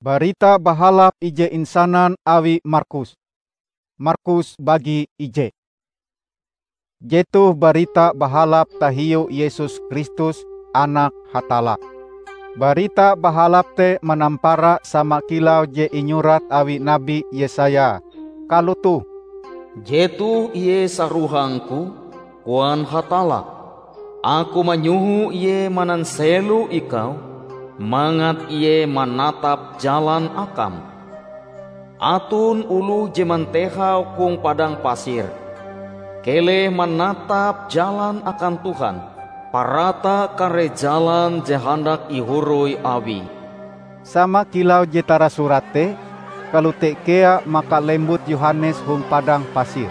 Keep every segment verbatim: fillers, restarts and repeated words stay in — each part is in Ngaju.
Barita Bahalap ije insanan awi Markus. Markus bagi ije. Jetoh Barita Bahalap tahiu Yesus Kristus, Anak Hatalla. Barita Bahalap te manampara sama kilau je inyurat awi Nabi Yesaya, kalotoh, "Jetoh Ie sarohang-Ku, koan Hatalla. Aku manyoho Ie mananselo ikau, mangat Ie manatap jalan akam." Aton oloh je mantehau hong padang pasir, "Keleh manatap jalan akan Tuhan, parata kare jalan je handak ihoroi Awie." Sama kilau je tarasurat te, kalote kea maka lembut Yohanes hong padang pasir.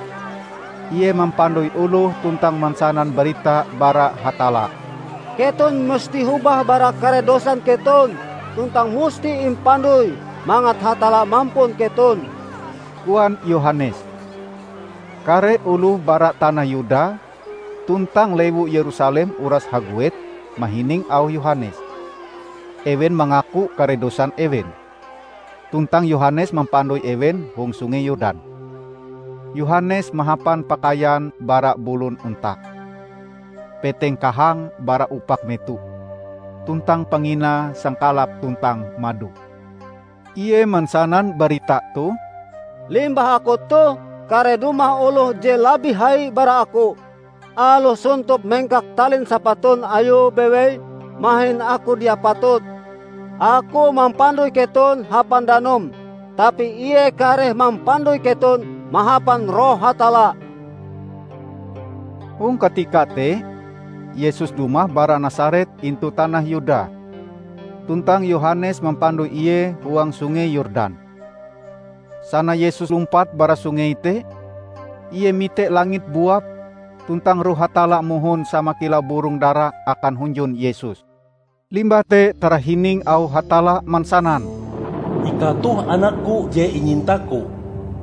Ie mampandoi oloh tuntang mansanan barita bara Hatalla. "Keton musti hobah bara kare dosan keton tuntang musti impandoi mangat Hatalla mampun keton," koan Yohanes. Kare oloh bara tanah Yuda tuntang lewu Yerusalem uras haguet mahining auh Yohanes. Ewen mangaku kare dosan ewen, tuntang Yohanes mampandoi ewen hong Sungei Yordan. Yohanes mahapan pakaian bara bulon ontak, peteng kahang bara upak meto, tuntang panginae sangkalap tuntang mado. Ie mansanan barita toh, "Limbah aku toh, kareh dumah oloh je labih hai bara aku. Aloh sontop mengkak talin sapaton ayue bewei, mahin aku dia patut. Aku mampandoi keton hapan danum, tapi Ie kareh mampandoi keton mahapan Roh Hatalla." Hong katika te, Yesus dumah bara Nasaret intu tanah Yuda, tuntang Yohanes mampandoi Ie huang Sungei Yordan. Sana Yesus lumpat bara sungei te, Ie mite langit buap, tuntang Roh Hatalla mohon sama kilau burong dara akan hunjun Yesus. Limbah te tarahining auh Hatalla mansanan, "Ikau toh Anak-Ku je inyinta-Ku,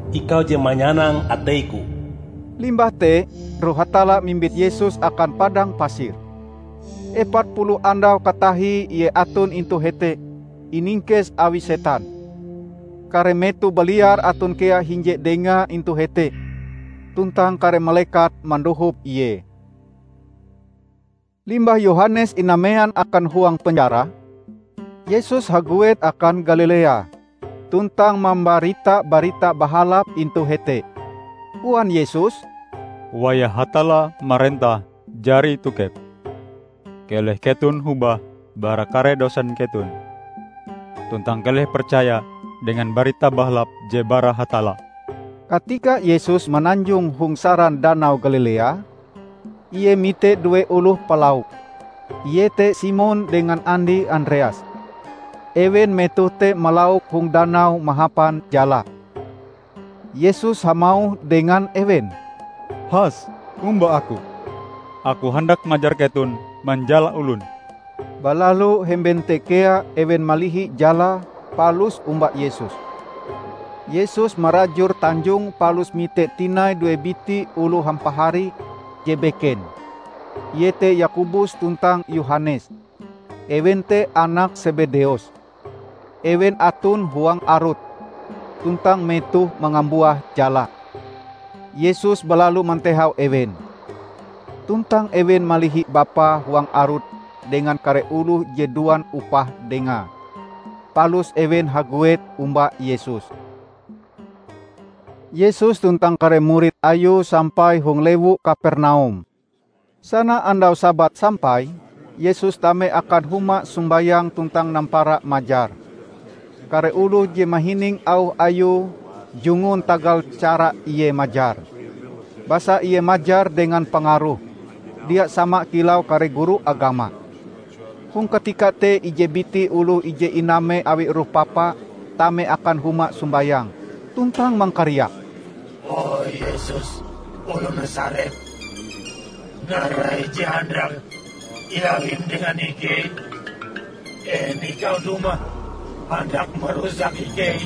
Ikau je manyanang atei-Ku." Limbah te, Roh Hatalla mimbit Yesus akan padang pasir. Epat puluh andau katahie Ie aton intu hete, iningkes awi setan. Kare meto baliar aton kea hinje Dengae intu hete, tuntang kare malekat mandohop Ie. Limbah Yohanes inamean akan huang penjara, Yesus haguet akan Galilea, tuntang mambarita Barita Bahalap intu hete. Koan Yesus, "Wayah Hatalla marentah jari tokep. Keleh keton hobah bara kare dosan keton, tuntang keleh percaya dengan Barita Bahalap je bara Hatalla." Katika Yesus mananjong hong saran Danau Galilea, Ie mite due oloh palauk, iete Simon dengan andie Andreas. Ewen metoh te malauk hong danau mahapan jala. Yesus hamauh dengan ewen, "Has, omba Aku. Aku handak majar keton manjala olon." Balalu hemben te kea ewen malihi jalae palus omba Yesus. Yesus marajur tanjong palus mite tinai due biti oloh hampahari je beken, iete Yakobus tuntang Yohanes. Ewen te anak Sebedeus. Ewen aton huang arut, tuntang metoh mangambuah jala. Yesus balalu mantehau ewen. Tuntang ewen malihi Bapa huang arut dengan kare oloh je duan upah Dengae. Palus ewen haguet omba Yesus. Yesus tuntang kare murid Ayue sampai hong lewu Kapernaum. Sana andau Sabat sampai, Yesus tame akan huma sombayang tuntang nampara majar. Kare oloh je mahining auh Ayue jungun tagal cara Ie majar. Basa Ie majar dengan pangaruh, dia sama kilau kare guru agama. Hong katika te ije biti oloh ije iname awi roh papa tame akan huma sombayang, tuntang mangkariak, "O Yesus, oloh Nasaret, narai je handak iawim dengan ikei? En ikau dumah handak marusak ikei?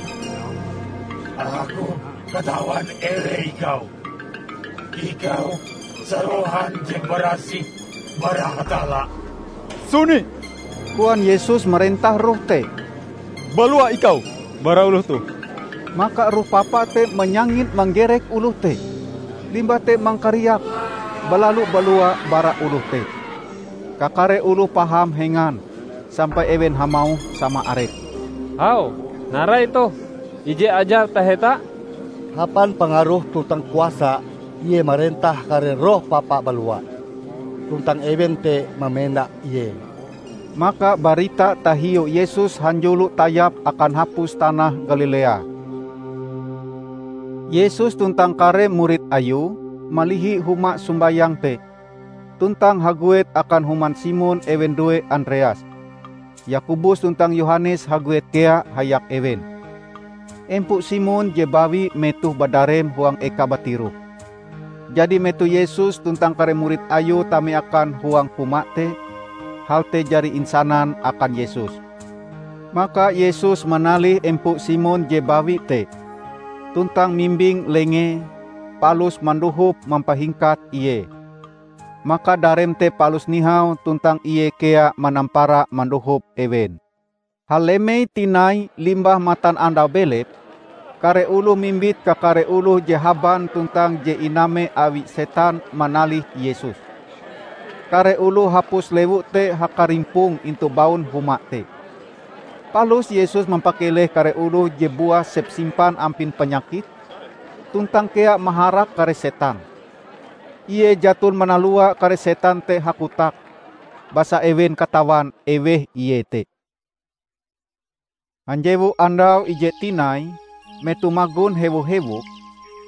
Aku katawan eweh ikau. Ikau sarohan je barasih bara Hatalla." "Suni!" koan Yesus marentah roh te. "Balua ikau! bara oloh toh!" Maka roh papa te manyangit manggerek oloh te, limbah te mangkariak balalu balua bara oloh te. Kakare oloh paham hengan, sampai ewen hamauh sama arepe, "Hau, narai toh ije ajar taheta?" Hapan pangaroh tuntang kuasa Ie marentah kare roh papa balua, tuntang ewen te mamenda Ie. Maka barita tahiu Yesus hanjulo tayap akan hapus tanah Galilea. Yesus tuntang kare murid Ayue malihi huma sombayang te, tuntang haguet akan human Simon ewen due Andreas. Yakobus tuntang Yohanes haguet kea hayak ewen. Empo Simon je bawi metoh badarem huang eka batiroh. Jadi metoh Yesus tuntang kare murid Ayue tame akan huang huma te, hal te jari insanan akan Yesus. Maka Yesus manalih empo Simon je bawi te, tuntang mimbing lengee, palus mandohop mampahingkat ie. Maka darem te palus nihau tuntang ie kea manampara mandohop ewen. Halemei tinai limbah matanandau belep, kare oloh mimbit kakare oloh je haban tuntang je iname awi setan manalih Yesus. Kare oloh hapus lewu te hakarimpong intu baun huma te. Palus Yesus mampakeleh kare oloh je buah sepsimpan ampin panyakit, tuntang kea maharak kare setan. Ie jaton manalua kare setan te hakotak, basa ewen katawan eweh Ie te. Hanjewu andau ije tinai, metoh magon hewo-hewok,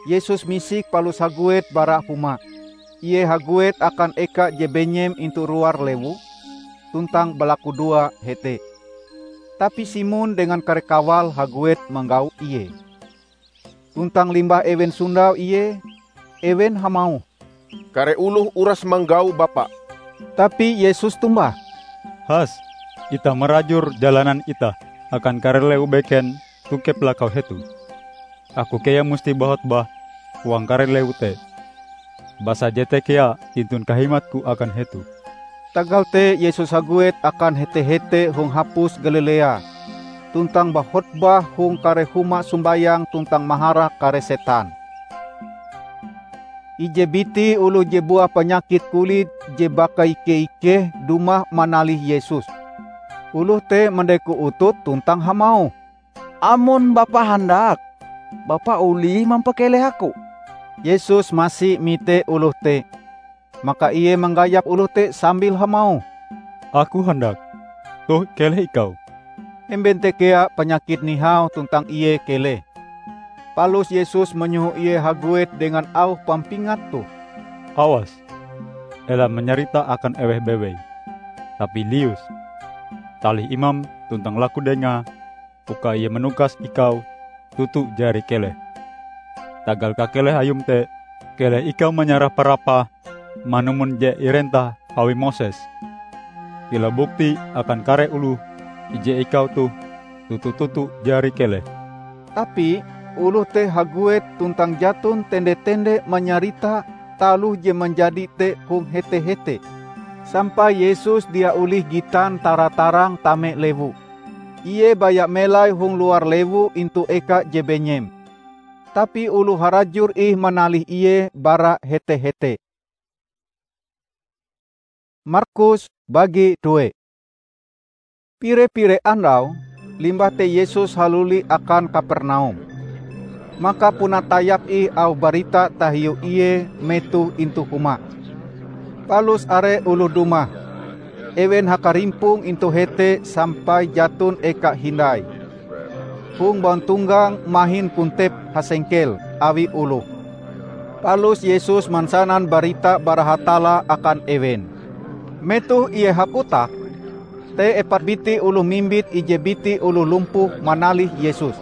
Yesus misik palus haguet bara huma. Ie haguet akan eka je benyem intu ruar lewu, tuntang balakudoa hete. Tapi Simon dengan kare kawale haguet manggau Ie. Tuntang limbah ewen sondau Ie, ewen hamauh, "Kare oloh uras manggau Bapa." Tapi Yesus tombah, "Has, itah marajur jalanan itah akan kare lewu beken tokep lakau hetoh. Aku kea musti bahotbah huang kare lewu te, basa jete kea inton kahimatku akan hetoh." Tagal te Yesus haguet akan hete-hete hong hapus Galilea, tuntang bahotbah hong kare huma sombayang tuntang maharak kare setan. Ije biti oloh je buah panyakit kulit je bakaike-ikeh dumah manalih Yesus. Oloh te mandeko utute tuntang hamauh, "Amon Bapa handak, Bapa olih mampakeleh aku." Yesus masi mite oloh te, maka Ie manggayap oloh te sambil hamauh, "Aku handak. Toh, keleh ikau." Hemben te kea panyakite nihau tuntang ie keleh. Palus Yesus manyoho ie haguet dengan auh pampingat toh, "Awas, ela manyarita akan eweh bewei, tapi lius, talih imam tuntang laku dengae uka ie manukas ikau toto jari keleh. Tagal kakeleh ayum te, keleh ikau manyarah parapah manumon je irentah awi Moses, kilau bukti akan kare oloh ije ikau toh toto-toto jari keleh." Tapi oloh te haguet tuntang jaton tende-tende manyarita taloh je manjadi te hong hete-hete, sampai Yesus dia olih gitan tara-tarang tame lewu. Ie baya melai hong luar lewu intu eka je benyem. Tapi oloh harajur ih manalih Ie bara hete-hete. Markus bagi due. Pire-pire andau, limbah te Yesus haluli akan Kapernaum. Maka puna tayap ih auh barita tahiu Ie metoh intu huma. Palus are oloh dumah. Ewen hakarimpong intu hete sampai jaton eka hindai. Hong bauntonggang mahin kontep hasengkel awi oloh. Palus Yesus mansanan barita bara Hatalla akan ewen. Metoh Ie hakotak, te epat biti oloh mimbit ije biti oloh lumpuh manalih Yesus.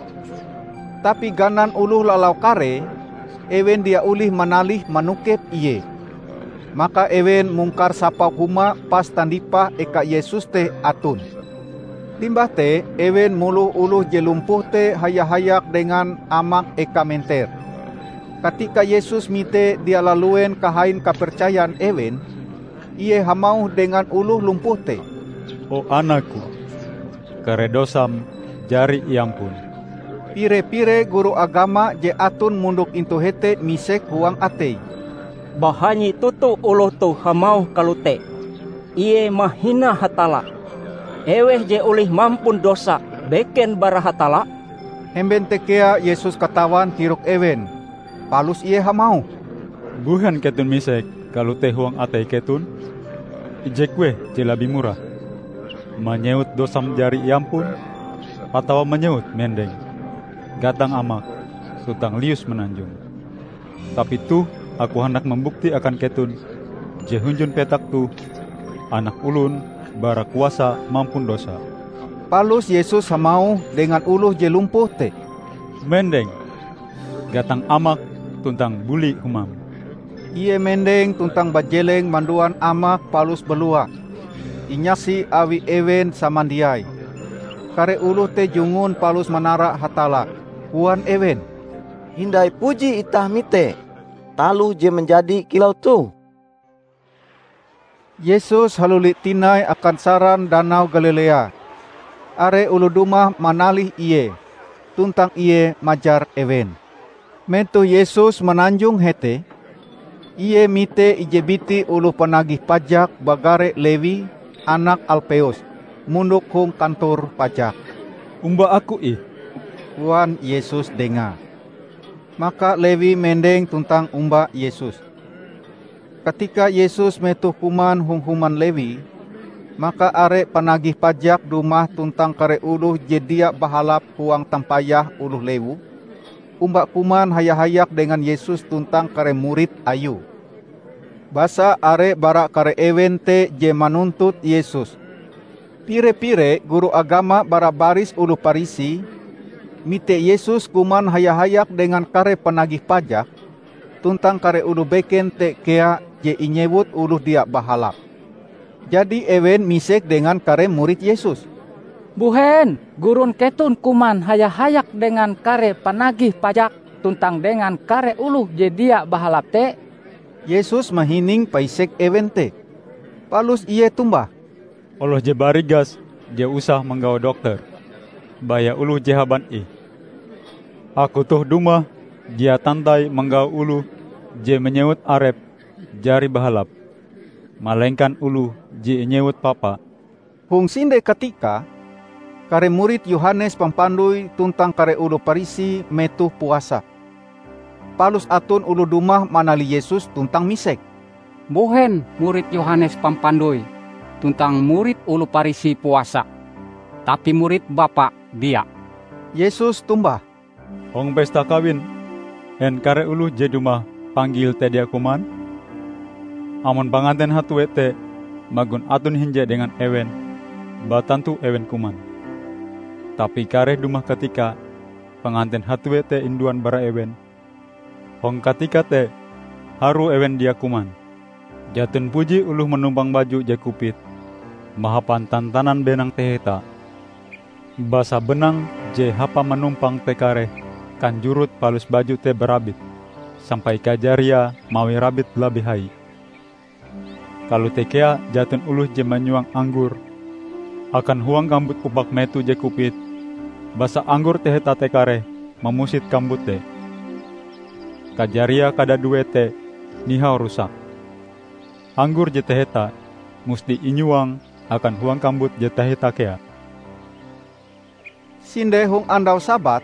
Tapi ganan oloh lalau karee, ewen dia olih manalih manokep Ie. Maka ewen mungkar sapau huma pas tandipah eka Yesus te aton. Limbah te ewen muloh oloh je lumpuh te haya-hayak dengan amak eka menter. Katika Yesus mite dia laluen kahain kapercayan ewen, Ie hamauh dengan oloh lumpuh te, "O anak-Ku, kare dosam jari iampun." Pire-pire guru agama je aton mondok intu hete misek huang ateie, "Bahanyi toto oloh toh hamauh kalote! Ie mahina Hatalla! Eweh je olih mampun dosa beken bara Hatalla?" Hemben te kea Yesus katawan tirok ewen, palus Ie hamauh, "Mbuhen keton misek kalote huang atei keton? Ije kueh je labih murah: manyewut dosam jari iampun, atawa manyewut mendeng, 'Gatang amak, tuntang lius mananjong'? Tapi toh Aku handak mambukti akan keton je hunjun petak toh Anak Olon bara kuasa mampun dosa." Palus Yesus hamauh dengan oloh je lumpuh te, "Mendeng, gatang amak tuntang buli humam!" Ie mendeng tuntang bajeleng manduan amak palus balua. Inyasi awi ewen samandiai. Kare oloh te jungun palus manara Hatalla. Koan ewen, "Hindai puji itah mite taloh je manjadi kilau toh!" Yesus haluli tinai akan saran Danau Galilea. Are oloh dumah manalih Ie, tuntang Ie majar ewen. Metoh Yesus mananjong hete, Ie mite ije biti oloh panagih pajak bagare Lewi, anak Alpeus, mondok hong kantor pajak. "Omba Aku ih," koan Yesus dengae. Maka Lewi mendeng tuntang omba Yesus. Katika Yesus metoh kuman hong human Lewi, maka are panagih pajak dumah tuntang kare oloh je dia bahalap huang tampayah oloh lewu, omba kuman haya-hayak dengan Yesus tuntang kare murid Ayue. Basa are bara kare ewen te je manuntut Yesus. Pire-pire guru agama bara baris oloh Parisi mite Yesus kuman haya-hayak dengan kare panagih pajak tuntang kare oloh beken te kea je inyewut oloh dia bahalap. Jadi ewen misek dengan kare murid Yesus, "Mbuhen gurun keton kuman haya-hayak dengan kare panagih pajak tuntang dengan kare oloh je dia bahalap te?" Yesus mahining paisek ewen te, palus Ie tombah, "Oloh je barigas dia usah manggau dokter, baya oloh je haban ih. Aku toh dumah dia tantai manggau oloh je manyewut arepe jari bahalap, malengkan oloh je inyewut papa." Hong sinde katika, kare murid Yohanes Pampandoi tuntang kare oloh Parisi metoh puasa. Palus aton oloh dumah manalih Yesus tuntang misek, "Mbuhen murid Yohanes Pampandoi tuntang murid oloh Parisi puasa, tapi murid Bapa dia?" Yesus tombah, "Hong pesta kawin, en kare oloh je dumah panggil te dia kuman? Amon panganten hatue te magon aton hinje dengan ewen, batantu ewen kuman. Tapi kareh dumah katika panganten hatue te induan bara ewen. Hong katika te, harue ewen dia kuman. Jaton puji oloh manumpang baju je kupit mahapan tantanan benang taheta. Basa benang je hapa manumpang te kareh kanjurut palus baju te barabit, sampai kajariae mawi rabit labih hai. Kalote kea jaton oloh je manyuang anggor akan huang kambut upak meto je kupit, basa anggor taheta te kareh mamusit kambut te. Kajariae kadadue te nihau rusak. Anggor je taheta musti inyuang akan huang kambut je taheta kea." Sinde hong andau Sabat,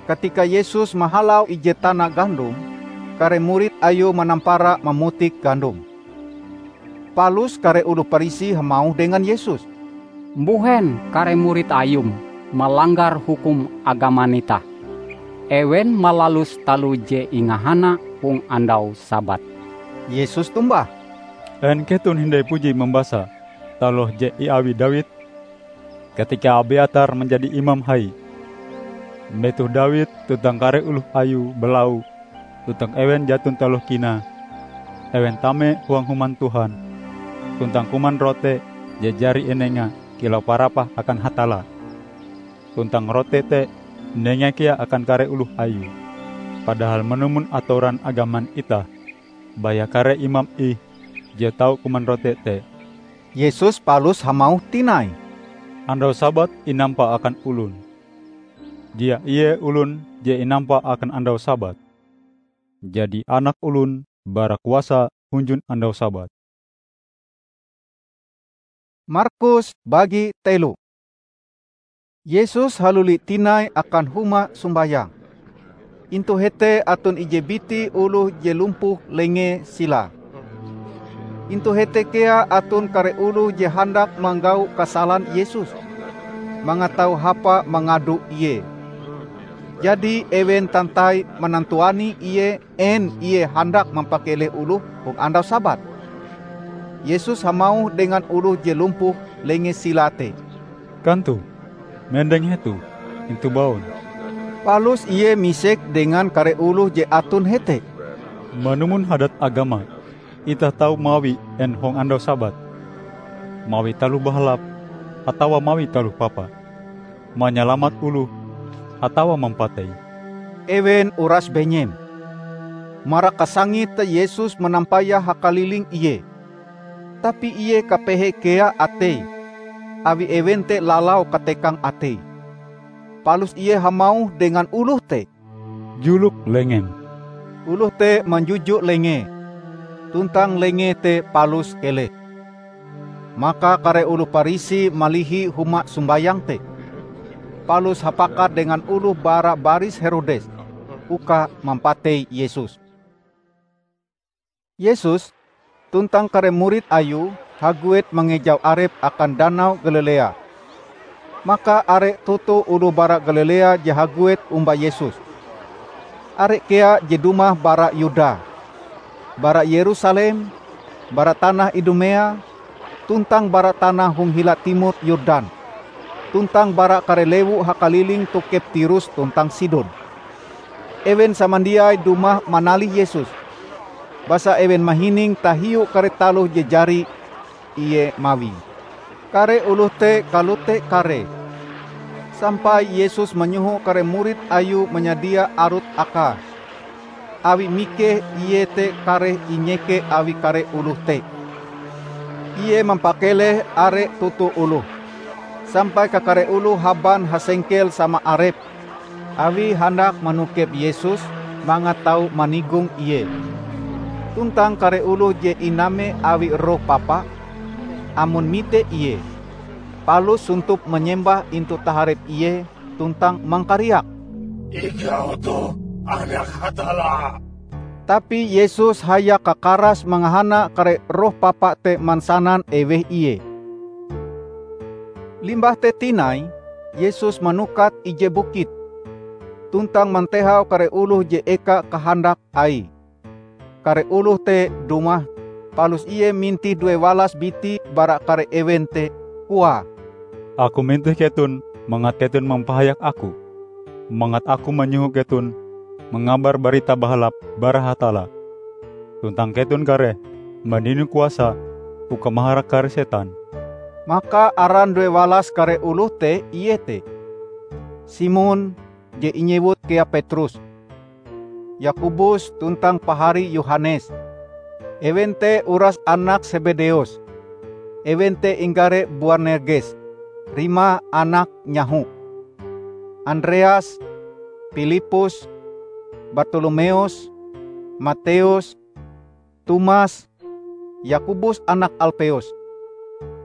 katika Yesus mahalau ije tana gandom, kare murid Ayue manampara mamutik gandom. Palus kare oloh Parisi hamauh dengan Yesus, "Mbuhen kare murid Ayum malanggar hukum agaman itah? Ewen malalus taloh je ingahana hong andau Sabat." Yesus tombah, "En keton hindai puji mambasa taloh je iawi Dawid, katika Abiatar manjadi imam hai? Metoh Dawid tuntang kare oloh ayue balau tuntang ewen jaton taloh kinae, ewen tame huang Human Tuhan, tuntang kuman rote je jari inengae kilau parapah akan Hatalla. Tuntang rote te inengae kea akan kare oloh ayue. Padahal manumon atoran agaman itah, baya kare imam ih je tau kuman rote te." Yesus palus hamauh tinai, "Andau Sabat inampa akan olon." Dia ie olon je inampa akan andau Sabat. Jadi Anak Olon bara kuasa hunjun andau Sabat." Markus bagi telo. Yesus haluli tinai akan huma sombayang. Intu hete aton ije biti oloh je lumpuh lengee silae. Intu hete kea aton kare oloh je handak manggau kasalan Yesus, mangat tau hapa mangado Ie. Jadi ewen tantai manantuani Ie en Ie handak mampakeleh oloh hong andau Sabat. Yesus hamauh dengan oloh je lumpuh lengee silae te, "Kantoh, mendeng hetoh intu baun." Palus Ie misek dengan kare oloh je aton hete, "Manumon hadat agama, itah tau mawi en hong andau Sabat? Mawi taloh bahalap atawa mawi taloh papa? Manyalamat oloh atawa mampatei?" Ewen uras benyem. Marak kasangite Yesus manampayah hakaliling Ie. Tapi Ie kapehe kea ateie, awi ewen te lalau katekang ateie. Palus Ie hamauh dengan oloh te, "Julok lengem." Oloh te manjujo lengee, tuntang lengee te palus keleh. Maka kare oloh Parisi malihi huma sombayang te, palus hapakat dengan oloh bara baris Herodes uka mampatei Yesus. Yesus tuntang kare murid Ayue haguet mangejau arepe akan Danau Galilea. Maka are toto oloh bara Galilea je haguet omba Yesus. Are kea je dumah bara Yuda, bara Yerusalem, bara tanah Idumea, tuntang bara tanah hong hila timor Yordan, tuntang bara kare lewu hakaliling tokep Tirus tuntang Sidon. Ewen samandiai dumah manalih Yesus, basa ewen mahining tahiu kare taloh je jari Ie mawie. Kare oloh te kalote karee, sampai Yesus manyoho kare murid Ayue manyadia arut Akae, awi mikeh Ie te kareh inyeke awi kare oloh te. Ie mampakeleh are toto oloh, sampai kakare oloh haban hasengkel sama arepe, awie handak manokep Yesus mangat tau manigong Ie. Tuntang kare oloh je iname awi roh papa, amon mite Ie, palus sontop manyembah intu taharep Ie tuntang mangkariak, "Ikau toh Anak Hatalla!" Tapi Yesus hayak kakaras mangahana kare roh papa te mansanan eweh Ie. Limbah te tinai, Yesus manukat ije bukit, tuntang mantehau kare oloh je eka kahandak Aie. Kare oloh te dumah, palus Ie mintih duewalas biti bara kare ewen te, koae, "Aku mintih keton mangat keton mampahayak Aku, mangat Aku manyoho keton mangabar Barita Bahalap bara Hatalla. Tuntang keton kareh mandino kuasa uka maharak kare setan." Maka aran duewalas kare oloh te iete: Simon, je inyewut kea Petrus, Yakobus tuntang paharie Yohanes, ewen te uras anak Sebedeus, ewen te inggare Boanerges, rimae anak nyaho, Andreas, Pilippus, Bartolomeus, Matius, Tomas, Yakobus anak Alpeus,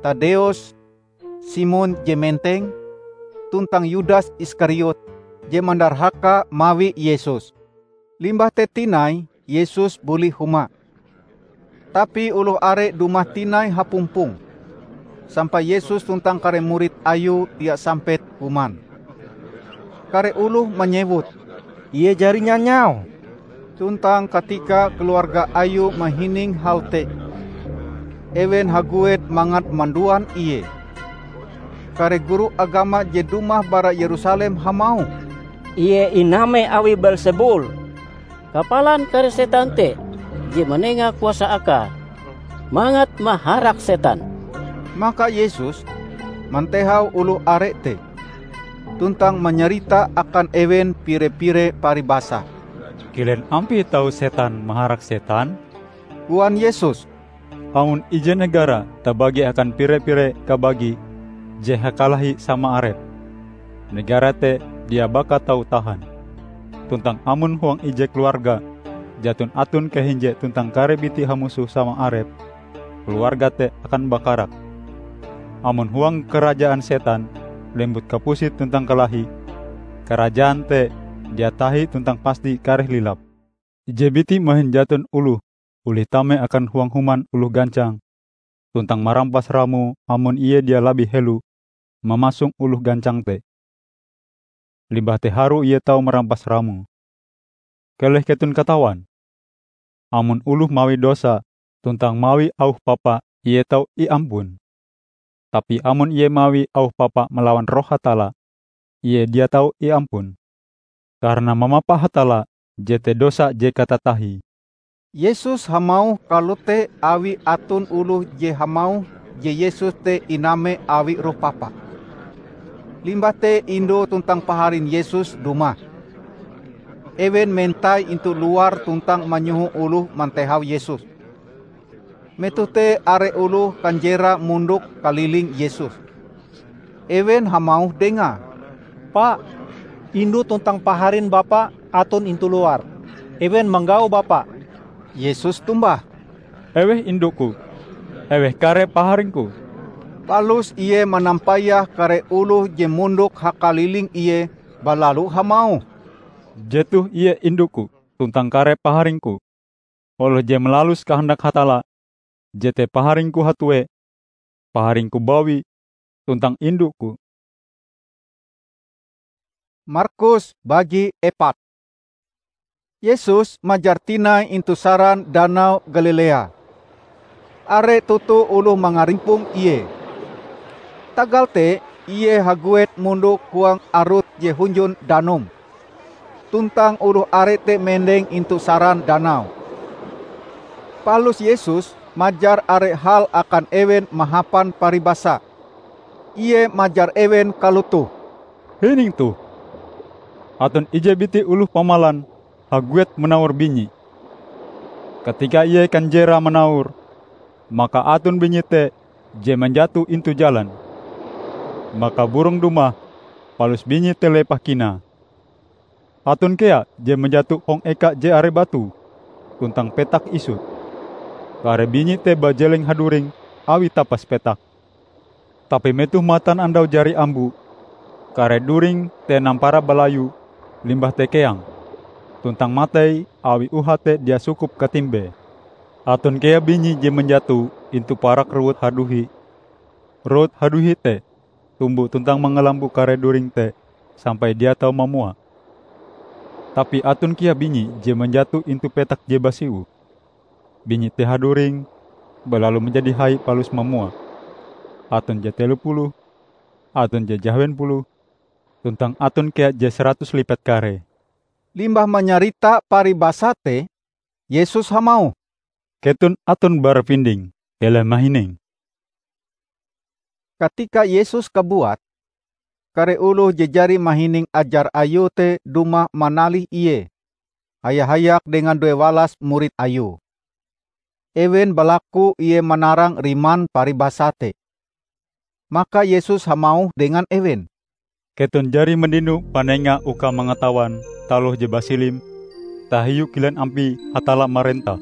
Tadeus, Simon je Menteng, tuntang Yudas Iskariot je mandarhaka mawi Yesus. Limbah te tinai Yesus buli huma. Tapi oloh are dumah tinai hapumpong, sampai Yesus tuntang kare murid Ayue dia sampet kuman. Kare oloh manyewut, "Ie jari nyanyau." Tuntang katika keluarga Ayue mahining hal te, ewen haguet mangat manduan Ie. Kare guru agama je dumah bara Yerusalem hamauh, "Ie iname awi Beelsebul, kapalan kare setan te je manenga kuasa Akae mangat maharak setan." Maka Yesus mantehau oloh are te, tuntang manyarita akan ewen pire-pire paribasa. "Kilen ampie tau setan maharak setan?" koan Yesus. "Amon ije negara tabagi akan pire-pire kabagi je hakalahi sama arepe, negara te dia baka tau tahan. Tuntang amon huang ije keluarga jaton aton kahinje tuntang kare biti hamusoh sama arepe, keluarga te akan bakarak. Amon huang karajaan setan lembut kapusit tuntang kalahi, karajaan te dia tahi tuntang pasti kareh lilap. Ije biti mahin jaton oloh olih tame akan huang human oloh gancang, tuntang marampas ramoe amon ie dia labih helo mamasong oloh gancang te. Limbah te harue ie tau marampas ramoe. Keleh keton katawan, amon oloh mawi dosa tuntang mawi auh papa, ie tau iampun. Tapi amon ie mawi auh papa malawan Roh Hatalla, ie dia tau iampun, karana mamapa Hatalla jete dosa je katatahie. Yesus hamauh kalote awi aton oloh je hamauh je Yesus te iname awi roh papa. Limbah te indu tuntang paharin Yesus dumah. Ewen mentai intu luar tuntang manyoho oloh mantehau Yesus. Metoh te are oloh kanjerae mondok kaliling Yesus. Ewen hamauh dengae, "Pa, indu tuntang paharin Bapa aton intu luar. Ewen manggau Bapa." Yesus tombah, "Eweh indu-Ku, eweh kare paharing-Ku." Palus Ie manampayah kare oloh je mondok hakaliling Ie, balalu hamauh, "Jetoh ie indu-Ku tuntang kare paharing-Ku. Oloh je malalus kahandak Hatalla, jete paharing-Ku hatue, paharing-Ku bawi, tuntang indu-Ku." Markus bagi epat. Yesus majar tinai intu saran Danau Galilea. Are toto oloh mangarimpong Ie. Tagal te Ie haguet mondok huang arut je hunjun danum, tuntang oloh are te mendeng intu saran danau. Palus Yesus majar are hal akan ewen mahapan paribasa. Ie majar ewen kalotoh, "Hining toh! Aton ije biti oloh pamalan haguet manaur binyi. Katika ie kanjerae manaur, maka aton binyi te je manjato intu jalan. Maka burong dumah, palus binyi te lepah kinae. Aton kea je manjato hong eka je are batu, tuntang petak isut. Kare binyi te bajeleng haduring awi tapas petak. Tapi metoh matanandau jari ambo, kare during te nampara balayu, limbah te keang, tuntang matei awi uhae te dia sukup katimbee. Aton kea binyi je manjato intu parak rowut haduhi. Rowut haduhi te tumbo tuntang mangalambo kare during te sampai dia tau mamua. Tapi aton kea binyi je manjato intu petak je basiwoh. Binyi te haduring, balalu manjadi hai palus mamua. Aton je telo puluh, aton je jahawen puluh, tuntang aton kea je saratus lipat karee." Limbah manyarita paribasa te, Yesus hamauh, "Keton aton bara pinding, keleh mahining." Katika Yesus kabuat, kare oloh je jari mahining ajar Ayue te dumah manalih Ie, haya-hayak dengan duewalas murid Ayue. Ewen balaku Ie manarang riman paribasa te. Maka Yesus hamauh dengan ewen, "Keton jari mandino panenga uka mangatawan taloh je basilim tahiu kilen ampie Hatalla marentah.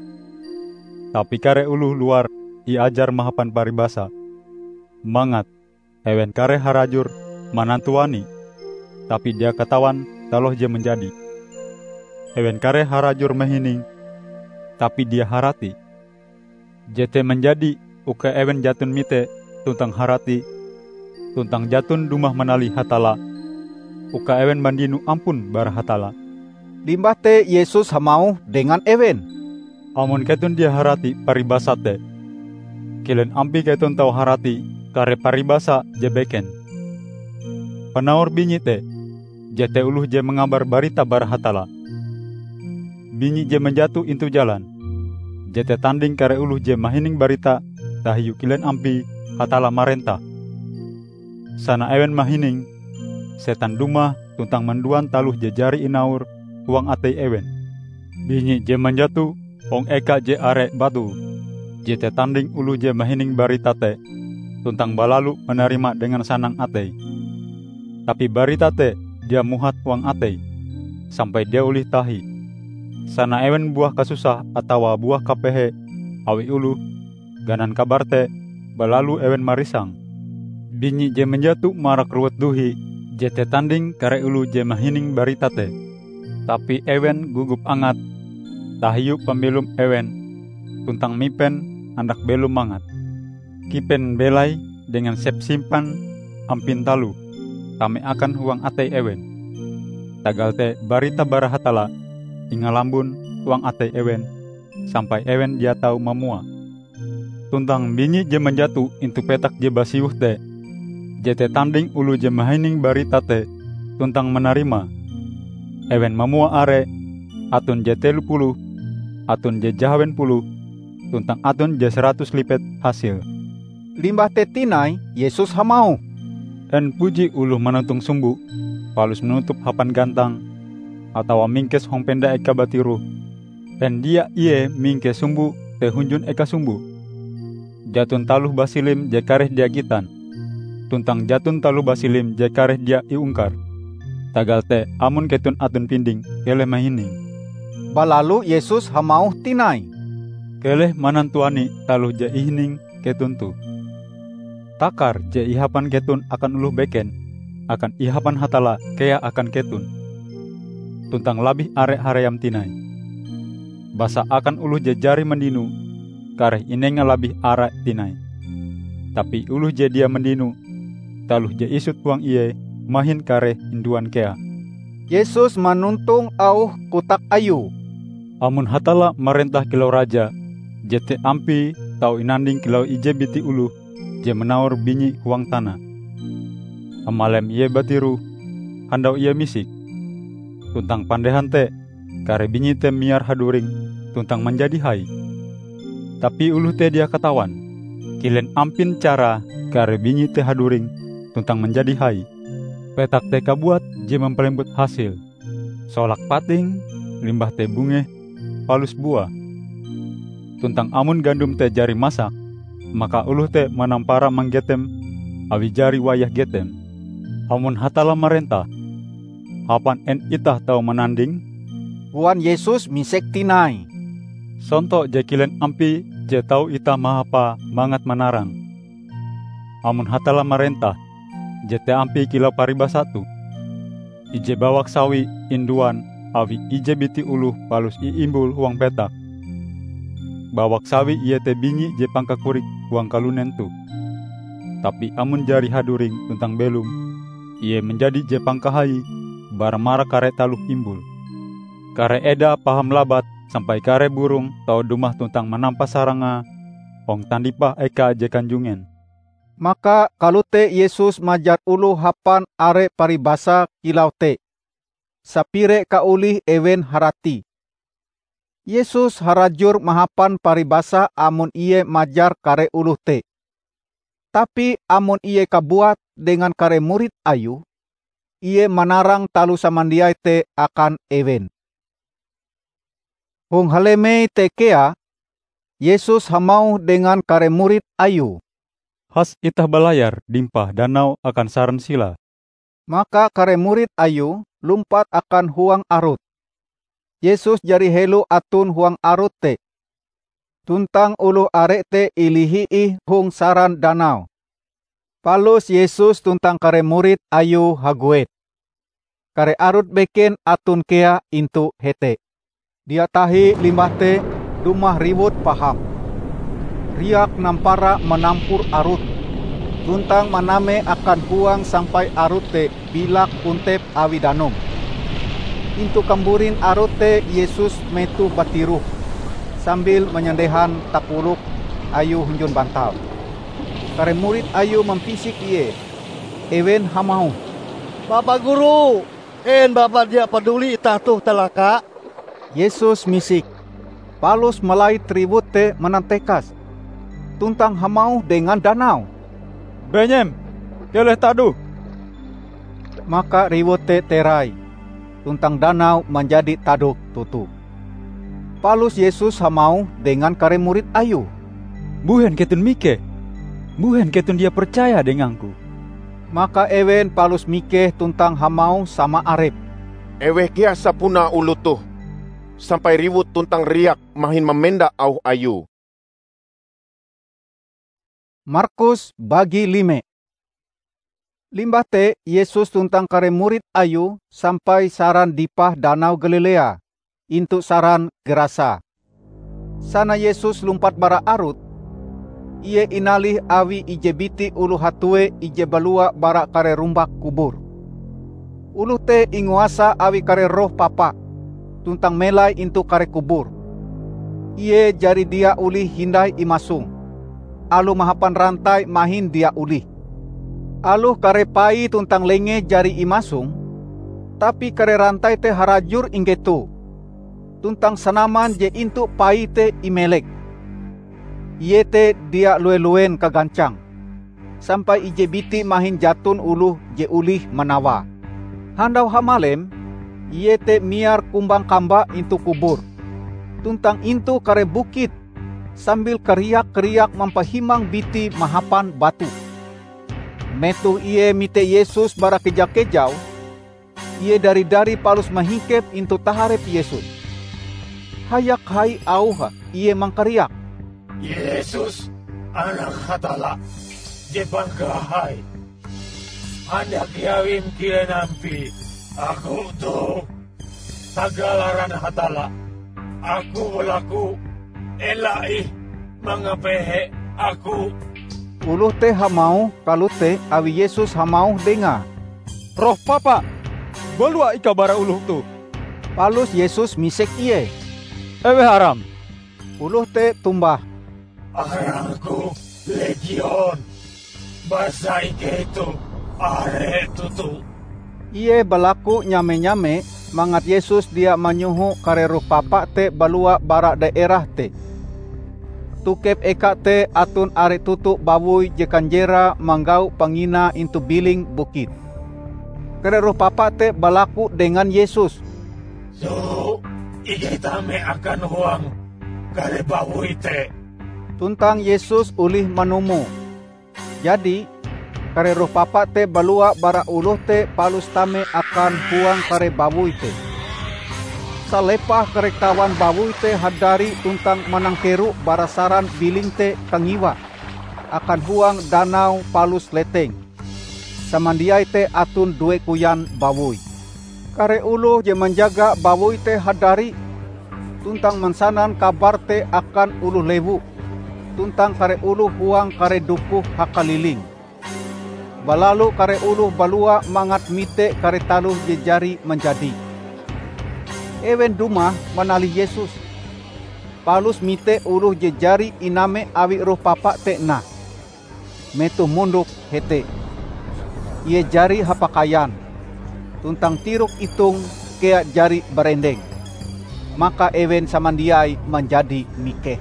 Tapi kare oloh luar iajar mahapan paribasa, mangat ewen kareh harajur manantuani, tapi dia katawan taloh je manjadi. Ewen kareh harajur mahining, tapi dia harati. Jete manjadi uka ewen jaton mite tuntang harati, tuntang jaton dumah manalih Hatalla, uka ewen mandino ampun bara Hatalla." Limbah te Yesus hamauh dengan ewen, "Amon keton dia harati paribasa te, kilen ampie keton tau harati kare paribasa je beken? Panaur binyi te, jete oloh je mangabar barita bara Hatalla. Binyi je manjato intu jalan, jete tanding kare oloh je mahining barita tahiu kilen ampie Hatalla marentah. Sana ewen mahining, setan dumah tuntang manduan taloh je jari inaur huang atei ewen. Binyi je manjato hong eka je are batu, jete tanding oloh je mahining barita te, tuntang balalu manarima dengan sanang atei. Tapi barita te dia muhat huang ateie, sampai dia olih tahi. Sana ewen buah kasusah atawa buah kapehe awi oloh, ganan kabar te balalu ewen marisang. Binyi je manjato marak rowut duhi jete tanding kare oloh je mahining barita te. Tapi ewen gogop angat tahiu pambelom ewen, tuntang mipen handak belom mangat. Kipen belai dengan sepsimpan ampin taloh tame akan huang atei ewen. Tagal te barita bara Hatalla ingalambon huang atei ewen sampai ewen dia tau mamua. Tuntang binyi je manjato intu petak je basiwoh te, jete tanding oloh je mahining barita te tuntang manarimae. Ewen mamua are, aton je telo puluh, aton je jahawen puluh, tuntang aton je saratus lipet hasile." Limbah te tinai, Yesus hamauh, "En puji oloh manotong sumbo, palus manutupe hapan gantang, atawa mingkese hong penda eka batiroh? En dia ie mingkes sumbo te hunjun eka sumbo? Jaton taloh basilim je kareh dia gitan, tuntang jaton taloh basilim je kareh dia iungkar. Tagal te, amon keton aton pinding, keleh mahining." Balalu Yesus hamauh tinai, "Keleh manantuani taloh je ihining keton toh. Takar je ihapan keton akan oloh beken, akan ihapan Hatalla kea akan keton, tuntang labih are haream tinai. Basa akan oloh je jari mandino, kareh inenga labih are tinai. Tapi oloh je dia mandino, taloh je isut huang ie mahin kareh induan kea." Yesus manontong auh kotak Ayue, "Amon Hatalla marentah kilau raja, jete ampie tau inanding kilau ije biti oloh je manawor binyi huang tana. Hamalem ie batiroh, handau ie misik. Tuntang pandehan te, kare binyi te miar haduring tuntang manjadi hai. Tapi oloh te dia katawan kilen ampin carae kare binyi te haduring tuntang manjadi hai. Petak te kabuat je mampalembut hasile, solake patinge, limbah te bungeh, palus buah. Tuntang amon gandom te jari masak, maka oloh te manampara manggetem awi jari wayah getem. Amon Hatalla marentah, hapan en itah tau manandinge?" koan Yesus misek tinai. "Sonto je kilen ampie je tau itah mahapae mangat manarang. Amon Hatalla marentah, jete ampie kilau paribasa toh: ije bawak sawi induan awi ije biti oloh palus iimbul huang petak. Bawak sawi iete binyi je pangkakorike huang kalunen toh. Tapi amon jari haduring tuntang belom, ie manjadi je pangkahaie bara marak kare taloh imbul. Kare edae paham labat sampai kare burong tau dumah tuntang manampa sarangae hong tandipah eka je kanjungen." Maka kalote Yesus majar oloh hapan are paribasa kilau te, sapire kaolihe ewen haratie. Yesus harajur mahapan paribasa amon Ie majar kare oloh te. Tapi amon Ie kabuat dengan kare murid Ayue, Ie manarang taloh samandiai te akan ewen. Hong halemei te kea, Yesus hamauh dengan kare murid Ayue, "Has itah balayar dimpah danau akan saran silae." Maka kare murid Ayue lumpat akan huang arut. Yesus jari helo aton huang arut te, tuntang oloh are te ilihi ih hong saran danau. Palus Yesus tuntang kare murid Ayue haguet. Kare arut beken aton kea intu hete. Dia tahi limbah te dumah riwut paham. Riak nampara manampur arut, tuntang maname akan huang sampai arut te bilak kontep awi danum. Intu kamburin arut te Yesus metoh batiroh, sambil manyandehan takolok Ayue hunjun bantal. Kare murid Ayue mampisik Ie. Ewen hamauh, "Bapa Guru, en Bapa dia paduli itah toh calaka?" Yesus misik, palus malait riwut te manantekas, tuntang hamauh dengan danau, "Benyem, keleh tadoh!" Maka riwut te terai, tuntang danau manjadi tadok toto. Palus Yesus hamauh dengan kare murid Ayue, "Mbuhen keton mikeh? Mbuhen keton dia percaya dengang-Ku?" Maka ewen palus mikeh tuntang hamauh sama arepe, "Eweh kea sapunae oloh toh, sampai riwut tuntang riak mahin mamenda auh Ayue?" Markus bagi lime. Limbah te Yesus tuntang kare murid Ayue sampai saran dipah Danau Galilea, intu saran Gerasa. Sana Yesus lumpat bara arut, Ie inalih awi ije biti oloh hatue ije balua bara kare rumbak kubur. Oloh te inguasa awi kare roh papa, tuntang melai intu kare kubur. Ie jari dia olih hindai imasong, aloh mahapan rantai mahin dia olih. Aloh kare paie tuntang lengee jari imasong, tapi kare rantai te harajur inggeto, tuntang sanaman je intu paie te imelek. Ie te dia lue-luen kagancang, sampai ije biti mahin jaton oloh je olih manawae. Handau hamalem, ie te miar kumbang kamba intu kubur, tuntang intu kare bukit sambil kariak-kariak mampahimang biti mahapan batu. Metoh ie mite Yesus bara keja-kejau, ie dari-dari palus mahingkep intu taharep Yesus. Hayak hai auhe ie mangkariak, "Yesus, Anak Hatalla je pangkahai! Handak iawiM kilen ampie aku toh! Tagal aran Hatalla, aku balaku! Ela ih mangapehe aku!" Oloh te hamauh kalote awi Yesus hamauh dengae, "Roh papa, balua ikau bara oloh toh!" Palus Yesus misek ie, "Eweh aram?" Oloh te tombah, "Arangku Legion, basa ikei toh are toto." Ie balaku nyame-nyame mangat Yesus dia manyoho kare roh papa te balua bara daerah te. Tokep eka te aton are toto bawoi je kanjerae manggau panginae intu biling bukit. Kare roh papa te balaku dengan Yesus, "Soho ikei tame akan huang kare bawoi te." Tuntang Yesus olih manumon. Jadi, kare roh papa te balua bara oloh te palus tame akan huang kare bawoi te. Salepah kare kawan bawoi te hadari tuntang manangkero bara saran biling te kangiwa akan huang danau palus leteng. Samandiai te aton due koyan bawoi. Kare oloh je manjaga bawoi te hadari tuntang mansanan kabar te akan oloh lewu tuntang kare oloh huang kare dokoh hakaliling. Balalu kare oloh balua mangat mite kare taloh je jari manjadi. Ewen dumah manalih Yesus, palus mite oloh je jari iname awi roh papa te nah. Metoh mondok hete, ie jari hapakaian, tuntang tirok itonge kea jari barendeng. Maka ewen samandiai manjadi mikeh.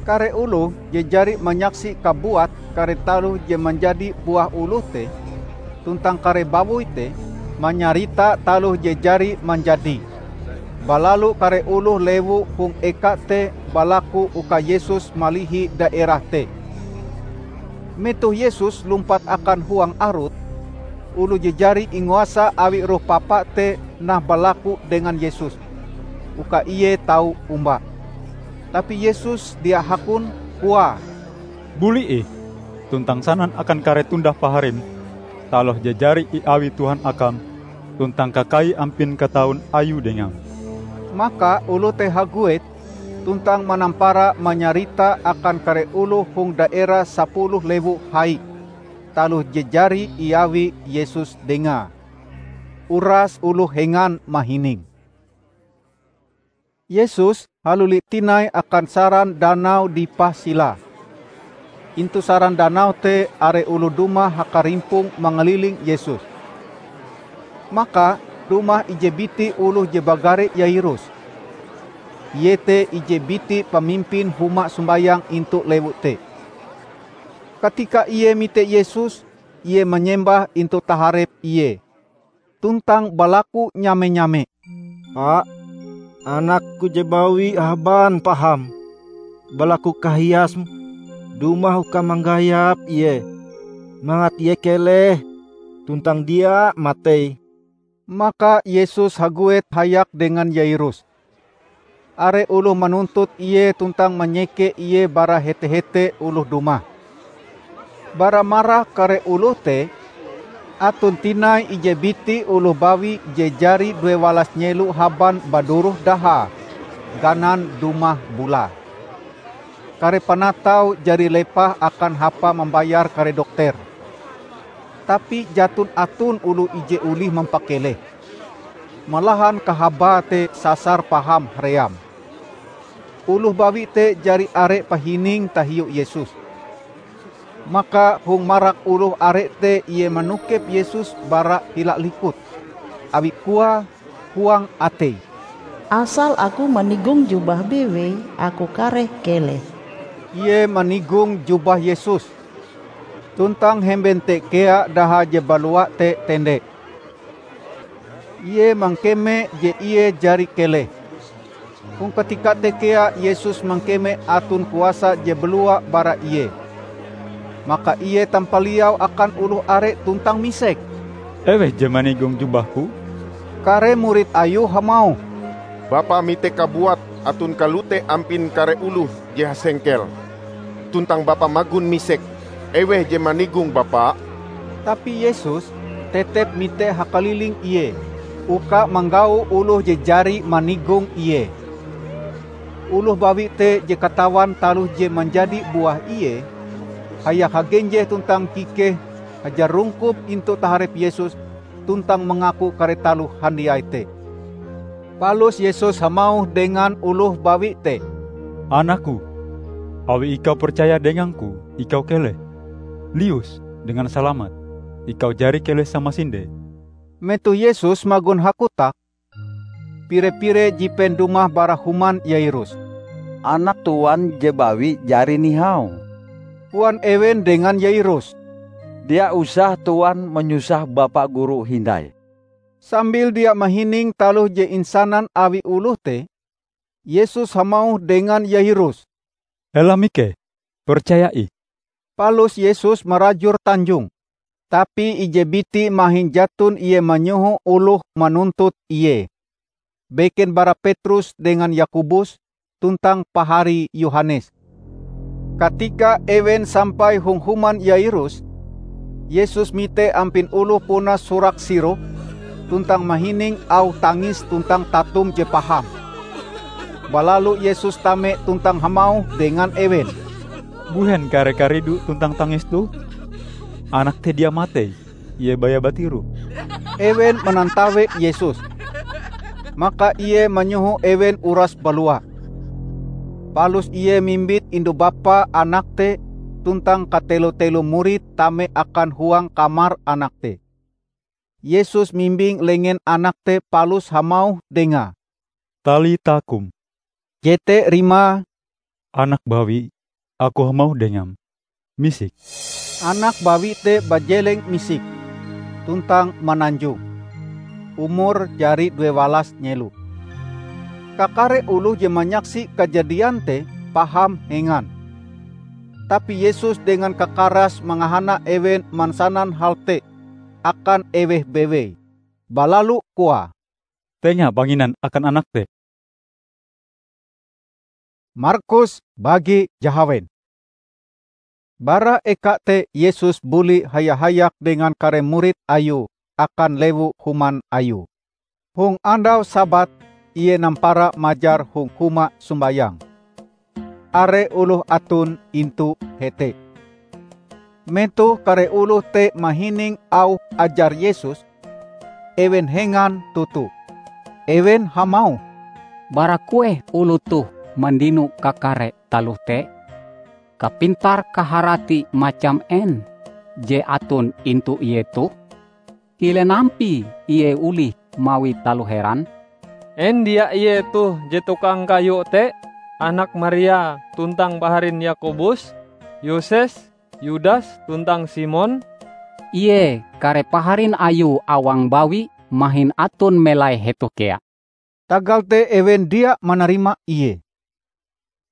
Kare oloh je jari manyaksi kabuat kare taloh je manjadi buah oloh te, tuntang kare bawoi te, manyarita taloh je jari manjadi. Balalu kare oloh lewu hong eka te balaku uka Yesus malihi daerah te. Metoh Yesus lumpat akan huang arut, oloh je jari inguasa awi roh papa te nah balaku dengan Yesus uka ie tau omba. Tapi Yesus dia hakon, koae, "Buli ih, tuntang sanan akan kare tundah paharim taloh je jari iawi Tuhan akam tuntang kakai ampin kataun ayue dengam." Maka oloh te haguet tuntang manampara manyarita akan kare oloh hong daerah Sapuluh Lewu Hai taloh je jari iawi Yesus dengae. Uras oloh hengan mahining. Yesus haluli tinai akan saran danau dipah silae. Intu saran danau te are oloh dumah hakarimpong mangaliling Yesus. Maka dumah ije biti oloh je bagare Yairus. Ie te ije biti pamimpin huma sombayang intu lewu te. Katika ie mite Yesus, ie manyembah intu taharep Ie, tuntang balaku nyame-nyame, "Pa, anakku je bawi haban paham. Balaku kahiasm dumah uka manggayap ie, mangat ie keleh tuntang dia matei." Maka Yesus haguet hayak dengan Yairus. Are oloh manuntut Ie tuntang manyeke Ie bara hete-hete oloh dumah. Bara marak kare oloh te, aton tinai ije biti oloh bawi je jari duewalas nyelo haban baduroh dahae, ganan dumah bulae. Kare panatau jari lepah akan hapa mambayar kare dokter. Tapi jaton aton oloh ije olih mampakeleh. Malahan kahabae te sasar paham haream. Oloh bawi te jari are pahining tahiu Yesus. Maka hong marak oloh are te ie manokep Yesus bara hila likute, awi koae huang ateie, "Asal aku manigong jubah bewei, aku kareh keleh." Ie manigong jubah Yesus. Tuntang hemben te kea daha je balua te tende. Ie mangkeme je ie jari keleh. Hong katika te kea Yesus mangkeme aton kuasa je balua bara Ie. Maka Ie tampaliau akan oloh are tuntang misek, "Eweh je manigong jubah-Ku?" Kare murid Ayue hamauh, "Bapa mite kabuat aton kalote ampin kare oloh je hasengkel, tuntang Bapa magon misek, 'Eweh je manigong Bapa?'" Tapi Yesus tetep mite hakaliling Ie, uka manggau oloh je jari manigong Ie. Oloh bawi te je katawan taloh je manjadi buah ie, hayak hagenjeh tuntang kikeh hajar rungkub intu taharep Yesus tuntang mangaku kare taloh handiai te. Palus Yesus hamauh dengan oloh bawi te, "Anak-Ku, awi ikau percaya dengang-Ku, ikau keleh. Lius dengan salamat, ikau jari keleh samasinde." Metoh Yesus magon hakotak, pire-pire jipen dumah bara human Yairus. "Anak tuan je bawi jari nihau," koan ewen dengan Yairus. "Dia usah tuan manyusah Bapa Guru hindai." Sambil dia mahining taloh je insanan awi oloh te, Yesus hamauh dengan Yairus, "Ela mikeh, percaya ih." Palus Yesus marajur tanjong, tapi ije biti mahin jaton ie manyoho oloh manuntut Ie, beken bara Petrus dengan Yakobus tuntang paharie Yohanes. Katika ewen sampai hong human Yairus, Yesus mite ampin oloh puna surak siro tuntang mahining auh tangis tuntang tatum je paham. Balalu Yesus tame tuntang hamauh dengan ewen, "Mbuhen kare karidu tuntang tangis toh? Anak te dia matei, ie baya batiroh." Ewen manantawe Yesus. Maka Ie manyoho ewen uras balua. Palus Ie mimbit indu-bapa anak te tuntang katelo-telo murid tame akan huang kamar anak te. Yesus mimbing lengen anak te palus hamauh dengae, "Talita kum," jete rimae, "Anak bawi, Aku hamauh dengam, misik." Anak bawi te bajeleng misik, tuntang mananjong. Umure jari duewalas nyelo. Kakare oloh je manyaksi kajadian te paham hengan. Tapi Yesus dengan kakarase mangahana ewen mansanan hal te akan eweh bewei, balalu koae, "Tenga panginan akan anak te." Markus bagi jahawen. Bara eka te Yesus buli haya-hayak dengan kare murid Ayue akan lewu human Ayue. Hong andau Sabat, Ie nampara majar hong huma sombayang. Are oloh aton intu hete. Metoh kare oloh te mahining auh ajar Yesus, ewen hengan toto. Ewen hamauh, "Bara kueh oloh toh mandino kakare taloh te? Kapintar-kaharati macam en je aton intu ie toh? Kilen ampie ie olih mawi taloh heran? En dia ie toh je tukang kayu te, anak Maria tuntang paharin Yakobus, Yoses, Yudas tuntang Simon?" Ie kare paharin Ayue awang bawi mahin aton melai hetoh kea." Tagal te ewen dia manarima Ie.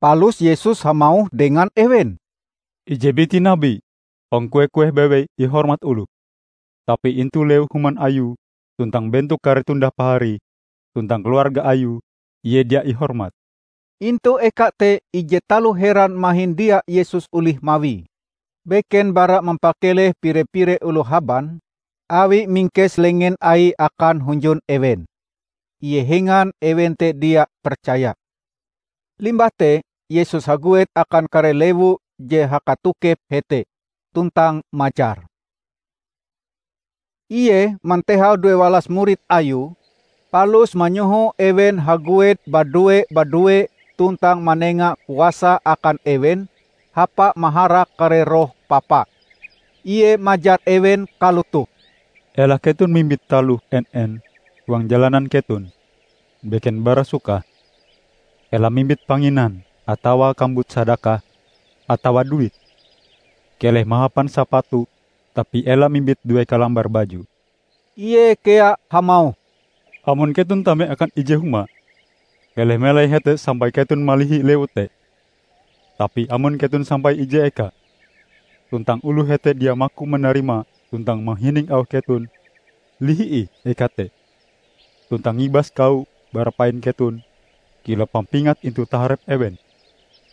Palus Yesus hamauh dengan ewen, "Ije biti nabi hong kueh-kueh bewei ihormat oloh. tapi intu lewu human ayue tuntang bentok kare tundah paharie tuntang keluarga ayue, ie dia ihormat." Intu eka te ije taloh heran mahin dia Yesus olih mawie. Beken bara mampakeleh pire-pire oloh haban, awi mingkes lengen Aie akan hunjun ewen. Ie hengan ewen te dia percaya. Limbah te, Yesus haguet akan kare lewu je hakatokep hete, tuntang majar. Ie mantehau duewalas murid Ayue, palus manyoho ewen haguet badue-badue tuntang manenga kuasa akan ewen hapa maharak kare roh papa. Ie majar ewen kalotoh, "Ela keton mimbit taloh en-en huang jalanan keton, beken bara sukah. Ela mimbit panginan atawa kambut sadakah atawa duit. Keleh mahapan sapatu, tapi ela mimbit due kalambar baju." Ie kea hamauh, "Amon keton tame akan ije huma, keleh melai hete sampai keton malihi lewu te. Tapi amon keton sampai ije eka, tuntang oloh hete dia maku manarima tuntang mahining auh keton, lihi ih eka te, tuntang ngibas kawo bara pain keton kilau pampingat intu taharep ewen."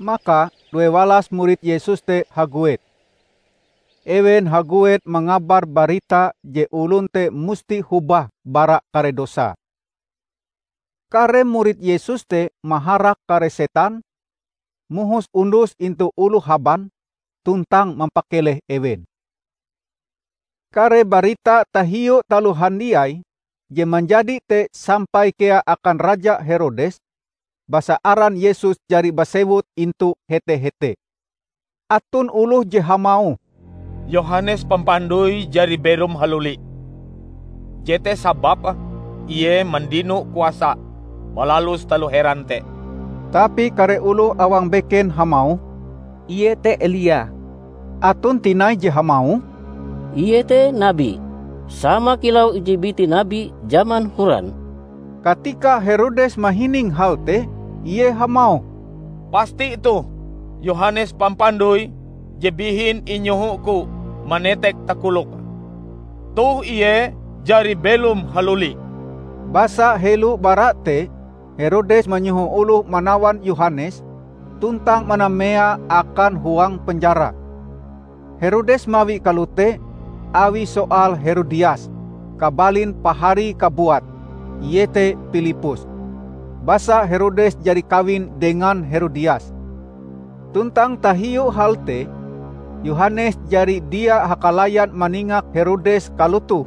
Maka duewalas murid Yesus te haguet. Ewen haguet mangabar barita je olon te musti hobah bara kare dosae. Kare murid Yesus te maharak kare setan, mohos undus intu oloh haban, tuntang mampakeleh ewen. Kare barita tahiu taloh handiai je manjadi te sampai kea akan Raja Herodes, basa aran Yesus jari basewut intu hete-hete. Aton oloh je hamauh, "Yohanes Pampandoi jari belom haluli. Jete sababe ie mandino kuasa malalus taloh heran te." Tapi kare oloh awang beken hamauh, "Ie te Elia." Aton tinai je hamauh, "Ie te nabi, sama kilau ije biti nabi jaman horan." Katika Herodes mahining hal te, ie hamauh, "Pasti toh Yohanes Pampandoi je bihin inyoho-Ku manetek takolok. Toh ie jari belom haluli." Basa helo bara te, Herodes manyoho oloh manawan Yohanes tuntang manameae akan huang penjara. Herodes mawi kalote awi soal Herodias, kabalin paharie kabuat, iete Pilippus. Basa Herodes jari kawin dengan Herodias. Tuntang tahiu hal te, Yohanes jari dia hakalayan maningak Herodes kalotoh,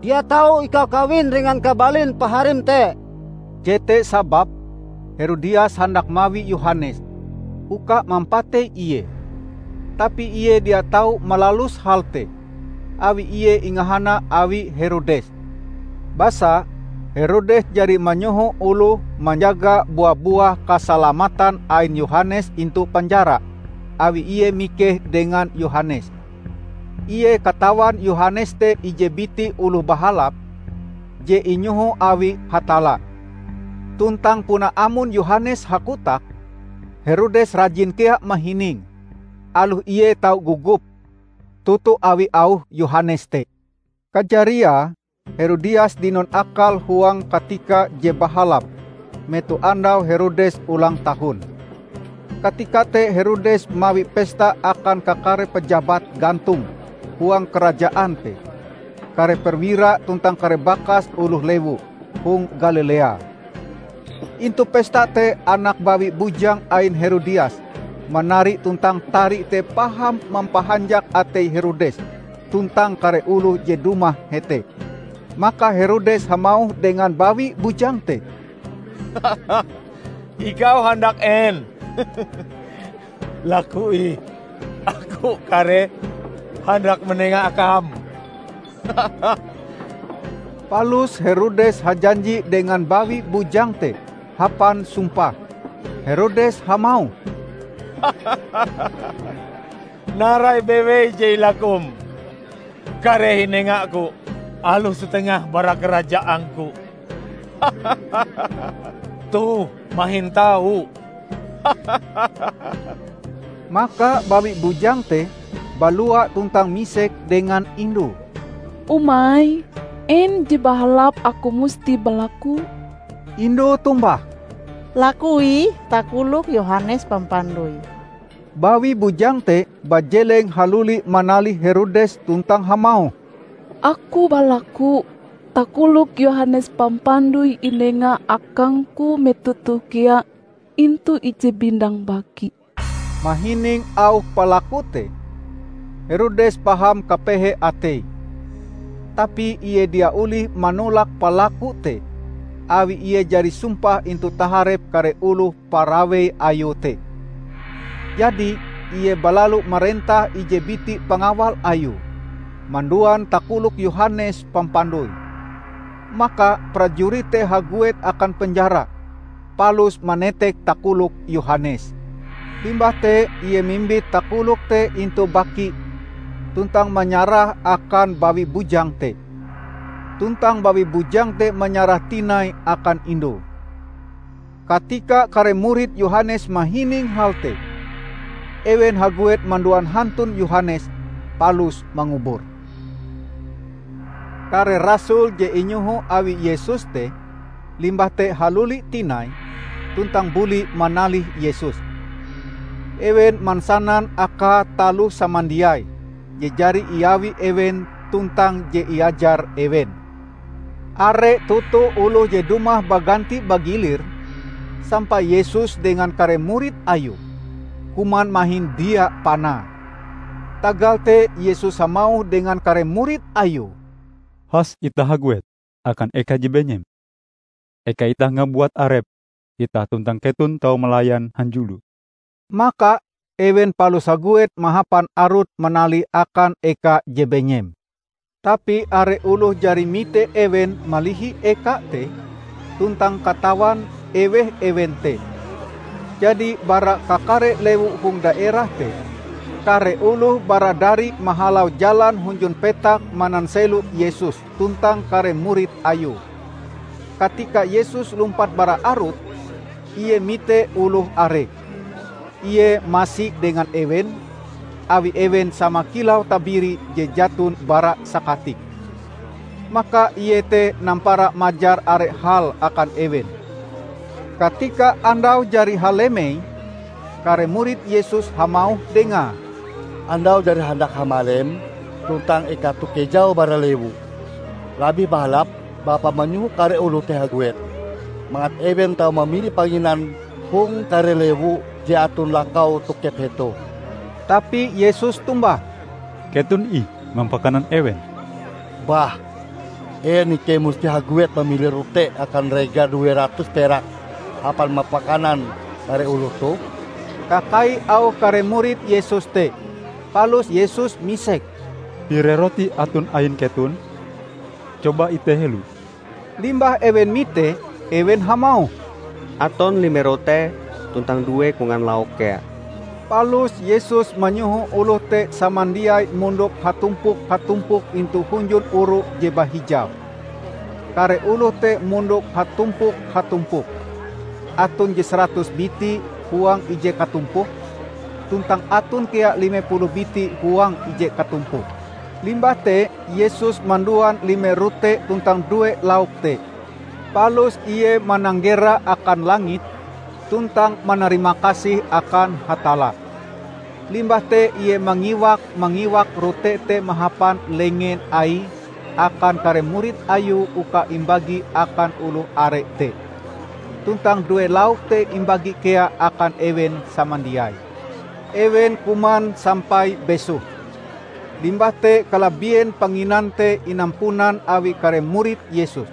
"Dia tau ikau kawin dengan kabalin paharim te." Jete sababe Herodias handak mawi Yohanes uka mampatei ie. Tapi ie dia tau malalus hal te, awi ie ingahana awi Herodes. Basa Herodes jari manyoho oloh manjaga bua-buah kasalamatan ain Yohanes intu penjara, awi ie mikeh dengan Yohanes. Ie katawan Yohanes te ije biti oloh bahalap je inyoho awi Hatalla. Tuntang puna amon Yohanes hakotak, Herodes rajin kea mahining, aloh ie tau gogop toto awi auh Yohanes te. Kajariae, Herodias dinon akal huang katika je bahalap, metoh andau Herodes ulang tahun. Katika te Herodes mawi pesta akan kakare pejabat gantong huang karajaan te, kare perwira tuntang kare bakas oloh lewu hong Galilea. Intu pesta te anak bawi bujang ain Herodias manari tuntang tari te paham mampahanjak atei Herodes tuntang kare oloh je dumah hete. Maka Herodes hamauh dengan bawi bujang te, "Ikau handak en? Laku ih, aku kareh handak manenga akam." Palus Herodes hajanji dengan bawi bujang te hapan sumpah. Herodes hamauh, "Narai bewei je ilakum, kareh inengaku aloh satengah bara karajaangku." Toh, mahin tau. Maka bawi bujang te balua tuntang misek dengan indue, "Umai, en je bahalap aku musti balaku?" Indu tombah, "Laku ih takolok Yohanes Pampandoi." Bawi bujang te bajeleng haluli manalih Herodes tuntang hamauh, "Aku balaku takolok Yohanes Pampandoi inenga akangku metoh toh kea intu ije bindang baki." Mahining auh palaku te, Herodes paham kapehe ateie. Tapi ie dia olih manolak palaku te, awi ie jari sumpah intu taharep kare oloh parawei ayue te. Jadi, ie balalu marentah ije biti pangawal ayue, manduan takolok Yohanes Pampandoi. Maka prajurit te haguet akan penjara, palus manetek takolok Yohanes. Limbah te ie mimbit takolok te intu baki tuntang manyarahe akan bawi bujang te. Tuntang bawi bujang te manyarah tinai akan indue. Katika kare murid Yohanes mahining hal te, ewen haguet manduan hantun Yohanes palus mangubure. Kare rasul je inyoho awi Yesus te limbah te haluli tinai tuntang buli manalih Yesus. Ewen mansanan akae taloh samandiai je jari iawi ewen tuntang je iajar ewen. Are toto oloh je dumah baganti bagilir, sampai Yesus dengan kare murid Ayue kuman mahin dia panae. Tagal te Yesus hamauh dengan kare murid Ayue, "Has itah haguet akan eka je benyem. Eka itah ngabuat arep itah tuntang keton tau malayan hanjulo." Maka ewen palus haguet mahapan arut manalih akan eka je benyem. Tapi are oloh jari mite ewen malihi eka te, tuntang katawan eweh ewen te. Jadi bara kakare lewu hong daerah te, kare oloh baradari mahalau jalan hunjun petak mananselo Yesus tuntang kare murid Ayue. Katika Yesus lumpat bara arut, Ie mite oloh are. Ie masi dengan ewen, awi ewen sama kilau tabiri je jaton bara sakatik. Maka Ie te nampara majar are hal akan ewen. Katika andau jari halemei, kare murid Yesus hamauh Dengae, "Andau jari handak hamalem, tuntang eka toh kejau bara lewu. Labih bahalap Bapa manyoho kare oloh te haguet, mangat ewen tau mamili panginan hong kare lewu je aton lakau tokep hetoh." Tapi Yesus tombah, "Keton ih mampakanan ewen." "Bah, en ikei musti haguet mamili rote akan rega due ratus perak hapan mampakanan kare oloh toh?" kakai auh kare murid Yesus te. Palus Yesus misek, "Pire roti aton ain keton? Coba iteh helo." Limbah ewen mite, ewen hamauh, "Aton lime rote tuntang due kongan lauk kea." Palus Yesus manyoho oloh te samandiai mondok hatumpok-hatumpok intu hunjun oru je bahijau. Kare oloh te mondok hatumpok-hatumpok. Aton je saratus biti huang ije katumpoke, tuntang aton kea lime puluh biti huang ije katumpoke. Limbah te, Yesus manduan lime rote tuntang due lauk te, palus Ie mananggera akan langit tuntang manarimakasih akan Hatalla. Limbah te Ie mangiwak-mangiwak rote te mahapan lengen Aie akan kare murid Ayue uka imbagi akan oloh are te. Tuntang due lauk te imbagi kea akan ewen samandiai. Ewen kuman sampai besoh. Limbah te kalabien panginan te inampunan awi kare murid Yesus.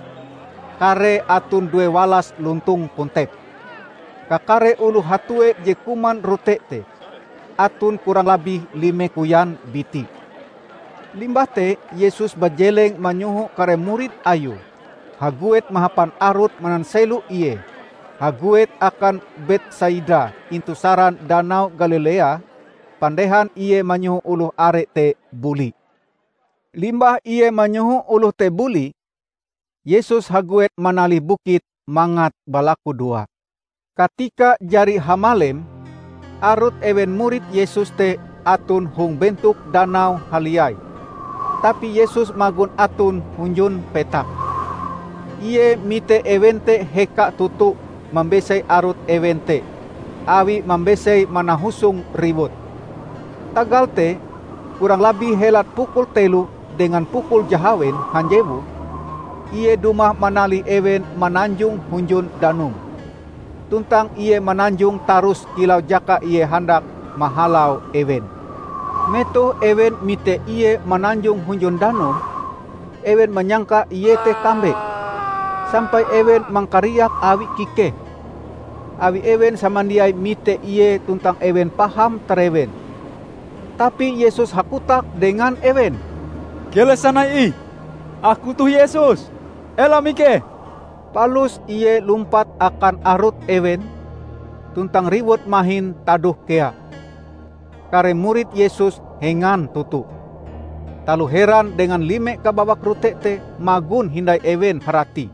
Karee aton due walas lontong kontep. Kakare oloh hatue je kuman rote te, aton kurang labih lime koyan biti. Limbah te Yesus bajeleng manyoho kare murid Ayue haguet mahapan arut mananselo Ie haguet akan Betsaida intu saran Danau Galilea, pandehan Ie manyoho oloh are te buli. Limbah Ie manyoho oloh te buli, Yesus haguet manalih bukit mangat balakudoa. Katika jari hamalem, arut ewen murid Yesus te aton hong bentok danau haliai. Tapi Yesus magon aton hunjun petak. Ie mite ewen te heka toto mambesei arut ewen te, awi mambesei manahusong riwut. Tagal te, kurang labih helat pukul telo dengan pukul jahawen hanjewu, Ie dumah manalih ewen mananjong hunjun danum. Tuntang Ie mananjong tarus kilau jaka Ie handak mahalau ewen. Metoh ewen mite Ie mananjong hunjun danum, ewen manyangka Ie te kambe, sampai ewen mangkariak awi kikeh, awi ewen samandiai mite Ie tuntang ewen paham tarewen. Tapi Yesus hakotak dengan ewen, "Keleh sanai ih! Aku toh Yesus! Ela mikeh!" Palus Ie lumpat akan arut ewen, tuntang riwut mahin tadoh kea. Kare murid Yesus hengan toto. Taloh heran dengan lime kabawak rote te magon hindai ewen haratie,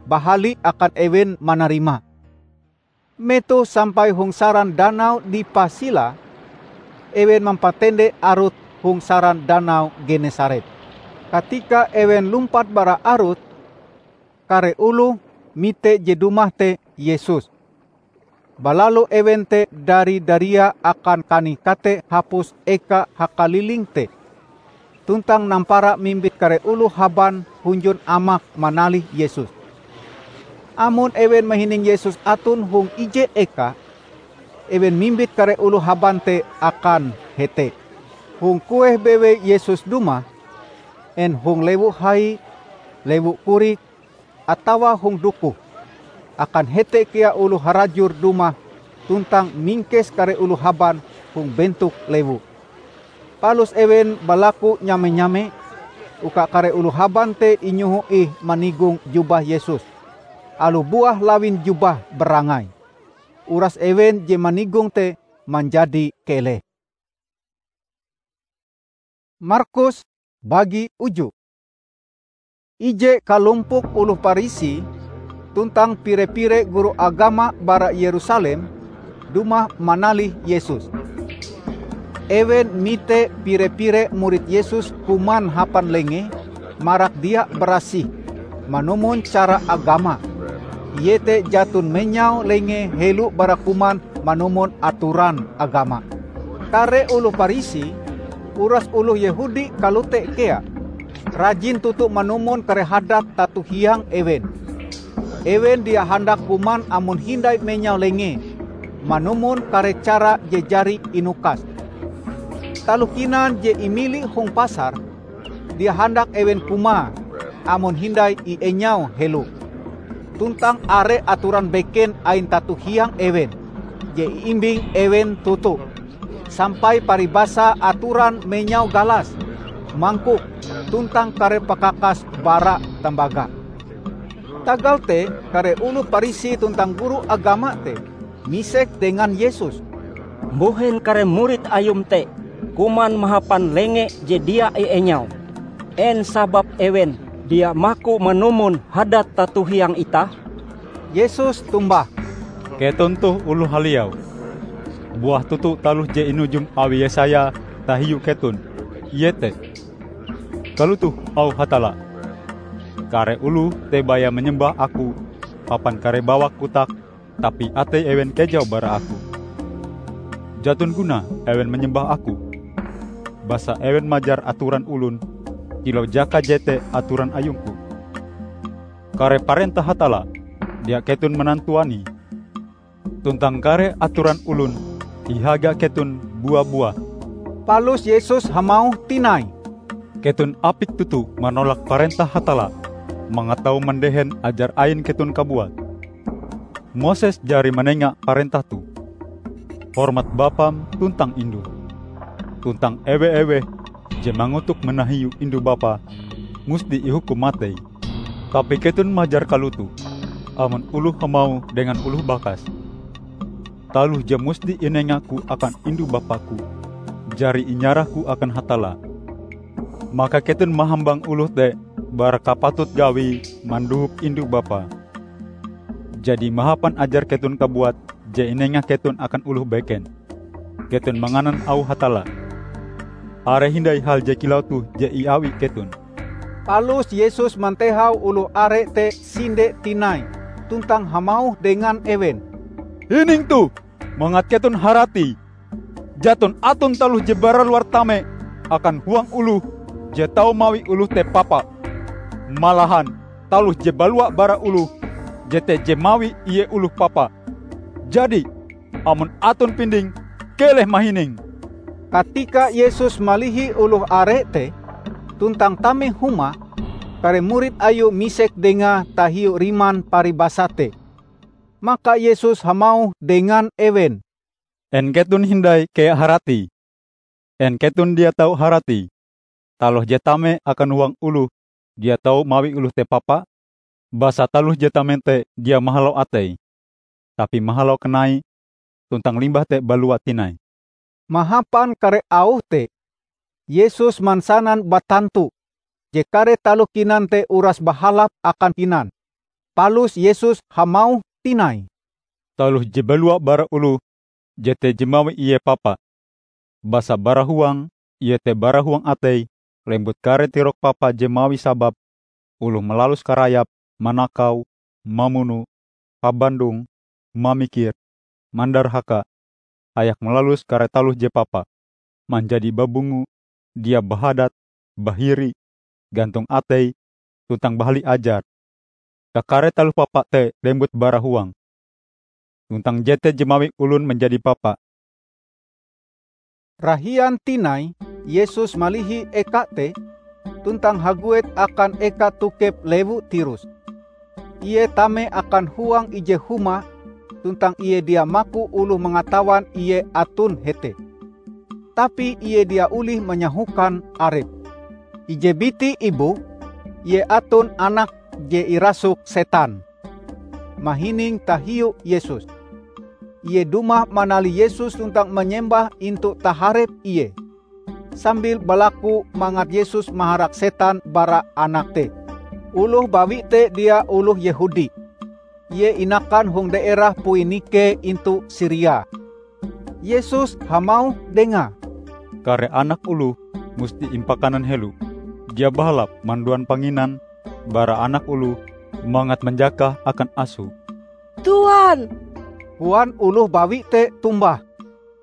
bahali akan ewen manarima. Metoh sampai hong saran danau Dipasila, ewen mampatende arut hong saran danau Genesaret. Katika ewen lumpat bara arut, kare oloh mite je dumah te Yesus. Balalu ewen te dari daria akan kanih kate hapus eka hakaliling te, tuntang nampara mimbit kare oloh haban hunjun amak manalih Yesus. Amon ewen mahining Yesus aton hong ije eka, ewen mimbit kare oloh haban te akan hete. Hong kueh bewei Yesus dumah, en hong lewu hai, lewu korik, atawa hong dokoh, akan hete kea oloh harajur dumah tuntang mingkes kare oloh haban hong bentok lewu. Palus ewen balaku nyame-nyame uka kare oloh haban te inyoho ih manigong jubah Yesus, aloh buah lawin jubah barangai. Uras ewen je manigong te manjadi keleh. Markus bagi uju. Ije kalompok oloh Parisi tuntang pire-pire guru agama bara Yerusalem dumah manalih Yesus. Ewen mite pire-pire murid Yesus kuman hapan lenge marak dia barasih manumon cara agama, iete jaton menyau lenge helo bara kuman manumon atoran agama. Kare oloh Parisi, uras oloh Yehudi kalote kea, rajin toto manumon kare hadat tato hiang ewen. Ewen dia handak kuman amon hindai menyau lenge manumon kare cara je jari inukas. Taloh kinan je imili hong pasar, dia handak ewen kumae amon hindai ienyau helo. Tuntang are atoran beken ain tato hiang ewen je iimbing ewen toto, sampai paribasa atoran menyau galas, mangkok, tuntang kare pakakas bara tambaga. Tagal te, kare oloh Parisi tuntang guru agama te misek dengan Yesus, "Mbuhen kare murid Ayum te kuman mahapan lenge je dia ienyau? En sabab ewen dia maku manumon hadat tato hiang itah?" Yesus tombah, "Keton toh oloh haliau! Buah toto taloh je inujum awi Yesaya tahiu keton, iete, 'Kalotoh auh Hatalla, Kare oloh te baya manyembah Aku hapan kare bawak kotak, tapi atei ewen kejau bara Aku. Jaton gunae ewen manyembah Aku, basa ewen majar atoran olon kilau jaka jete atoran ayung-Ku. Kare parentah Hatalla dia keton manantuanie, tuntang kare atoran olon ihaga keton bua-buah." Palus Yesus hamauh tinai, "Keton apik toto manolak parentah Hatalla mangat tau mandehen ajar ain keton kabuat. Moses jari manenga parentah toh, 'Hormat bapam tuntang indum,' tuntang 'Ewe-eweh je mangotok manahiu indu bapae musti ihukum matei.' Tapi keton majar kalotoh amon oloh hamauh dengan oloh bakas, 'Taloh je musti inenga-Ku akan indu bapa-Ku jari inyarah-Ku akan Hatalla,' maka keton mahambang oloh te bara kapatut gawie mandohop indu bapae. Jadi mahapan ajar keton kabuat je inenga keton akan oloh beken, keton manganan auh Hatalla. are hindai hal je kilau toh je iawi keton." Palus Yesus mantehau oloh are te sinde tinai, tuntang hamauh dengan ewen, "Hining toh, mangat keton haratie! Jaton aton taloh je baraluar tame akan huang oloh je tau mawi oloh te papa. Malahan taloh je balua bara oloh jete je mawi ie oloh papa. Jadi, amon aton pinding, keleh mahining." Katika Yesus malihi oloh are te, tuntang tame huma, kare murid Ayue misek Dengae tahiu riman paribasa te. Maka Yesus hamauh dengan ewen, "En keton hindai kea haratie? En keton dia tau haratie, taloh je tame akan huang oloh dia tau mawi oloh te papa? Basa taloh je tame te dia mahalau atei, tapi mahalau kanai, tuntang limbah te balua tinai." Mahapan kare auh te, Yesus mansanan batantu je kare taloh kinan te uras bahalap akan kinan. Palus Yesus hamauh tinai, "Taloh je balua bara oloh jete je mawi ie papa. Basa bara huang iete bara huang atei lembut kare tirok papa je mawi sabab oloh malalus karayap, manakau, mamuno, pabandong, mamikir, mandarhaka, hayak malalus kare taloh je papa, manjadi babungo, dia bahadat, bahiri, gantong atei, tuntang bahali ajar. Kakare taloh papa te lembut bara huang. Tuntang jete je mawi olon manjadi papa." Rahian tinai, Yesus malihi eka te, tuntang haguet akan eka tokep lewu Tirus. Ie tame akan huang ije huma, tuntang ie dia maku oloh mangatawan ie aton hete. Tapi ie dia olih manyahokan arepe. Ije biti ibu, ie aton anak je irasuk setan, mahining tahiu Yesus. Ie dumah manalih Yesus tuntang manyembah intu taharep Ie, sambil balaku mangat Yesus maharak setan bara anak te. Oloh bawi te dia oloh Yehudi. Ie inakan hong daerah Poinike intu Siria. Yesus hamauh dengae, "Kare anak oloh musti impakanan helo. Dia bahalap manduan panginan bara anak oloh mangat manjakah akan aso." "Tuan," koan oloh bawi te tombah,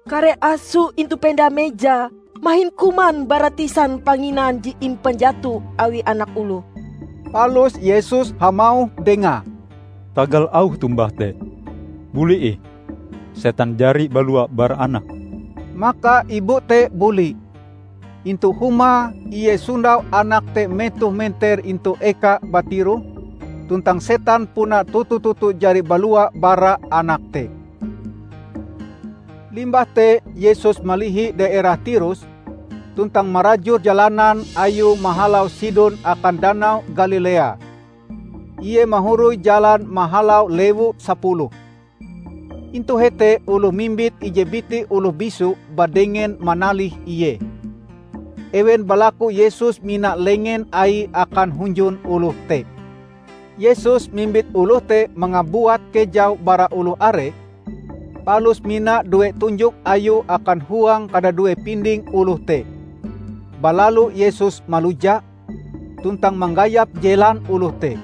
"kare aso intu penda meja mahin kuman bara tisan panginan je impanjato awi anak oloh." Palus Yesus hamauh dengae, "Tagal auh tombah te, buli ih! Setan jari balua bara anak." Maka ibu te buli. Intu huma ie sondau anak te metoh menter intu eka batiroh, tuntang setan puna toto-toto jari balua bara anak te. Limbah te Yesus malihi daerah Tirus, tuntang marajur jalanan Ayue mahalau Sidon akan Danau Galilea. Ie mahoroi jalan mahalau lewu sapuluh. Intu hete oloh mimbit ije biti oloh bisu badengen manalih Ie. Ewen balaku Yesus mina lengen Aie akan hunjun oloh te. Yesus mimbit oloh te mangabuat kejau bara oloh are, palus mina due tunjok Ayue akan huang kadadue pinding oloh te. Balalu Yesus maluja, tuntang manggayap jelan oloh te.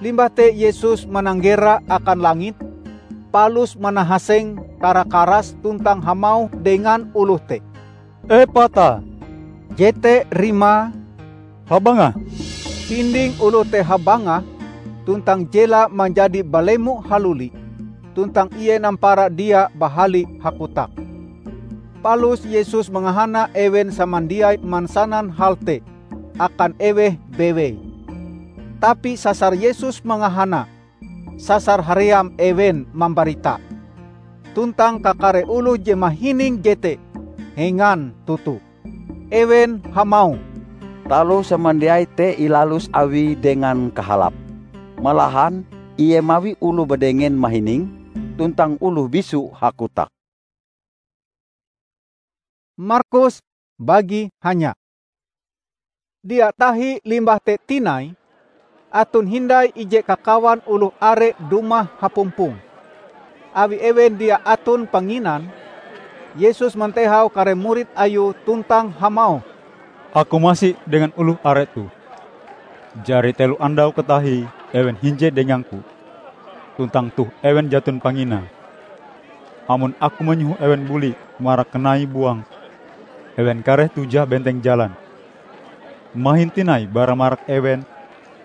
Limbah te Yesus mananggera akan langit, palus manahaseng kara-karas tuntang hamauh dengan oloh te, "Epata!" jete rimae, "Habangah!" Pinding oloh te habangah, tuntang jelae manjadi balemo haluli, tuntang ie nampara dia bahali hakotak. Palus Yesus mangahana ewen samandiai mansanan hal te akan eweh bewei. Tapi sasar Yesus mangahana, sasar haream ewen mambarita. Tuntang kakare oloh je mahining jete hengan toto. Ewen hamauh, "Taloh samandiai te ilalus Awie dengan kahalap. Malahan Ie mawi oloh badengen mahining, tuntang oloh bisu hakotak." Markus bagi hanya. Dia tahi limbah te tinai, aton hindai ije kakawan oloh are dumah hapumpong. Awi ewen dia aton panginan, Yesus mantehau kare murid Ayue tuntang hamauh, "Aku masi dengan oloh are toh. Jari telo andau katahie ewen hinje dengang-Ku, tuntang toh ewen jaton panginae. Amon Aku manyoho ewen buli marak kanai buang, ewen kareh tujah benteng jalan. Mahin tinai bara marak ewen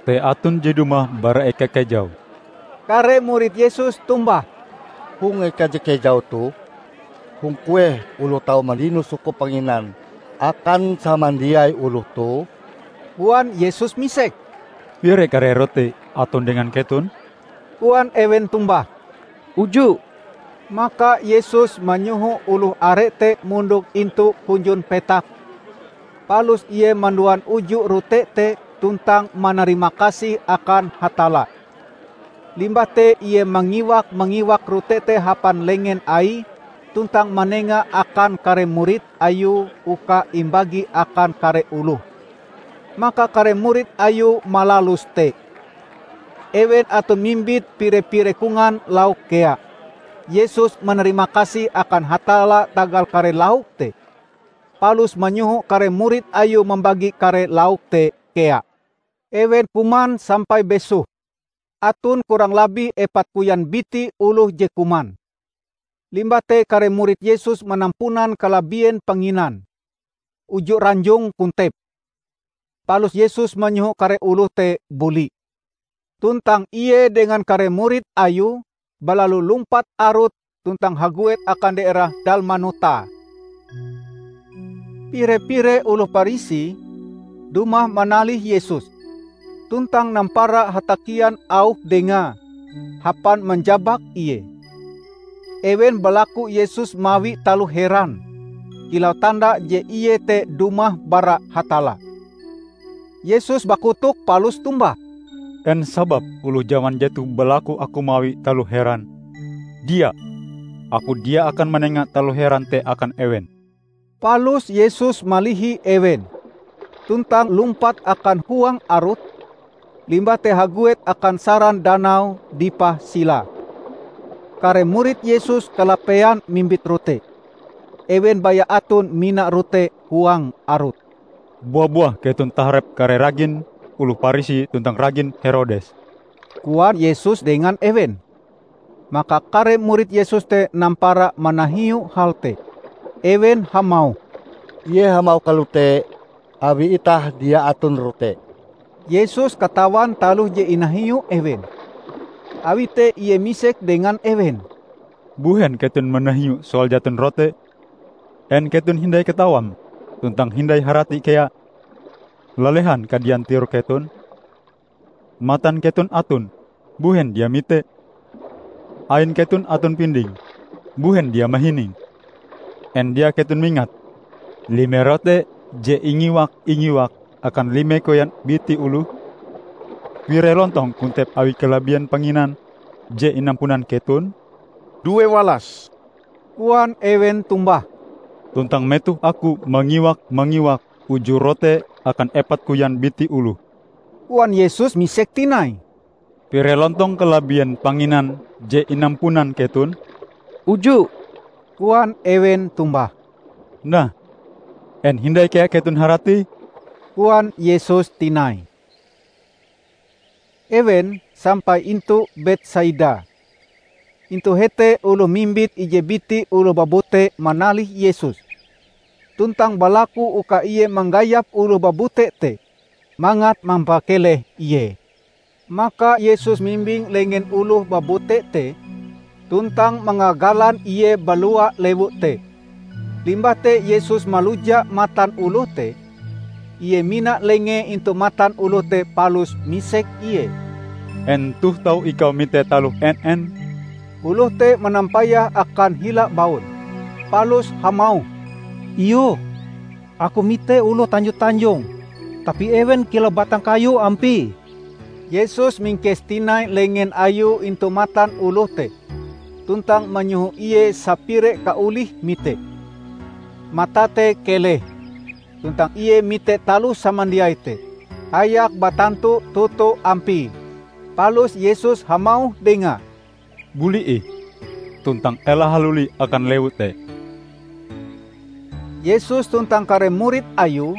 te aton je dumah bara eka kejau." Kare murid Yesus tombah, "Hong eka je kejau toh, hong kueh oloh tau mandino sukup panginan akan samandiai oloh toh?" Koan Yesus misek, "Pire kare rote aton dengan keton?" koan ewen tombah. "Uju." Maka Yesus manyoho oloh are te mondok intu hunjun petak, palus Ie manduan uju rote te tuntang manarimakasih akan Hatalla. Limbah te Ie mangiwak-mangiwak rote te hapan lengen Aie tuntang manengae akan kare murid Ayue uka imbagi akan kare oloh. Maka kare murid Ayue malalus te. Ewen aton mimbit pire-pire kongan lauk kea. Yesus manarimakasih akan Hatalla tagal kare lauk te, palus manyoho kare murid Ayue mambagi kare lauk te kea. Ewen kuman sampai besoh. Aton kurang labih epat koyan biti oloh je kuman. Limbah te kare murid Yesus manampunan kalabien panginan, uju ranjong kontep. Palus Yesus manyoho kare oloh te buli. Tuntang Ie dengan kare murid Ayue balalu lumpat arut tuntang haguet akan daerah Dalmanuta. Pire-pire oloh Parisi dumah manalih Yesus, tuntang nampara hatakian auh Dengae hapan manjabak Ie. Ewen balaku Yesus mawi taloh heran, kilau tanda je Ie te dumah bara Hatalla. Yesus bakotok palus tombah, "En sababe oloh jaman jetoh balaku Aku mawi taloh heran? Dia! Aku dia akan manenga taloh heran te akan ewen." Palus Yesus malihi ewen, tuntang lumpat akan huang arut, limbah te haguet akan saran danau dipah Sila. Kare murid Yesus kalapean mimbit rote. Ewen baya aton mina rote huang arut. "Bua-buah keton taharep kare ragin oloh Parisi tuntang ragin Herodes," koan Yesus dengan ewen. Maka kare murid Yesus te nampara manahiu hal te. Ewen hamauh, "Ie hamauh kalote awi itah dia aton rote." Yesus katawan taloh je inahiu ewen. Awi te Ie misek dengan ewen, "Mbuhen keton manahiu soal jaton rote? En keton hindai katawam tuntang hindai harati kea? Lalehan kadian tiroh keton? Matan keton aton, mbuhen dia mite? Ain keton aton pinding, mbuhen dia mahining? En dia keton mingat lime rote je ingiwak-ingiwak akan lime koyan biti oloh? Pire lontong kontep awi kalabien panginan je inampunan keton?" "Due walas," koan ewen tombah. "Tuntang metoh Aku mangiwak-mangiwak uju rote akan epat koyan biti oloh," koan Yesus misek tinai, "pire lontong kalabien panginan je inampunan keton?" "Uju," koan ewen tombah. "Nah, en hindai kea keton haratie?" koan Yesus tinai. Ewen sampai intu Betsaida. Intu hete oloh mimbit ije biti oloh babute manalih Yesus, tuntang balaku uka Ie manggayap oloh babute te mangat mampakeleh Ie. Maka Yesus mimbing lengen oloh babute te, tuntang mangagalan ie balua lewu te. Limbah te Yesus maluja matan oloh te, Ie mina lengee intu matan oloh te palus misek ie, "En toh tau ikau mite taloh en-en?" Oloh te manampayah akan hila baun, palus hamauh, "Iyoh, aku mite oloh tanjo-tanjong, tapi ewen kilau batang kayu ampie." Yesus mingkes tinai lengen Ayue intu matan oloh te, tuntang manyoho ie sapire kaolih mite. Matae te keleh, tuntang ie mite taloh samandiai te, hayak batantu toto ampie. Palus Yesus hamauh dengae, "Buli ih, tuntang ela haluli akan lewu te." Yesus tuntang kare murid Ayue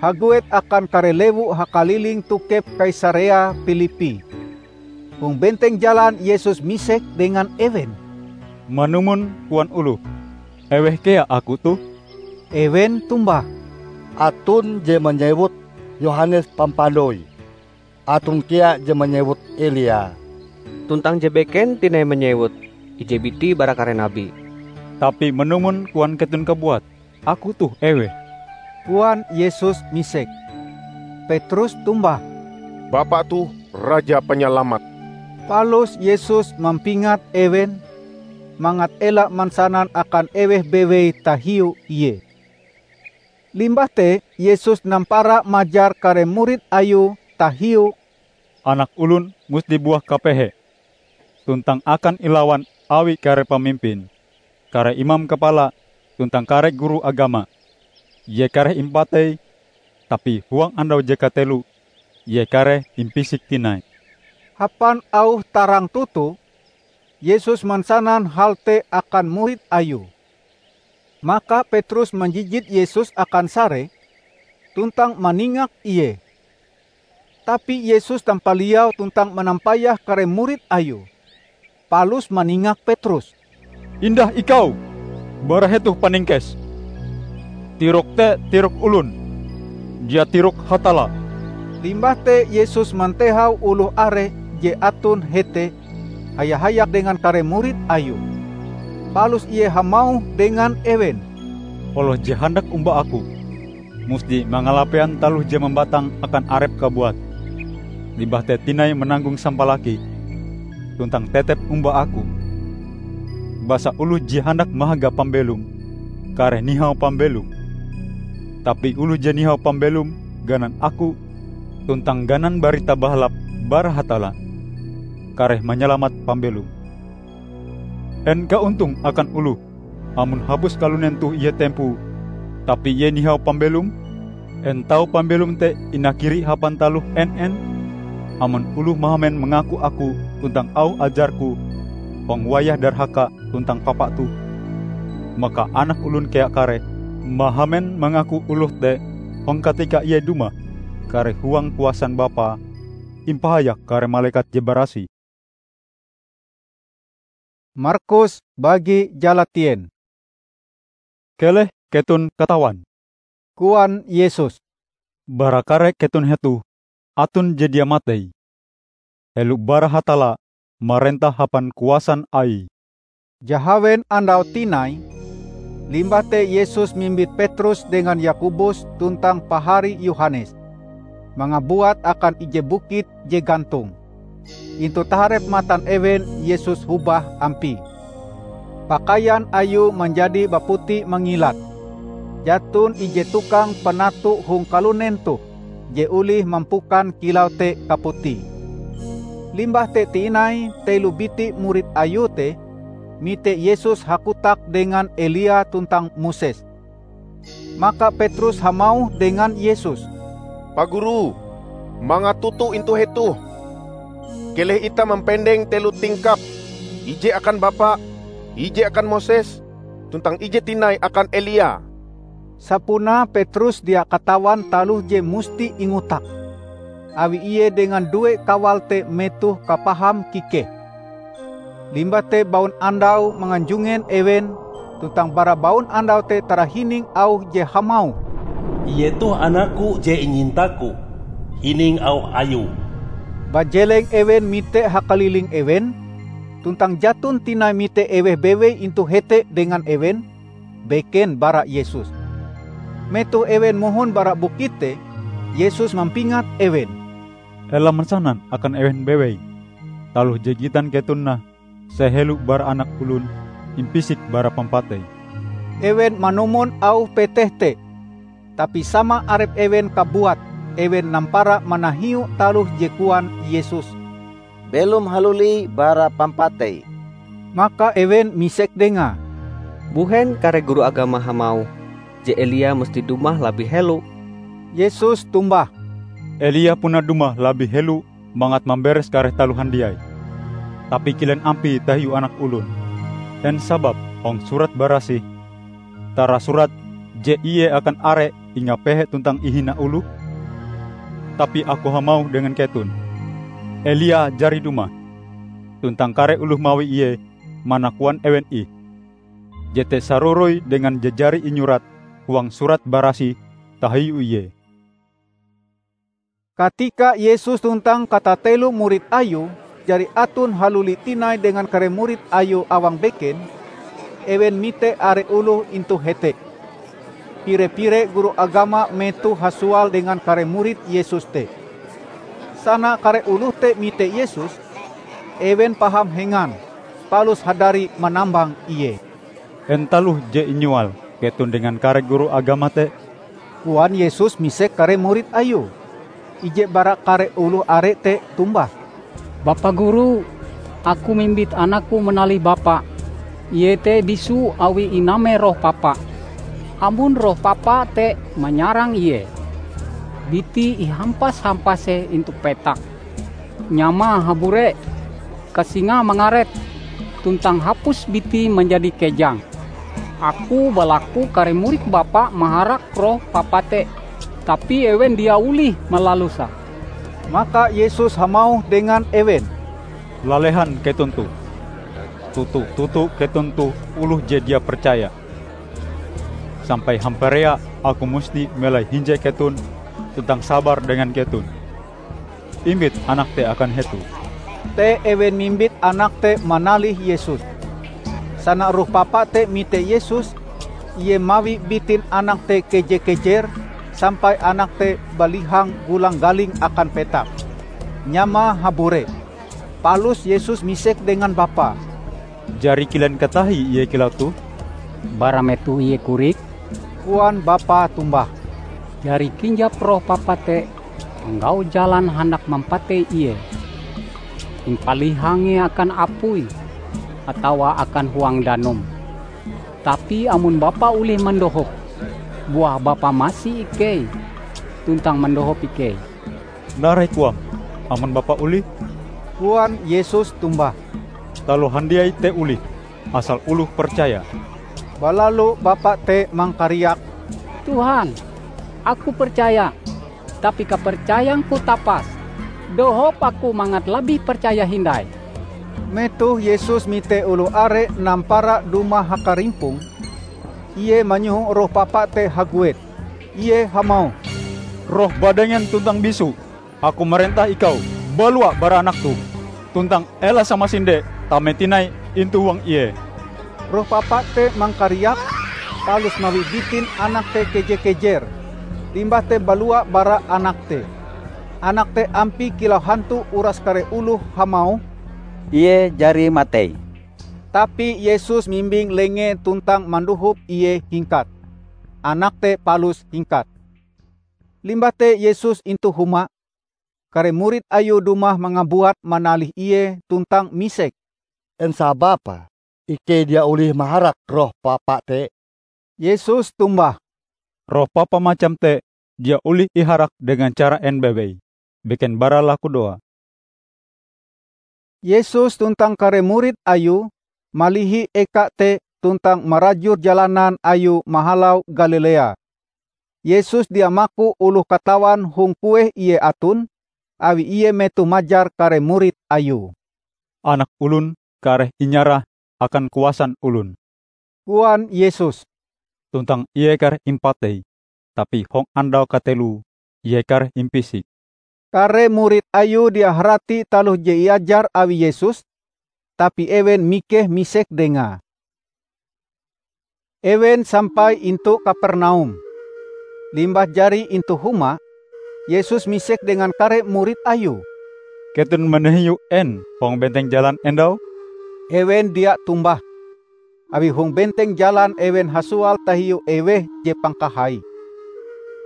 haguet akan kare lewu hakaliling tokep Kaisarea Pilipi. Hong benteng jalan Yesus misek dengan ewen, "Manumon koan oloh, eweh kea Aku toh?" Ewen tombah, "Aton je manyewut Yohanes Pampandoi, aton kea je manyewut Elia, tuntang je beken tinai manyewut ije biti bara kare nabi." "Tapi manumon koan keton kabuat, Aku toh eweh?" koan Yesus misek. Petrus tombah, "Bapa toh Raja Panyalamat." Palus Yesus mampingat ewen, mangat ela mansanan akan eweh bewei tahiu Ie. Limbah te Yesus nampara majar kare murid Ayue tahiu, "Anak Olon musti buah kapehe, tuntang akan ilawan awi kare pamimpin, kare imam kapala, tuntang kare guru agama. Ie kareh impatei, tapi huang andau je kateloe Ie kareh impisik tinai." Hapan auh tarang toto, Yesus mansanan hal te akan murid Ayue. Maka Petrus manjijit Yesus akan sare, tuntang maningak Ie. Tapi Yesus tampaliau tuntang manampayah kare murid Ayue, palus maningak Petrus, "Indah ikau bara hetoh paningkes! Tirok te tirok olon, dia tirok Hatalla." Limbah te Yesus mantehau oloh are je aton hete haya-hayak dengan kare murid Ayue. Palus Ie hamauh dengan ewen, "Oloh je handak omba Aku, musti mangalapean taloh je mambatang akan arepe kabuat, limbah te tinai mananggong sampalaki, tuntang tetep omba Aku. Basa oloh je handak mahaga pambelom, kareh nihau pambelom. Tapi oloh je nihau pambelom ganan Aku tuntang ganan Barita Bahalap bara Hatalla, kareh manyalamat pambelome. En kaontong akan oloh amon hapus kalunen toh ie tempoe, tapi ie nihau pambelom? En tau pambelom te inakiri hapan taloh en-en? Amon oloh mahamen mangaku Aku tuntang auh ajar-Ku hong wayah darhaka tuntang papa toh, maka Anak Olon kea kareh mahamen mangaku oloh te hong katika Ie dumah. Kareh huang kuasan Bapae impahayak kare malekat je barasih." Markus bagi jalatien. "Keleh keton katawan," koan Yesus, "bara kare keton hetoh aton je dia matei, helo bara Hatalla marentah hapan kuasan Aie." Jahawen andau tinai, limbah te Yesus mimbit Petrus dengan Yakobus tuntang pahari Yohanes mangabuat akan ije bukit je gantong. Intu taharep matan ewen Yesus hobah ampie. Pakaian Ayue manjadi baputi mangilat. Jaton ije tukang panato hong kalunen toh je olih mampukan kilau te kaputie. Limbah te tinai telo biti murid Ayue te mite Yesus hakotak dengan Elia tuntang Moses. Maka Petrus hamauh dengan Yesus, "Pa Guru, mangat toto intu hetoh. Keleh itah mampendeng telo tingkap, ije akan Bapa, ije akan Moses, tuntang ije tinai akan Elia." Sapunae Petrus dia katawan taloh je musti ingotak, awi ie dengan due kawal te metoh kapaham kikeh. Limbah te baun andau manganjungen ewen, tuntang bara baun andau te tarahining auh je hamauh, "Ie toh Anak-Ku je inyinta-Ku. Hining auh Ayue." Bajeleng ewen mite hakaliling ewen, tuntang jaton tinai mite eweh bewei intu hete dengan ewen, beken bara Yesus. Metoh ewen mohon bara bukit te, Yesus mampingat ewen, "Ela mansanan akan ewen bewei taloh je gitan keton nah sehelo bara Anak Olon impisik bara pampatei." Ewen manumon auh peteh te, tapi sama arep ewen kabuat ewen nampara manahiu taloh je koan Yesus, "Belom haluli bara pampatei." Maka ewen misek Dengae, "Mbuhen kare guru agama hamauh je Elia musti dumah labih helo?" Yesus tombah, "Elia puna dumah labih helo mangat mamberes kare taloh handiai. Tapi kilen ampie tahiu Anak Olon? En sabab hong Surat Barasih tarasurat je ie akan are ingapehe tuntang ihina oloh? Tapi Aku hamauh dengan keton, Elia jari dumah, tuntang kare oloh mawi ie mana koan ewen ih. Jete saroroi dengan je jari inyurat huang Surat Barasih tahiu ie." Katika Yesus tuntang katatelo murid Ayue jari aton haluli tinai dengan kare murid Ayue awang beken, ewen mite are oloh intu hete. Pire-pire guru agama metoh hasual dengan kare murid Yesus te. Sana kare oloh te mite Yesus, ewen paham hengan, palus hadari manambang Ie. "En taloh je inyoal keton dengan kare guru agama te?" koan Yesus misek kare murid Ayue. Ije bara kare oloh are te tombah, "Bapa Guru, aku mimbit anakku manalih bapa. Ie te bisu awi iname roh papa. Amon roh papa te manyarang ie, bitie ihampas-hampase intu petak. Nyamae habure, kasingae mangaret, tuntang hapus bitie manjadi kejang. Aku balaku kare murid bapa maharak roh papa te, tapi ewen dia olih malaluse." Maka Yesus hamauh dengan ewen, "Lalehan keton toh! Toto-toto keton toh oloh je dia percaya! Sampai hamparea Aku musti melai hinje keton tuntang sabar dengan keton. Imbit anak te akan hetoh." Te ewen mimbit anak te manalih Yesus. Sana roh papa te mite Yesus, ie mawi bitin anak te keje-kejer sampai anak te balihang gulang-galing akan petak, nyamae habure. Palus Yesus misek dengan bapae, "Jari kilen katahie ie kilau toh?" "Bara metoh ie korik," koan bapae tombah. "Jari kinjap roh papa te manggau jalan handak mampatei ie. Impalihange akan apui atawa akan huang danum. Tapi amon bapa olih mandohop, buah bapa masi ikei tuntang mandohop ikei." "Narai koam, amon bapa olih," koan Yesus tombah. "Taloh handiai te olih, asal oloh percaya." Balalu bapa te mangkariak, "Tuhan, aku percaya, tapi kapercayangku tapas. Dohop aku mangat labih percaya hindai." Metoh Yesus mite oloh are nampara dumah hakarimpong, Ie manyoho roh papa te haguet. Ie hamauh, "Roh badengen tuntang bisu, Aku marentah ikau, balua bara anak toh, tuntang ela samasinde tame tinai intu huang ie." Roh papa te mangkariak, palus mawi bitin anak te keje-kejer, limbah te balua bara anak te. Anak te ampie kilau hantu uras kare oloh hamauh, "Ie jari matei." Tapi Yesus mimbing lengee tuntang mandohop ie hingkat. Anak te palus hingkat. Limbah te Yesus intu huma, kare murid Ayue dumah mangabuat manalih Ie tuntang misek, "En sababe ikei dia olih maharak roh papa te?" Yesus tombah, "Roh papa macam te dia olih iharak dengan cara en bewei, beken bara lakudoa." Yesus tuntang kare murid Ayue malihi eka te tuntang marajur jalanan Ayue mahalau Galilea. Yesus dia maku oloh katawan hong kueh Ie aton, awi Ie metoh majar kare murid Ayue. "Anak Olon kareh inyarah akan kuasan olon," koan Yesus, "tuntang Ie kareh impatei, tapi hong andau kateloe Ie kareh impisik." Kare murid Ayue dia harati taloh je iajar awi Yesus, tapi ewen mikeh misek Dengae. Ewen sampai intu Kapernaum. Limbah jari intu huma, Yesus misek dengan kare murid Ayue, "Keton manahiu en hong benteng jalan endau?" Ewen dia tombah, awi hong benteng jalan ewen hasual tahiu eweh je pangkahai.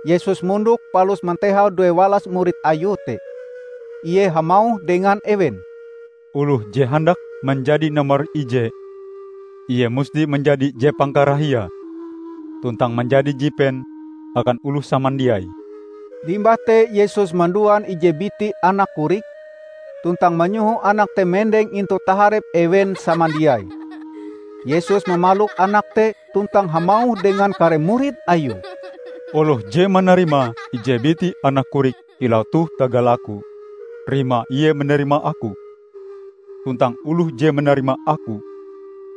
Yesus mondok palus mantehau duewalas murid Ayue te. Ie hamauh dengan ewen, "Oloh je handak manjadi nomor ije, ie musti manjadi je pangkarahiae, tuntang manjadi jipen akan oloh samandiai." Limbah te Yesus manduan ije biti anak korik, tuntang manyoho anak te mendeng intu taharep ewen samandiai. Yesus mamalok anak te tuntang hamauh dengan kare murid Ayue, "Oloh je manarima ije biti anak korik kilau toh tagal Aku, rimae ie manarima Aku. Tuntang oloh je manarima Aku,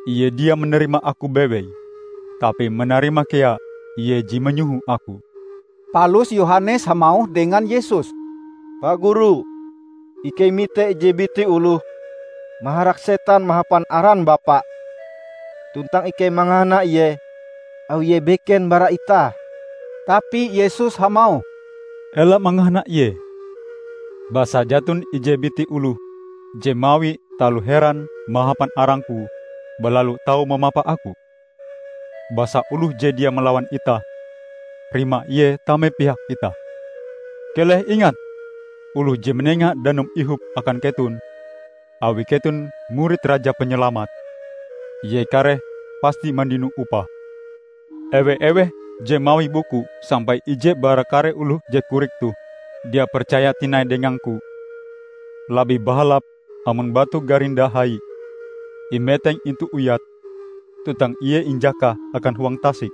ie dia manarima Aku bewei, tapi manarima kea Ie je manyoho Aku." Palus Yohanes hamauh dengan Yesus, "Pa Guru, ikei mite ije biti oloh maharak setan mahapan aran Bapa, tuntang ikei mangahana ie awi ie beken bara itah." Tapi Yesus hamauh, "Ela mangahana ie! Basa jaton ije biti oloh je mawi taloh heran mahapan arang-Ku balalu tau mamapa Aku. Basa oloh je dia malawan itah, rimae ie tame pihak itah. Keleh ingat oloh je manenga danum ihop akan keton awi keton murid Raja Panyalamat. Ie kareh pasti mandino upah. Ewe-eweh je mawi buku sampai ije bara kare oloh je korik toh dia percaya tinai dengang-Ku, labih bahalap amon batu garinda hai imeteng intu uyat, tuntang ie injakah akan huang tasik.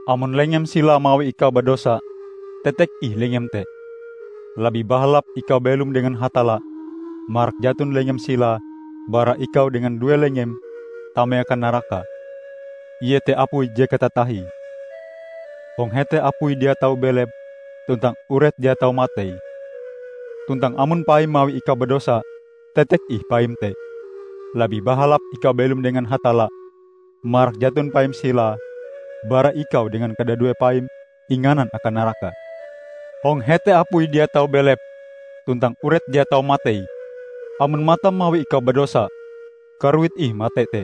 Amon lengem sila mawi ikau badosa, tetek ih lengem te. Labih bahalap ikau belom dengan Hatalla, marak jaton lengem sila bara ikau dengan due lengem tame akan naraka. Ie te apui je katatahie. Hong hete apui dia tau belep, tuntang uret dia tau matei. Tuntang amon paim mawi ikau badosa, tetek ih paim te. Labih bahalap ikau belom dengan Hatalla, marak jaton paim sila bara ikau dengan kadadue paim inganan akan naraka. Hong hete apui dia tau belep, tuntang uret dia tau matei. Amon matam mawi ikau badosa, karuit ih mate te.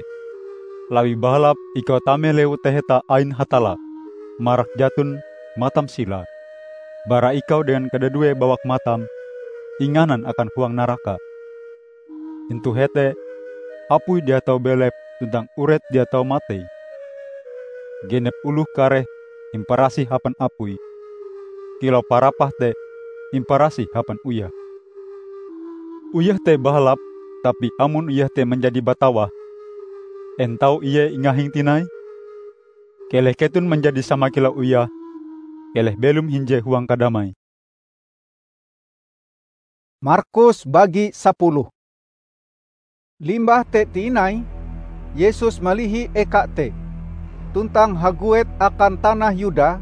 Labih bahalap ikau tame lewu taheta ain Hatalla, marak jaton matam sila, bara ikau dengan kadadue bawak matam inganan akan huang naraka. Intu hete, apui dia tau belep tuntang uret dia tau matei. Genep oloh kareh imparasih hapan apui, kilau parapah te imparasih hapan uyah. Uyah te bahalap, tapi amon uyah te manjadi batawah, en tau ie ingahing tinai? Keleh keton manjadi sama kilau uyah, keleh belom hinje huang kadamai." Markus bagi sapuluh. Limbah te tinai, Yesus malihi eka te, tuntang haguet akan tanah Yuda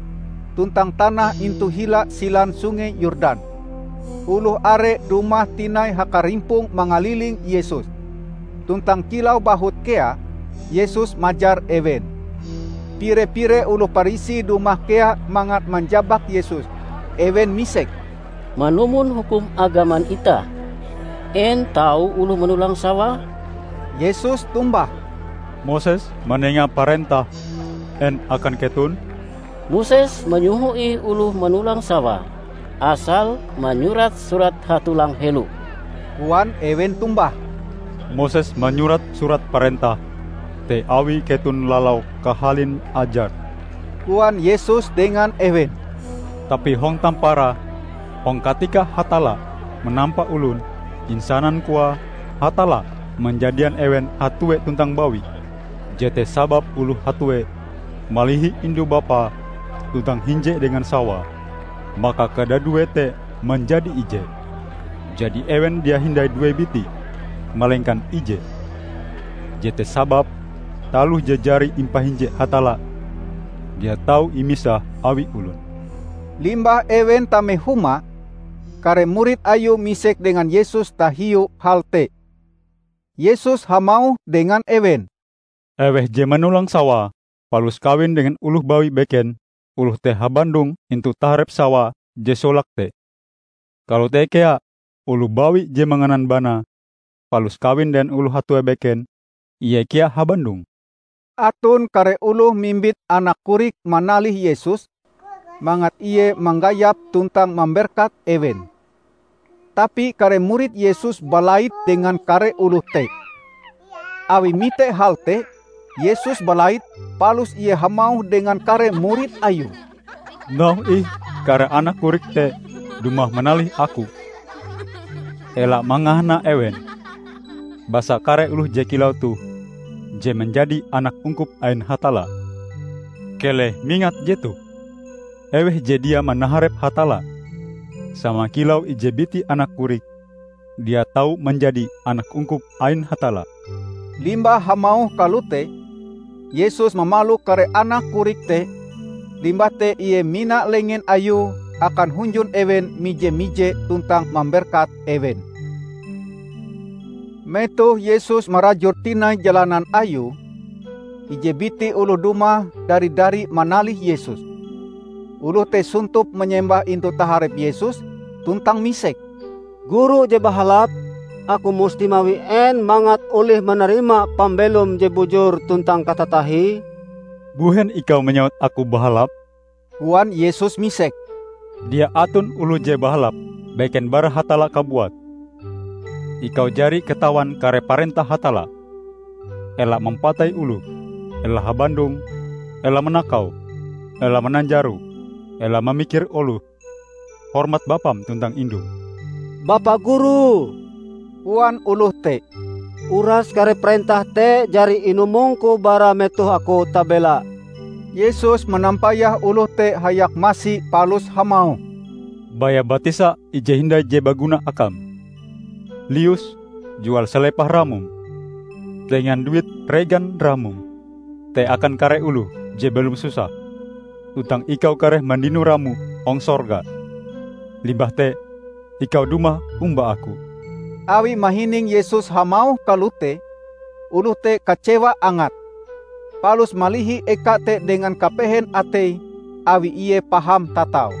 tuntang tanah intu hila silan Sungei Yordan. Oloh are dumah tinai hakarimpong mangaliling Yesus, tuntang kilau bahut kea, Yesus majar ewen. Pire-pire oloh Parisi dumah kea mangat manjabak Yesus. Ewen misek, "Manumon hukum agaman itah, en tau oloh manolang sawae?" Yesus tombah, "Moses manenga parentah en akan keton?" "Moses manyoho ih oloh manolang sawae, asal manyurat surat hatolang helo," koan ewen tombah. "Moses manyurat surat parentah te awi keton lalau kahalin ajar," koan Yesus dengan ewen. "Tapi hong tamparae, hong katika Hatalla manampa olon, insanan koae Hatalla manjadian ewen hatue tuntang bawi. Jete sababe oloh hatue malihi indu-bapae tuntang hinje dengan sawae, maka kadadue te manjadi ije. Jadi ewen dia hindai due biti, malengkan ije. Jete sababe taloh je jari impahinje Hatalla dia tau imisah awi olon." Limbah ewen tame huma, kare murid Ayue misek dengan Yesus tahiu hal te. Yesus hamauh dengan ewen, "Eweh je manolang sawae palus kawin dengan oloh bawi beken, oloh te habandong intu taharep sawae je solake te. Kalote kea oloh bawi je manganan banae palus kawin dengan oloh hatue beken, ie kea habandong." Aton kare oloh mimbit anak korik manalih Yesus, mangat Ie manggayap tuntang mamberkat ewen. Tapi kare murid Yesus balait dengan kare oloh te. Awi mite hal te, Yesus balait, palus Ie hamauh dengan kare murid Ayue, "Noh ih, kare anak korik te dumah manalih Aku. Ela mangahana ewen, basa kare oloh je kilau toh je manjadi anak ungkup ain Hatalla. Keleh mingat jetoh: Eweh je dia manaharep Hatalla, sama kilau ije biti anak korik, dia tau manjadi anak ungkup ain Hatalla." Limbah hamauh kalote, Yesus mamalok kare anak korik te, limbah te Ie mina lengen Ayue akan hunjun ewen mije-mije tuntang mamberkat ewen. Metoh Yesus marajur tinai jalanan Ayue, ije biti oloh dumah dari-dari manalih Yesus. Oloh te sontop manyembah intu taharep Yesus tuntang misek, "Guru je bahalap, aku musti mawi en mangat olih manarima pambelom je bujur tuntang katatahie?" "Mbuhen ikau manyawut Aku bahalap?" koan Yesus misek. "Dia aton oloh je bahalap beken bara Hatalla kabuat. Ikau jari katawan kare parentah Hatalla: ela mampatei oloh, ela habandong, ela manakau, ela mananjaro, ela mamikir oloh, hormat bapam tuntang indum." "Bapa Guru," koan oloh te, "uras kare parentah te jari inumongku bara metoh aku tabela." Yesus manampayah oloh te hayak masi palus hamauh, "Baya batisa ije hindai je baguna akam. Lius jual salepah ramom, dengan duit regan ramom te akan kare oloh je belom susah, tuntang ikau kareh mandino ramo hong sorga. Limbah te ikau dumah omba Aku." Awi mahining Yesus hamauh kalote, oloh te kacewa angat, palus malihi eka te dengan kapehen ateie awi ie paham tatau.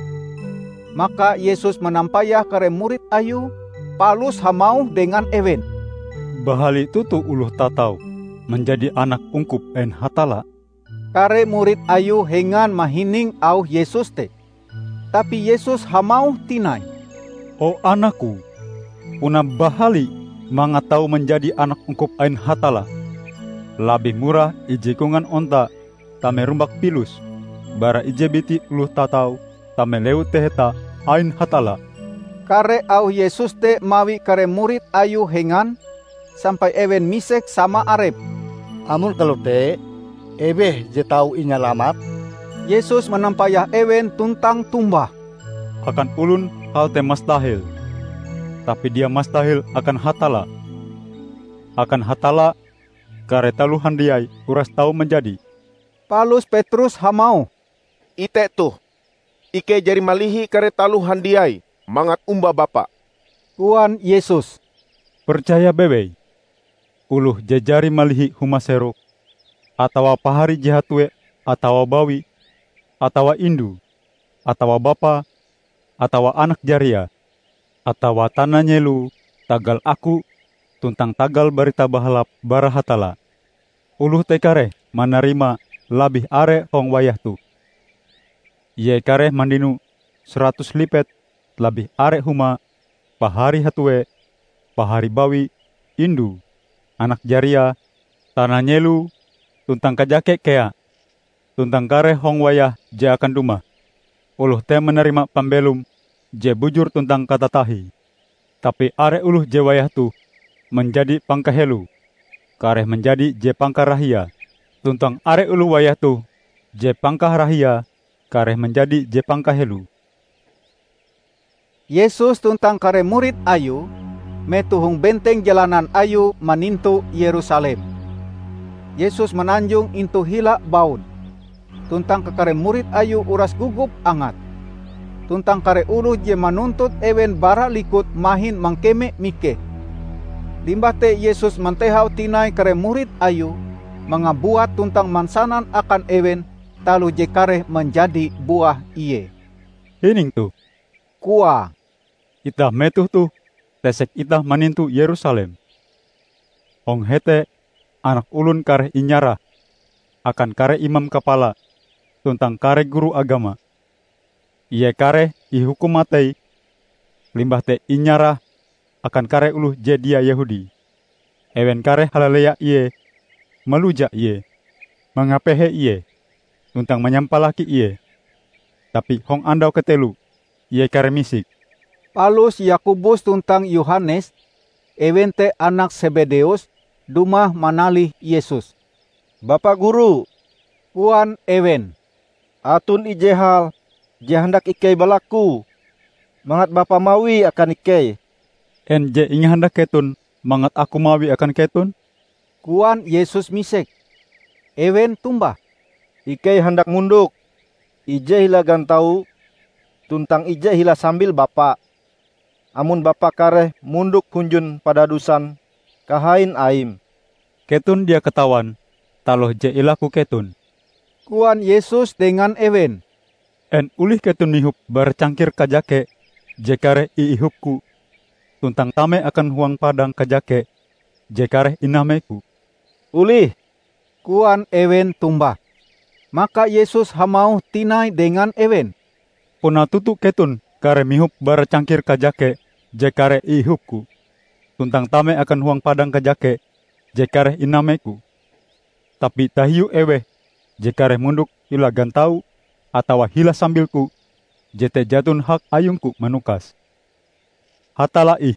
Maka Yesus manampayah kare murid Ayue, palus hamauh dengan ewen, "Bahali toto oloh tatau manjadi anak ungkup ain Hatalla!" Kare murid Ayue hengan mahining auh Yesus te. Tapi Yesus hamauh tinai, "O anak-Ku, puna bahali mangat tau manjadi anak ungkup ain Hatalla. Labih murah ije kongan onta tame rumbak pilus, bara ije biti oloh tatau tame lewu taheta ain Hatalla." Kare auh Yesus te mawi kare murid Ayue hengan, sampai ewen misek sama arepe, "Amon kalote, eweh je tau inyalamat?" Yesus manampayah ewen tuntang tombah, "Akan olon hal te mastahil, tapi dia mastahil akan Hatalla. Akan Hatalla, kare taloh handiai uras tau manjadi." Palus Petrus hamauh, "Ite toh! Ikei jari malihi kare taloh handiai mangat omba Bapa." Koan Yesus, "Percaya bewei: oloh je jari malihi huma seroke, atawa pahari je hatue, atawa bawi, atawa indu, atawa bapa, atawa anak jariae, atawa tana nyelo tagal Aku tuntang tagal Barita Bahalap bara Hatalla, oloh te kareh manarima labih are hong wayah toh. Ie kareh mandino saratus lipet labih are huma pahari hatue, pahari bawi, indu, anak jariae, tana nyelo, tuntang kajake kea, tuntang kareh hong wayah je akan dumah, oloh te manarima pambelom je bujur tuntang katatahie. Tapi are oloh je wayah toh manjadi pangkaheloe, kareh manjadi je pangkarahiae, tuntang are oloh wayah toh je pangkarahiae, kareh manjadi je pangkaheloe." Yesus tuntang kare murid Ayue metoh hong benteng jalanan Ayue manintu Yerusalem. Yesus mananjong intu hila baun, tuntang kakare murid Ayue uras gogop angate. Tuntang kare oloh je manuntut ewen bara likute mahin mangkeme mikeh. Limbah te Yesus mantehau tinai kare murid Ayue mangabuat tuntang mansanan akan ewen taloh je kareh manjadi buah Ie. "Hining toh," koae, "itah metoh toh tesek itah manintu Yerusalem. Hong hete Anak Olon kareh inyarah akan kare imam kapala tuntang kare guru agama. Ie kareh ihukum matei, limbah te inyarah akan kare oloh je dia Yehudi. Ewen kareh halalea Ie, maluja Ie, mangapehe Ie, tuntang manyampalaki Ie. Tapi hong andau kateloe Ie kareh misik." Palus Yakobus tuntang Yohanes, ewen te anak Sebedeus, dumah manalih Yesus. "Bapa Guru," koan ewen, "aton ije hal je handak ikei balaku mangat Bapa mawie akan ikei." "En je ingahandak keton mangat Aku mawie akan keton?" koan Yesus misek. Ewen tombah, "Ikei handak mondok, ije hila gantau tuntang ije hila sambil Bapa, amon Bapa kareh mondok hunjun padadusan kahain Aim." "Keton dia katawan taloh je ilaku keton," koan Yesus dengan ewen. "En olih keton mihop bara cangkir kajake je kareh iihop-Ku, tuntang tame akan huang padang kajake je kareh iname-Ku?" "Olih," koan ewen tombah. Maka Yesus hamauh tinai dengan ewen, "Puna toto keton kareh mihop bara cangkir kajake je kareh iihop-Ku, tuntang tame akan huang padang kajake je kareh iname-Ku. Tapi tahiu eweh je kareh mondok hila gantau atawa hila sambil-Ku, jete jaton hak ayung-Ku manukas. Hatalla ih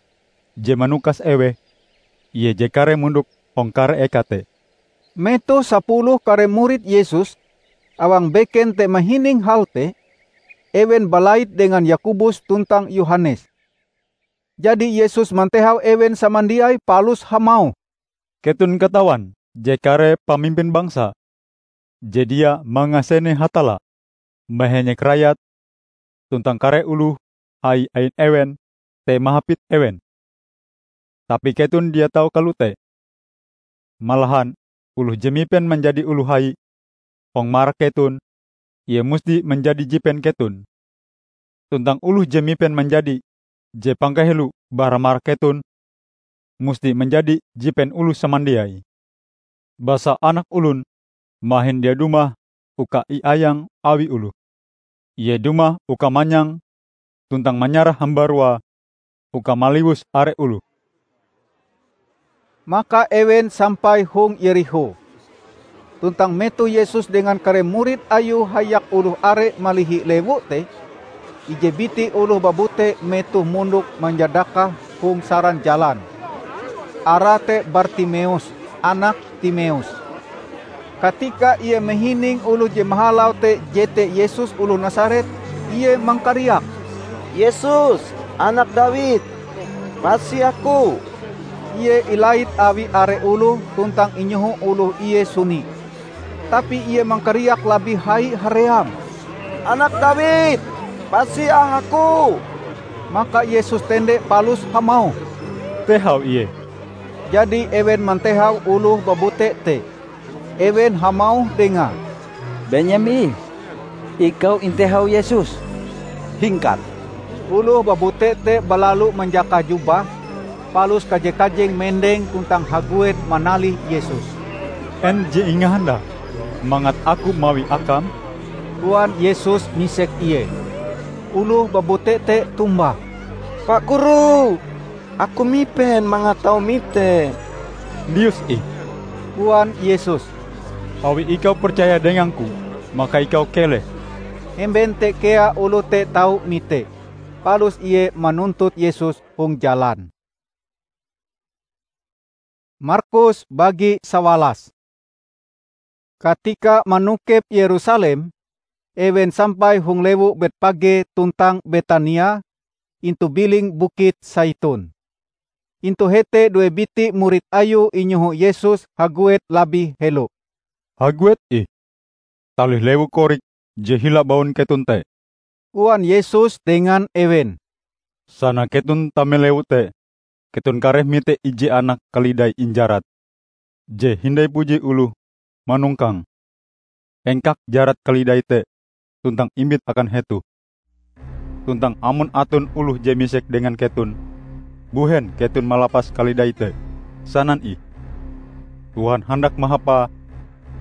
je manukas eweh, Ie je kareh mondok hong kare eka te." Metoh sapuluh kare murid Yesus awang beken te mahining hal te, ewen balait dengan Yakobus tuntang Yohanes. Jadi Yesus mantehau ewen samandiai palus hamauh, "Keton katawan je kare pamimpin bangsa je dia mangasene Hatalla, mahenyek rayat, tuntang kare oloh hai ain ewen te mahapit ewen. Tapi keton dia tau kalote. Malahan oloh je mipen manjadi oloh hai hong marak keton, ie musti manjadi jipen keton. Tuntang oloh je mipen manjadi je pangkahelo bara marak keton, musti manjadi jipen oloh samandiai. Basa Anak Olon mahin dia dumah uka iayang awi oloh. Ie dumah uka manyang tuntang manyarah hambarua uka maliwus are oloh." Maka ewen sampai hong Yerikho. Tuntang metoh Yesus dengan kare murid Ayue hayak oloh are malihi lewu te, ije biti oloh babute metoh mondok manjadakah hong saran jalan. Arae te Bartimeus, anak Timeus. Katika ie mahining oloh je mahalau te jete Yesus oloh Nasaret, ie mangkariak, "Yesus, Anak Dawid, pasi Aku!" Ie ilait awi are oloh tuntang inyoho oloh ie suni. Tapi ie mangkariak labih hai haream, "Anak Dawid, pasi ah Aku!" Maka Yesus tende palus hamauh, "Tehau ie!" Jadi ewen mantehau oloh babute te. Ewen hamauh dengae, "Benyem ih, ikau intehau Yesus. Hingkat!" Oloh babute te balalu manjakah jubah, palus kaje-kajeng mendeng tuntang haguet manalih Yesus. "En je ingahandakm mangat Aku mawie akam?" koan Yesus misek ie. Oloh babute te tombah, "Pa Guru, aku mipen mangat tau mite." "Lius ih," koan Yesus, "awi ikau percaya dengang-Ku, maka ikau keleh." Hemben te kea oloh te tau mite, palus ie manuntut Yesus hong jalan. Markus bagi sawalas. Katika manokep Yerusalem, ewen sampai hong lewu Betpage tuntang Betania intu biling Bukit Saitun. Intu hete due biti murid Ayue inyoho Yesus haguet labih helo. "Haguet ih, talih lewu korik je hila baun keton te," koan Yesus dengan ewen. "Sana keton tame lewu te, keton kareh mite ije anak kalidai injarat, je hindai puji oloh manongkange. Engkak jarat kalidai te tuntang imbit akan hetoh. Tuntang amon aton oloh je misek dengan keton, 'Mbuhen keton malapas kalidai te?' sanan ih, 'Tuhan handak mahapae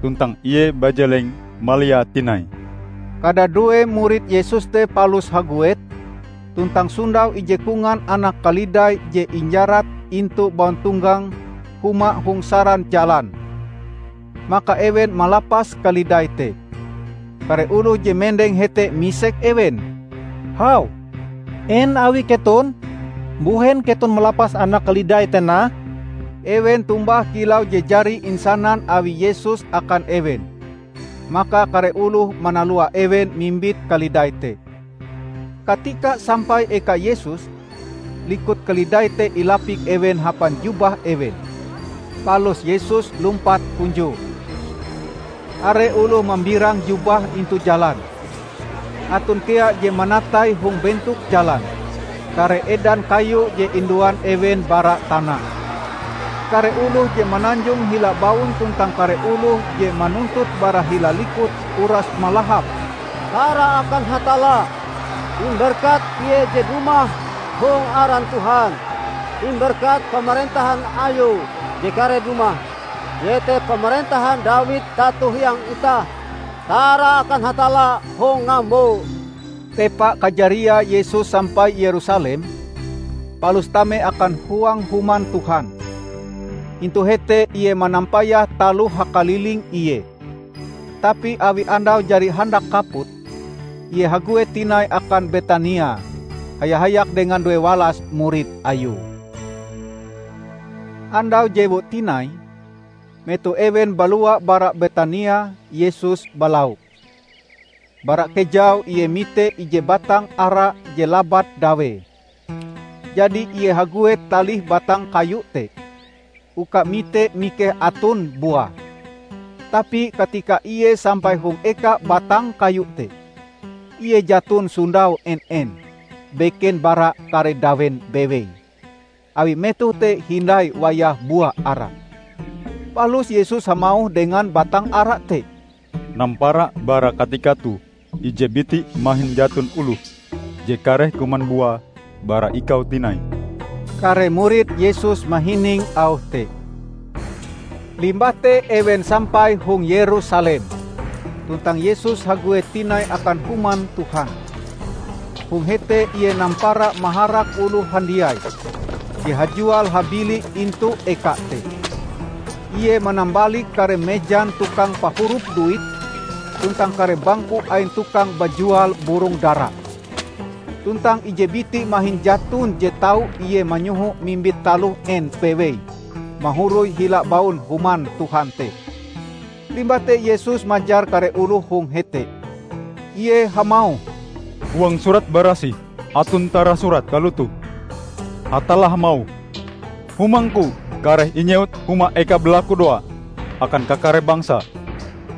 tuntang Ie bajeleng maliae tinai.'" Kadadue murid Yesus te palus haguet, tuntang sondau ije kongan anak kalidai je injarat intu bauntonggang huma hong saran jalan. Maka ewen malapas kalidai te. Kare oloh je mendeng hete misek ewen, "Hau, en awi keton? Mbuhen keton malapas anak kalidai te nah?" Ewen tombah kilau je jari insanan awi Yesus akan ewen. Maka kare oloh manalua ewen mimbit kalidai te. Katika sampai eka Yesus, likut kalidai te ilapik ewen hapan jubah ewen. Palus Yesus lumpat hunjue. Are oloh mambirang jubah intu jalan. Aton kea je manatai hong bentok jalan kare edan kayu je induan ewen bara tana. Kare oloh je mananjong hila baun tuntang kare oloh je manuntut bara hila likut uras malahap, "Tara akan Hatalla! Imberkat Ie je dumah hong aran Tuhan! Imberkat pamarentahan Ayue je kareh dumah, iete pamarentahan Dawid tato hiang itah! Tara akan Hatalla hong ngambo!" Tepa kajariae Yesus sampai Yerusalem, palus tame akan huang Human Tuhan. Intu hete Ie manampayah taloh hakaliling Ie. Tapi awi andau jari handak kaput, Ie haguet tinai akan Betania, haya-hayak dengan duewalas murid Ayue. Andau jewu tinai, metoh ewen balua bara Betania, Yesus balau. Bara kejau Ie mite ije batang ara je labat dawee. Jadi Ie haguet talih batang kayu te, uka mite mikeh aton buah. Tapi katika Ie sampai hong eka batang kayu te, Ie jaton sondau en-en, beken bara kare dawen bewei, awi metoh te hindai wayah buah ara. Palus Yesus hamauh dengan batang ara te, "Nampara bara katika toh ije biti mahin jaton oloh je kareh kuman buah bara ikau tinai." Kare murid Yesus mahining auh te. Limbah te ewen sampai hong Yerusalem, tuntang Yesus haguet tinai akan Human Tuhan. Hong hete Ie nampara maharak oloh handiai je hajual-habili intu eka te. Ie manambalik kare mejan tukang pahurup duit tuntang kare bangku ain tukang bajual burong dara. Tuntang ije biti mahin jaton je tau Ie manyoho mimbit taloh en bewei mahoroi hila baun Human Tuhan te. Limbah te Yesus majar kare oloh hong hete. Ie hamauh, "Huang Surat Barasih aton tarasurat kalotoh, 'Hatalla hamauh, Humang-Ku kareh inyewut huma eka balakudoa akan kakare bangsa,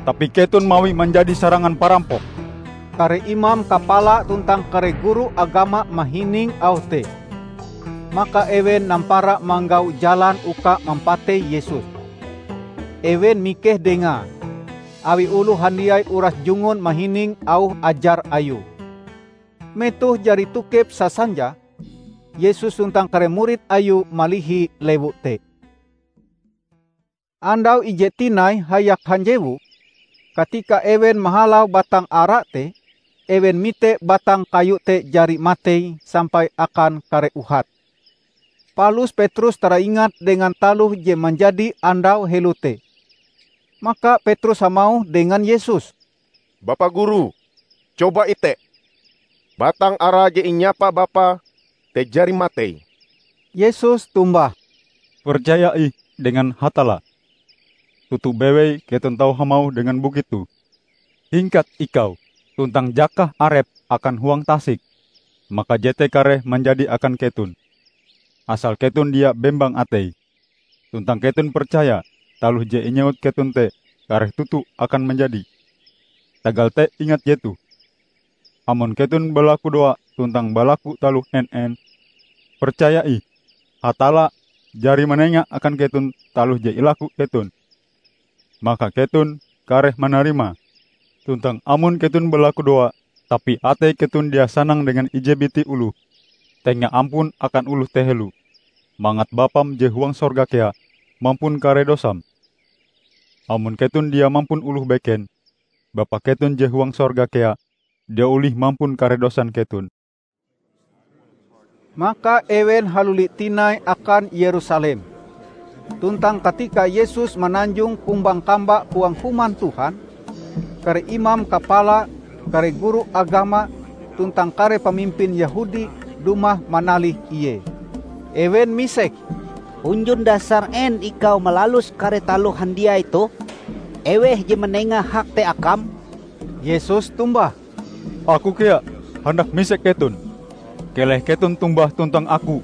tapi keton mawi manjadi sarangan parampok.'" Kare imam kapala tuntang kare guru agama mahining auh te. Maka ewen nampara manggau jalan uka mampatei Yesus. Ewen mikeh Dengae, awi oloh handiai uras jungun mahining auh ajar Ayue. Metoh jari tokep sasanja, Yesus tuntang kare murid Ayue malihi lewu te. Andau ije tinai hayak hanjewu, katika ewen mahalau batang ara te, ewen mite batang kayu te jari matei sampai akan kare uhat. Palus Petrus taraingat dengan taloh je manjadi andau helo te. Maka Petrus hamauh dengan Yesus, "Bapa Guru, coba ite! Batang ara je inyapa Bapa te jari matei." Yesus tombah, "Percaya ih dengan Hatalla. Toto bewei keton tau hamauh dengan bukit toh, 'Hingkat ikau, tuntang jakah arep akan huang tasik,' maka jete kareh manjadi akan keton, asal keton dia bembang atei. Tuntang keton percaya taloh je inyewut keton te kareh toto akan manjadi. Tagal te ingat jetoh, amon keton balakudoa tuntang balaku taloh en-en, percaya ih, Hatalla jari manenga akan keton taloh je ilaku keton. Maka keton kareh manarimae. Tuntang amon keton balakudoa, tapi atei keton dia sanang dengan ije biti oloh, tenga ampun akan oloh te helo, mangat Bapam je huang sorga kea mampun kare dosam. Amon keton dia mampun oloh beken, Bapa keton je huang sorga kea dia olih mampun kare dosan keton." Maka ewen haluli tinai akan Yerusalem. Tuntang katika Yesus mananjong kumbang kamba huang Human Tuhan, kare imam kapala, kare guru agama, tuntang kare pamimpin Yehudi dumah manalih Ie. Ewen misek, "Hunjun dasar en ikau malalus kare taloh handiai toh? Eweh je manenga hak te akam?" Yesus tombah, "Aku kea handak misek keton. Keleh keton tombah tuntang Aku,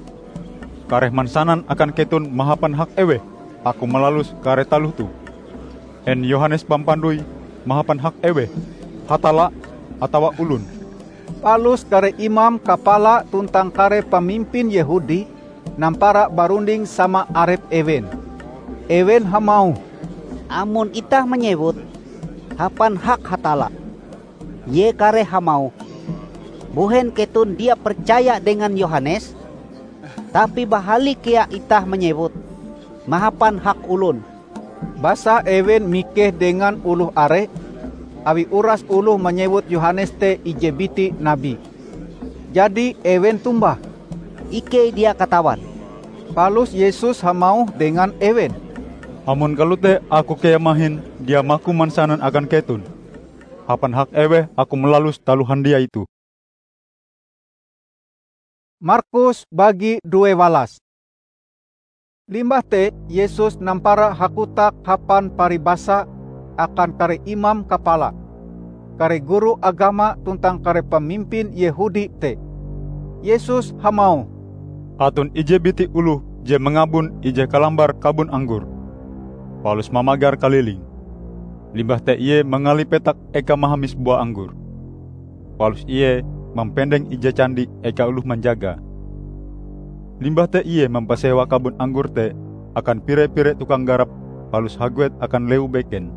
kareh mansanan akan keton mahapan hak eweh Aku malalus kare taloh toh. En Yohanes Pampandoi mahapan hak eweh, Hatalla atawa olon?" Palus kare imam kapala tuntang kare pamimpin Yehudi nampara barunding sama arep ewen. Ewen hamauh, "Amon itah manyewut, 'Hapan hak Hatalla,' ie kareh hamauh, 'Mbuhen keton dia percaya dengan Yohanes?' Tapi bahali kea itah manyewut, 'Mahapan hak olon.'" Basa ewen mikeh dengan oloh are, awi uras oloh manyewut Yohanes te ije biti nabi. Jadi ewen tombah, "Ikei dia katawan." Palus Yesus hamauh dengan ewen, "Amon kalote Aku kea mahin dia maku mansanan akan keton hapan hak eweh Aku malalus taloh handiai toh." Markus bagi due walas. Limbah te Yesus nampara hakotak hapan paribasa akan kare imam kapala, kare guru agama tuntang kare pamimpin Yehudi te. Yesus hamauh, "Aton ije biti oloh je mangabon ije kalambar kabon anggor, palus mamagar kaliling. Limbah te ie mangalih petak eka mahamis bua anggor. Palus ie mampendeng ije candi eka oloh manjagae. Limbah te ie mampasewa kabon anggor te akan pire-pire tukang garap palus haguet akan lewu beken.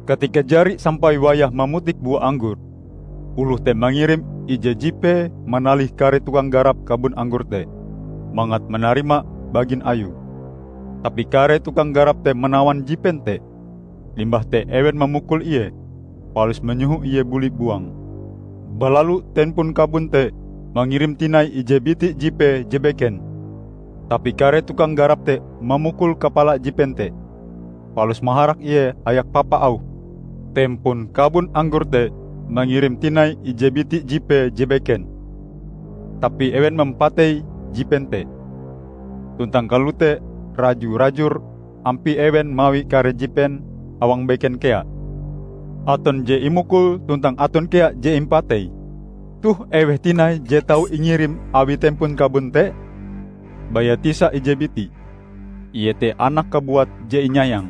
Katika jari sampai wayah mamutik bua anggor, oloh te mangirim ije jipee manalih kare tukang garap kabon anggor te, mangat manarima bagin ayue. Tapi kare tukang garap te manawan jipen te. Limbah te ewen mamukul ie, palus manyoho ie buli buang. Balalu tempon kabon te mangirim tinai ije biti jipee je beken. Tapi kare tukang garap te mamukul kapala jipen te, palus maharak ie hayak papa auhe. Tempon kabon anggor te mangirim tinai ije biti jipee je beken, tapi ewen mampatei jipen te. Tuntang kalote raju-rajur ampie ewen mawi kare jipen awang beken kea. Aton je imukul tuntang aton kea je impatei. Toh eweh tinai je tau ingirim awi tempon kabon te? Baya tisa ije biti, iete anak kabuat je inyayang.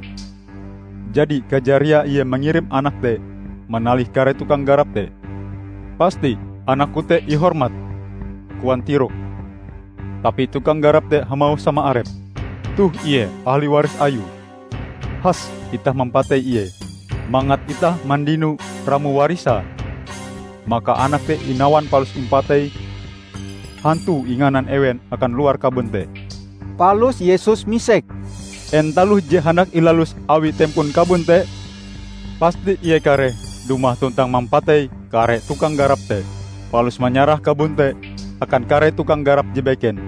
Jadi kajariae ie mangirim anak te manalih kare tukang garap te. 'Pasti anakku te ihormat,' koan tirokm. Tapi tukang garap te hamauh sama arepe, 'Toh ie ahli waris ayue. Has itah mampatei ie, mangat itah mandino ramo warise.' Maka anak te inawan palus impatei. Hantue inganan ewen akan luar kabon te." Palus Yesus misek, "En taloh je handak ilalus awi tempon kabon te? Pasti ie kareh dumah tuntang mampatei kare tukang garap te, palus manyarah kabon te akan kare tukang garap je beken.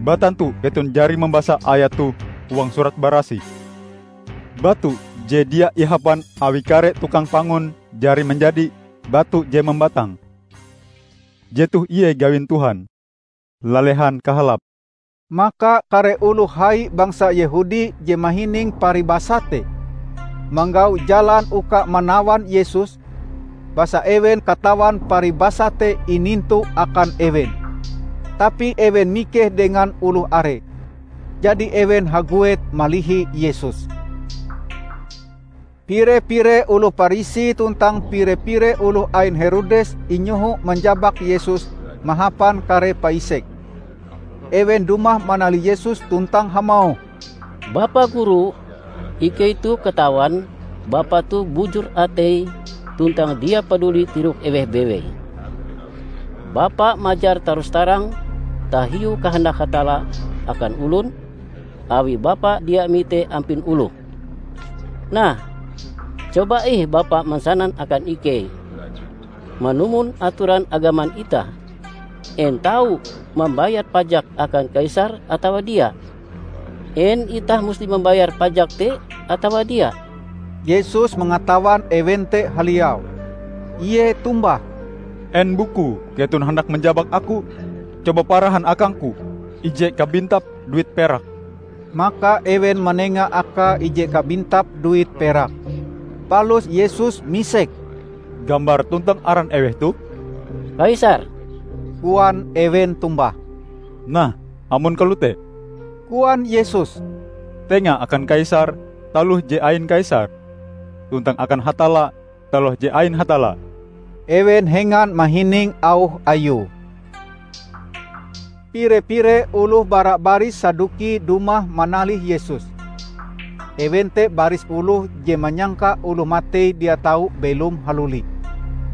Batantu keton jari mambasa ayat toh huang Surat Barasih, 'Batu je dia ihapan awi kare tukang pangun jari manjadi batu je mambatang, jetoh ie gawin Tuhan.' Lalehan kahalape." Maka kare oloh hai bangsa Yehudi je mahining paribasa te, manggau jalan uka manawan Yesus, basa ewen katawan paribasa te inintu akan ewen. Tapi ewen mikeh dengan oloh are, jadi ewen haguet malihi Yesus. Pire-pire oloh Parisi tuntang pire-pire oloh ain Herodes inyoho manjabak Yesus mahapan kare paisek. Ewen dumah manalih Yesus tuntang hamauh, "Bapa Guru, ikei toh katawan Bapa toh bujur ateie tuntang dia paduli tirok eweh bewei. Bapa majar tarus-tarang tahiu kahandak Hatalla akan olon, awi Bapa dia mite ampin oloh. Nah, coba ih Bapa mansanan akan ikei, manumon atoran agaman itah, en tau mambayar pajak akan Kaisar atawa dia? En itah musti mambayar pajak te atawa dia?" Yesus mangatawan ewen te haliau. Ie tombah, "En bukue keton handak manjabak Aku? Coba parahan akang-Ku ije kabintap duit perak." Maka ewen manenga akae ije kabintap duit perak. Palus Yesus misek, "Gambar tuntang aran eweh toh?" "Kaisar," koan ewen tombah. "Nah, amon kalote," koan Yesus, "tenga akan Kaisar taloh je ain Kaisar, tuntang akan Hatalla taloh je ain Hatalla." Ewen hengan mahining auh Ayue. Pire-pire oloh bara baris Saduki dumah manalih Yesus. Ewen te baris oloh je manyangka oloh matei dia tau belom haluli.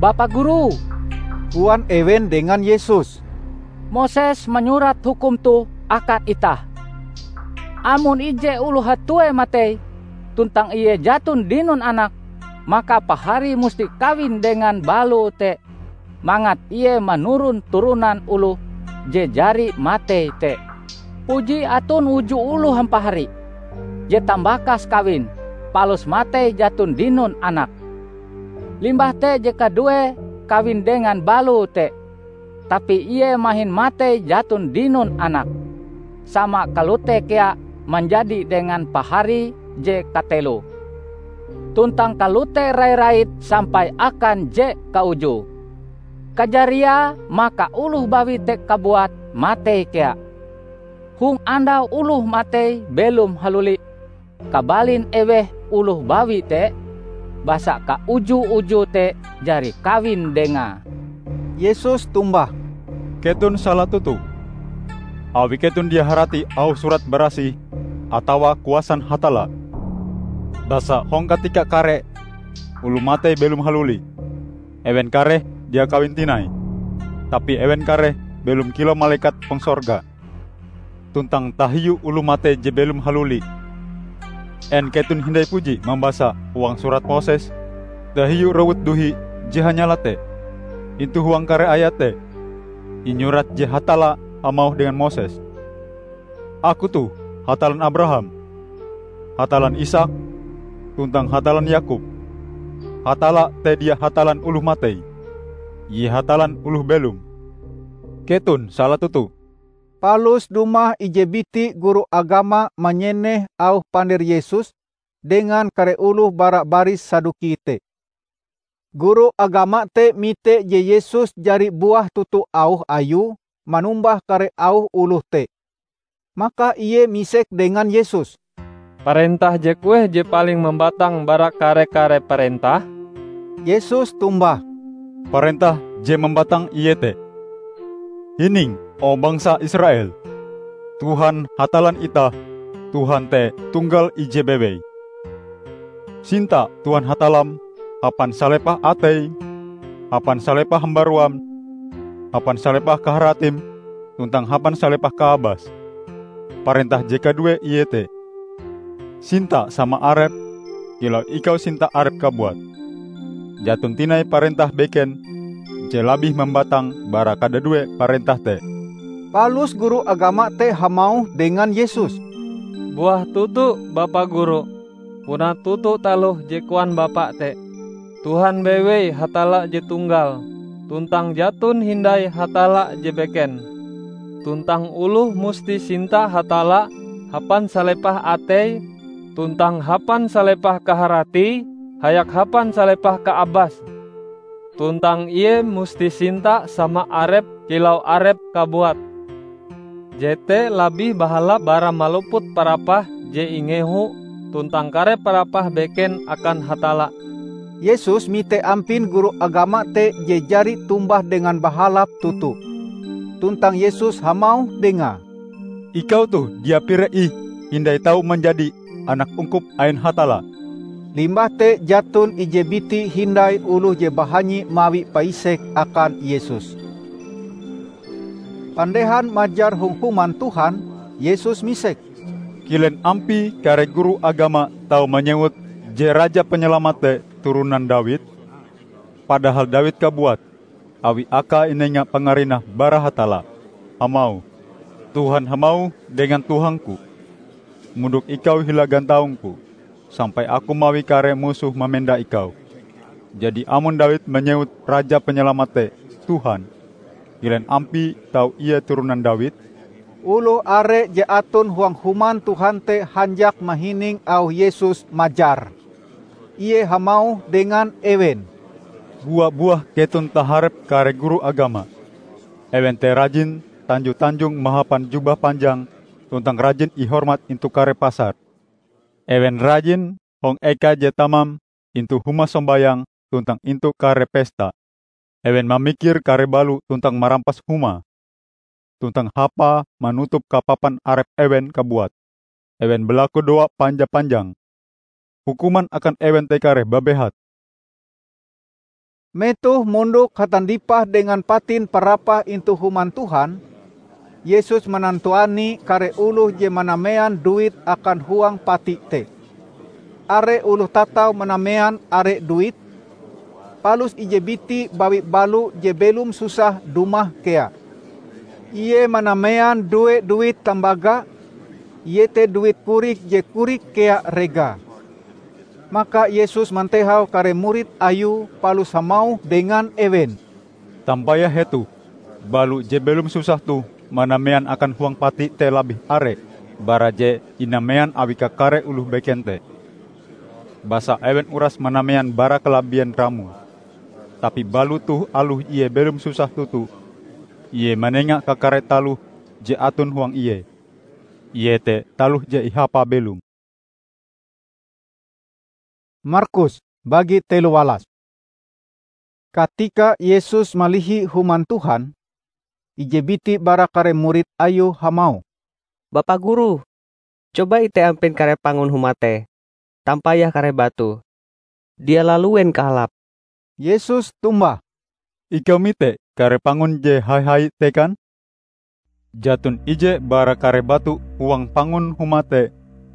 "Bapa Guru," koan ewen dengan Yesus, "Moses manyurat hukum toh akan itah: Amon ije oloh hatue matei, tuntang ie jaton dinon anak, maka paharie musti kawin dengan baloe te, mangat ie manuron turonan oloh je jari matei te. Puji aton uju oloh hampahari, je tambakas kawin, palus matei jaton dinon anak. Limbah te je kaduee kawin dengan baloe te, tapi ie mahin matei jaton dinon anak. Sama kalote kea manjadi dengan paharie je kateloe, tuntang kalote rai-rait sampai akan je kaujue. Kajariae maka oloh bawi te kabuat matei kea. Hong andau oloh matei belom haluli, kabalin eweh oloh bawi te, basa kauju-ujue te jari kawin dengae." Yesus tombah, "Keton sala toto, awi keton dia harati auh Surat Barasih atawa kuasan Hatalla. Basa hong katika kare oloh matei belom haluli, ewen kareh dia kawin tinai, tapi ewen kareh belom kilau malekat hong sorga. Tuntang tahiu oloh matei je belom haluli, en keton hindai puji mambasa huang Surat Moses tahiu rowut duhi je hanyala te? Intu huang kare ayat te, inyurat je Hatalla hamauh dengan Moses, 'Aku toh Hatallan Abraham, Hatallan Isaak, tuntang Hatallan Yakob.' Hatalla te dia Hatallan oloh matei, Ie Hatallan oloh belom. Keton sala toto." Palus dumah ije biti guru agama manyeneh auh pander Yesus dengan kare oloh bara baris Saduki te. Guru agama te mite je Yesus jari buah toto auh Ayue manumbah kare auh oloh te. Maka ie misek dengan Yesus, "Parentah je kueh je paling mambatang bara kare-kare parentah?" Yesus tombah, "Parentah je mambatang iete, 'Hining, o bangsa Israel! Tuhan Hatallan itah, Tuhan te Tunggal ije bewei. Sinta Tuhan Hatallam hapan salepah ateim, hapan salepah hambaruam, hapan salepah kaharatim, tuntang hapan salepah kaabas.' Parentah je kaduee iete, 'Sinta sama arep, kilau ikau sinta arep kabuat.' Jaton tinai parentah beken je labih mambatang bara kadadue parentah te." Palus guru agama te hamauh dengan Yesus, "Buah toto, Bapa Guru, puna toto taloh je koan Bapa te. Tuhan bewei Hatalla je tunggal, tuntang jaton hindai Hatalla je beken. Tuntang oloh musti sinta Hatalla hapan salepah ateie, tuntang hapan salepah kaharatie, hayak hapan salepah kaabase. Tuntang ie musti sinta sama arepe kilau arepe kabuat. Jete labih bahalap bara maluput parapah je ingehu tuntang kare parapah beken akan Hatalla." Yesus mite ampin guru agama te je jari tombah dengan bahalap toto. Tuntang Yesus hamauh dengae, "Ikau toh dia pire ih hindai tau manjadi anak ungkup ain Hatalla." Limbah te jaton ije biti hindai oloh je bahanyi mawi paisek akan Yesus. Pandehan majar hong Human Tuhan, Yesus misek, "Kilen ampie kare guru agama tau manyewut je Raja Panyalamat te turonan Dawid? Padahal Dawid kabuat, awi akae inenga pangarinah bara Hatalla, hamauh, 'Tuhan hamauh dengan Tuhangku, "Mondok ikau hila gantaung-Ku, sampai Aku mawi kare musohm mamenda ikau.'" Jadi amon Dawid manyewut Raja Panyalamat te 'Tuhan,' kilen ampie tau ie turonan Dawid?" Oloh are je aton huang Human Tuhan te hanjak mahining auh Yesus majar. Ie hamauh dengan ewen, "Bua-buah keton taharep kare guru agama. Ewen te rajin tanjo-tanjong mahapan jubah panjang tuntang rajin ihormat intu kare pasar. Ewen rajin hong eka je tamam intu huma sombayang tuntang intu kare pesta. Ewen mamikir kare balo tuntang marampas huma, tuntang hapae manutup kapapan arep ewen kabuat. Ewen balakudoa panja-panjang. Hukuman akan ewen te kareh babehat." Metoh mondok hatandipah dengan patin parapah intu Human Tuhan, Yesus manantuani kare oloh je manamean duit akan huang pati te. Are oloh tatau manamean are duit, palus ije biti bawi balo je belom susah dumah kea. Ie manamean due duit tambaga, iete duit korik je korik kea regae. Maka Yesus mantehau kare murid Ayue palus hamauh dengan ewen, "Tampayah hetoh, balo je belom susah toh manamean akan huang pati te labih are bara je inamean awi kakare oloh beken te. Basa ewen uras manamean bara kalabien ramoe. Tapi balo toh aloh ie belom susah toto, ie manenga kakare taloh je aton huang ie, iete taloh je ihapae belom." Markus bagi telo walas. Katika Yesus malihi Human Tuhan, ije biti bara kare murid Ayue hamauh, "Bapa Guru, coba ite ampin kare pangun huma te, tampayah kare batu. Dia laluen kahalape." Yesus tombah, "Ikau mite kare pangun je hai-hai te kan? Jaton ije bara kare batu huang pangun huma te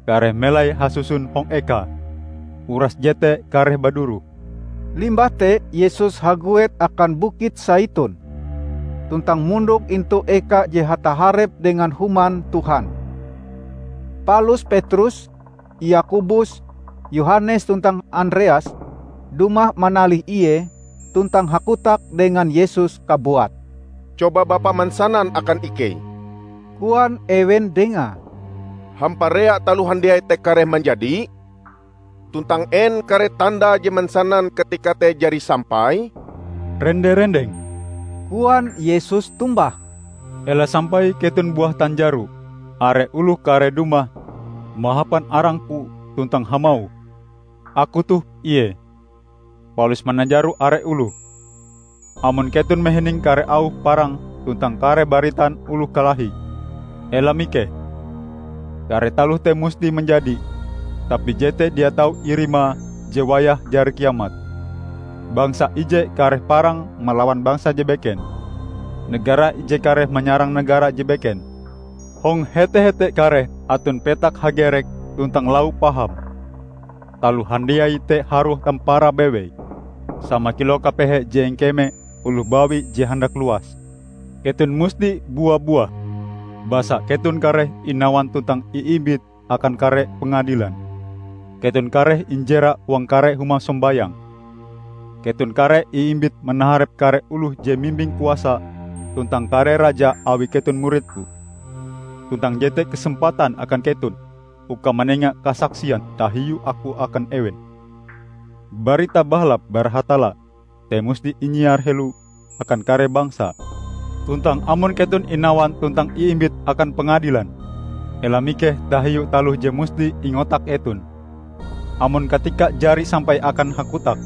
kareh melai hasuson hong eka. Uras jete kareh baduroh." Limbah te Yesus haguet akan Bukit Saitun, tuntang mondok intu eka je hataharep dengan Human Tuhan. Palus Petrus, Yakobus, Yohanes tuntang Andreas dumah manalih Ie tuntang hakotak dengan Yesus kabuat. "Coba Bapa mansanan akan ikei," koan ewen dengae, "hamparea taloh handiai te kareh manjadi? Tuntang en kare tanda je mansanan katika te jari sampai?" "Rende-rendeng," koan Yesus tombah, "ela sampai keton buah tanjaro are oloh kareh dumah mahapan arang-Ku tuntang hamauh, 'Aku toh ie,' palus mananjaro are oloh. Amon keton mahining kare auh parang tuntang kare baritan oloh kalahie, ela mikeh. Kare taloh te musti manjadi, tapi jete dia tau irimae je wayah jari kiamat. Bangsa ije kareh parang malawan bangsa je beken, negara ije kareh manyarang negara je beken. Hong hete-hete kareh aton petak hagerek tuntang lau paham. Taloh handiai te harue tamparae bewei, sama kilau kapehe je ingkeme oloh bawi je handak luas. Keton musti bua-buah, basa keton kareh inawan tuntang iimbit akan kare pengadilan. Keton kareh injera huang kare huma sombayang. Keton kareh iimbit manaharep kare oloh je mimbing kuasa tuntang kare raja awi keton murid-Ku. Tuntang jete kesempatan akan keton uka manenga kasaksian tahiu Aku akan ewen. Barita Bahalap bara Hatalla te musti inyiar helo akan kare bangsa. Tuntang amon keton inawan tuntang iimbit akan pengadilan, ela mikeh tahiu taloh je musti ingotak eton. Amon katika jari sampai akan hakotak,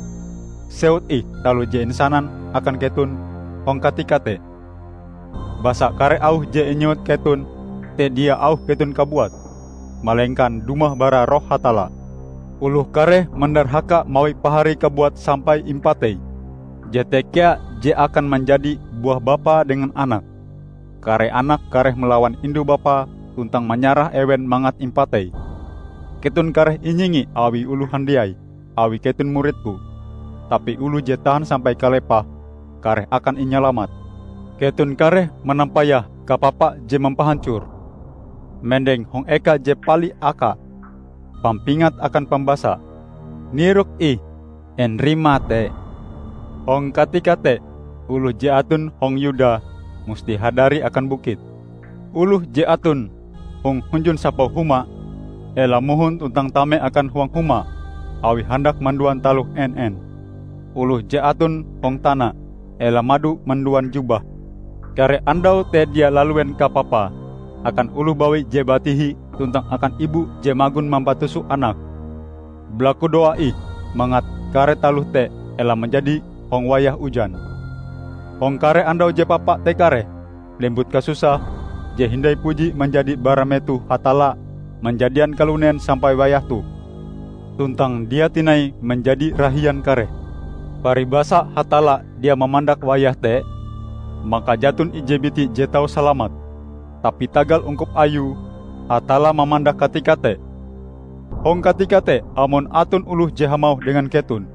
sewut ih taloh je insanan akan keton hong katika te. Basa kare auh je inyewut keton te dia auh keton kabuat, malengkan dumah bara Roh Hatalla. Oloh kareh mandarhaka mawi pahari kabuat sampai impatei. Jete kea je akan manjadi buah bapa dengan anak. Kare anak kareh malawan indu bapa tuntang manyarah ewen mangat impatei. Keton kareh inyingi awi oloh handiai awi keton murid-Ku, tapi oloh je tahan sampai kalepah kareh akan inyalamat. Keton kareh manampayah kapapa je mampahancor, mendeng hong eka je pali aka, pampingat akan pambasa, 'Nirok ih, en rimae te!' Hong katika te, oloh je aton hong Yuda musti hadari akan bukit. Oloh je aton hong hunjun sapau huma, ela mohon tuntang tame akan huang huma awi handak manduan taloh en-en. Oloh je aton hong tana, ela mado manduan jubah. Kare andau te dia laluen kapapae akan oloh bawi je batihi tuntang akan ibu je magon mampatuso anake. Balakudoa ih mangat kare taloh te ela manjadi hong wayah ujan. Hong kare andau je papa te kareh, lembut kasusah, je hindai puji manjadi bara metoh Hatalla manjadian kalunen sampai wayah toh, tuntang dia tinai manjadi rahian kareh. Paribasa Hatalla dia mamandak wayah te, maka jaton ije biti je tau salamat. Tapi tagal ungkup Ayue, Hatalla mamandak katika te. Hong katika te, amon aton oloh je hamauh dengan keton,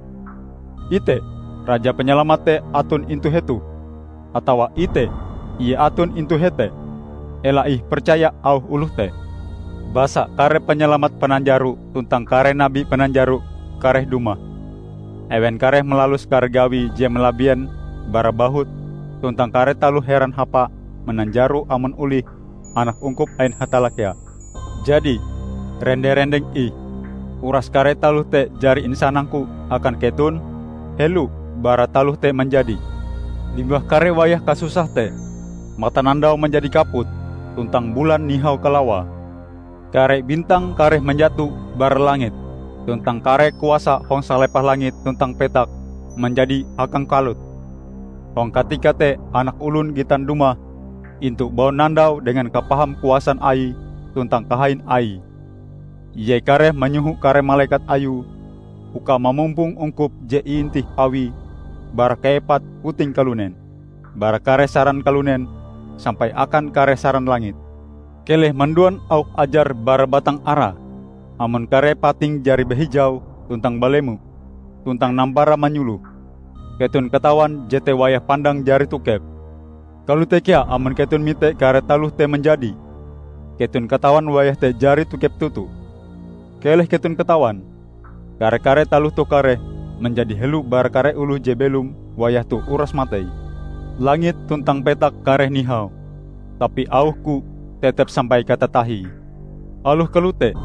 'Ite, Raja Panyalamat te aton intu hetoh!' atawa 'Ite, Ie aton intu hete!' ela ih percaya auh oloh te. Basa kare panyalamat pananjaro tuntang kare nabi pananjaro kareh dumah. Ewen kareh malalus kare gawi je malabien bara bahut tuntang kare taloh heran hapa mananjaro amon olih anak ungkup ain Hatalla kea. Jadi, rende-rendeng ih, uras kare taloh te jari insanang-Ku akan keton helo bara taloh te manjadi. Limbah kare wayah kasusah te, matanandau manjadi kaput, tuntang bulan nihau kalawae. Kare bintang kareh manjato bara langit, tuntang kare kuasa hong salepah langit tuntang petak manjadi hakangkalut. Hong katika te Anak Olon gitan dumah intu baunandau dengan kapaham kuasan Aie tuntang kahain Aie. Ie kareh manyoho kare malekat Ayue uka mamumpong ungkup je iintih Awie bara kaepat puting kalunen, bara kare saran kalunen sampai akan kare saran langit. Keleh manduan auh ajar bara batang ara, amon kare pating jari bahijau tuntang balemo, tuntang nampara manyuloh. Keton katawan jete wayah pandang jari tokep. Kalote kea amon keton mite kare taloh te manjadi, keton katawan wayah te jari tokep toto. Keleh keton katawan, kare-kare taloh toh kareh manjadi helo bara kare oloh je belom wayah toh uras matei. Langit tuntang petak kareh nihau, tapi auh-Ku tetep sampai katatahie. Aloh kalote,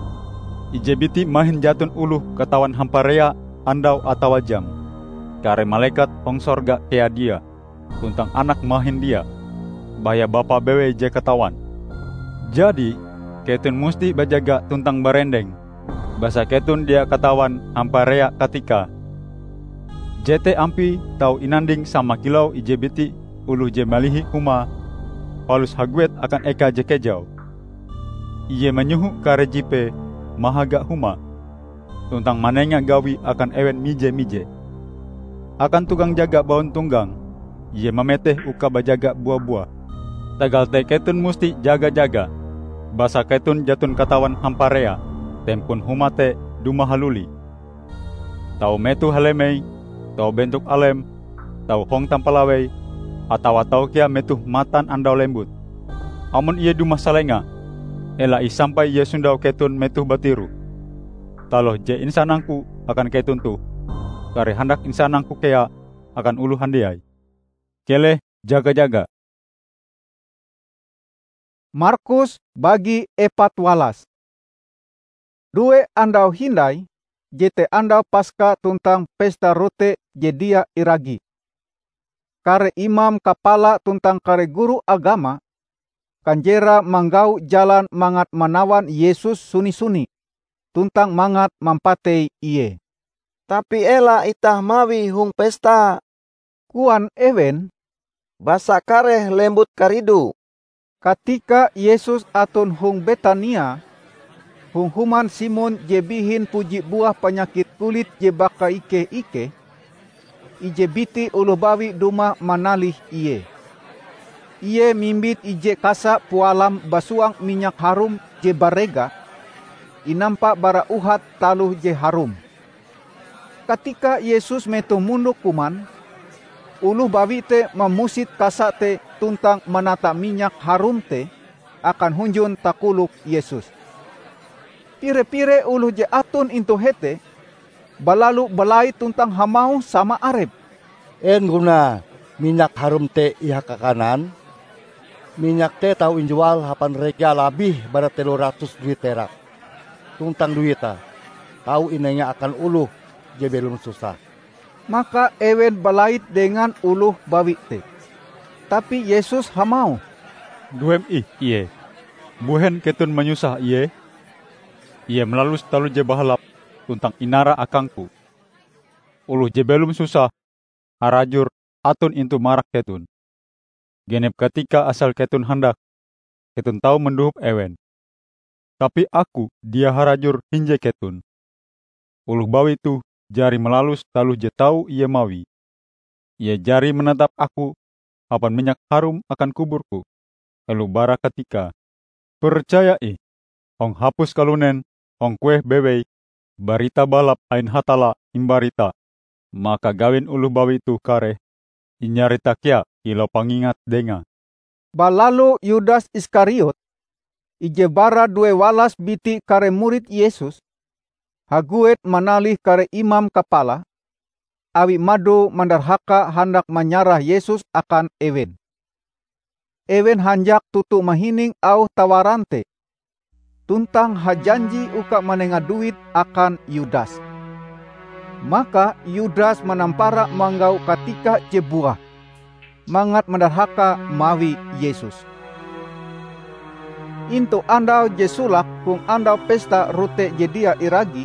ije biti mahin jaton oloh katawan hamparea andau atawa jam. Kare malekat hong sorga kea dia, tuntang Anak mahin dia, baya Bapa bewei je katawan. Jadi, keton musti bajaga tuntang barendeng, basa keton dia katawan hamparea katikae. Jete ampie tau inanding sama kilau ije biti oloh je malihi humae palus haguet akan eka je kejau. Ie manyoho kare jipee mahaga humae, tuntang manenga gawi akan ewen mije-mije. Akan tukang jaga bauntonggang, ie mameteh uka bajaga bua-buah. Tagal te keton musti jaga-jaga, basa keton jaton katawan hamparea tempon huma te dumah haluli. Tau metoh halemei, tau bentok alem, tau hong tampalawei, atawa tau kea metoh matan andau lembut. Amon ie dumah salenga, ela ih sampai ie sondau keton metoh batiroh. Taloh je insanang-Ku akan keton toh, kareh handak insanang-Ku kea akan oloh handiai. Keleh jaga-jaga! Markus bagi epat walas. Due andau hindai, jete andau Paska tuntang Pesta Rote Je Dia Iragi. Kare imam kapala tuntang kare guru agama kanjerae manggau jalan mangat manawan Yesus suni-suni, tuntang mangat mampatei Ie. "Tapi ela itah mawie hong pesta," koan ewen, "basa kareh lembut karidu." Katika Yesus aton hong Betania, hong human Simon je bihin puji buah panyakit kulit je bakaikeh-ikeh, ije biti oloh bawi dumah manalih Ie. Ie mimbit ije kasa pualam basuang minyak harum je barega, inampa bara uhat taloh je harum. Katika Yesus metoh mondok kuman, oloh bawi te mamusit kasa te tuntang manata minyak harum te akan hunjun takolok Yesus. Pire-pire oloh je aton intu hete balalu balait tuntang hamauh sama arepe, "En gunae minyak harum te ihakakanan? Minyak te tau injual hapan rega labih bara telo ratus duit perak, tuntang duite tau inenga akan oloh je belom susah." Maka ewen balait dengan oloh bawi te. Tapi Yesus hamauh, "Duem ih ie! Mbuhen keton manyusah ie? Ie malalus taloh je bahalap tuntang inara akang-Ku. Oloh je belom susah harajur aton intu marak keton. Genep katika asal keton handak, keton tau mandohop ewen. Tapi Aku dia harajur hinje keton. Oloh bawi toh jari malalus taloh je tau ie mawie. Ie jari manatap Aku hapan minyak harum akan kubur-Ku helo bara katikae. Percaya ih, hong hapus kalunen hong kueh bewei Barita Bahalap ain Hatalla imbarita, maka gawin oloh bawi toh kareh inyarita kea kilau pangingat dengae." Balalu Yudas Iskariot, ije bara due walas biti kare murid Yesus, haguet manalih kare imam kapala, awi mado mandarhaka handak manyarah Yesus akan ewen. Ewen hanjak toto mahining auh tawaran te, tuntang hajanji uka manenga duit akan Yudas. Maka Yudas manampara manggau katika je buah, mangat mandarhaka mawi Yesus. Intu andau je solake hong andau pesta Rote Je Dia Iragi,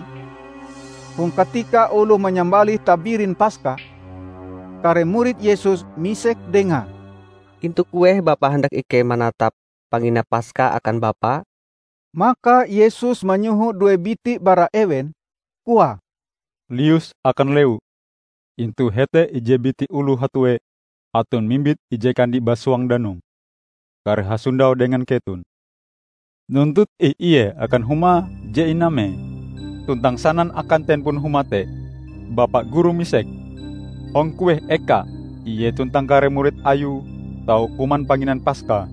hong katika oloh manyambalih tabirin Paska, kare murid Yesus misek Dengae, "Intu kueh Bapa handak ikei manatap panginan Paska akan Bapa?" Maka Yesus manyoho due biti bara ewen, koae, "Lius akan lewu, intu hete ije biti oloh hatue aton mimbit ije kandi basuang danum, kareh hasondau dengan keton. Nuntut ih ie akan huma je iname, tuntang sanan akan tempon huma te, 'Bapa Guru misek, hong kueh eka ie tuntang kare murid ayue tau kuman panginan Paska.'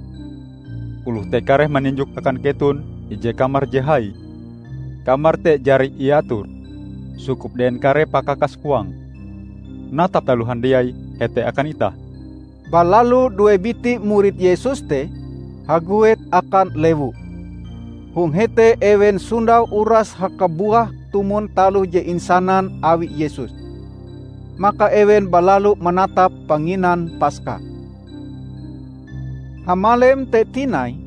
Oloh te kareh maninjok akan keton ije kamar je hai. Kamar te jari iator, sukup dehen kare pakakas huange. Natap taloh handiai hete akan itah." Balalu due biti murid Yesus te haguet akan lewu. Hong hete ewen sondau uras hakabuah tumon taloh je insanan awi Yesus. Maka ewen balalu manatap panginan Paska. Hamalem te tinai,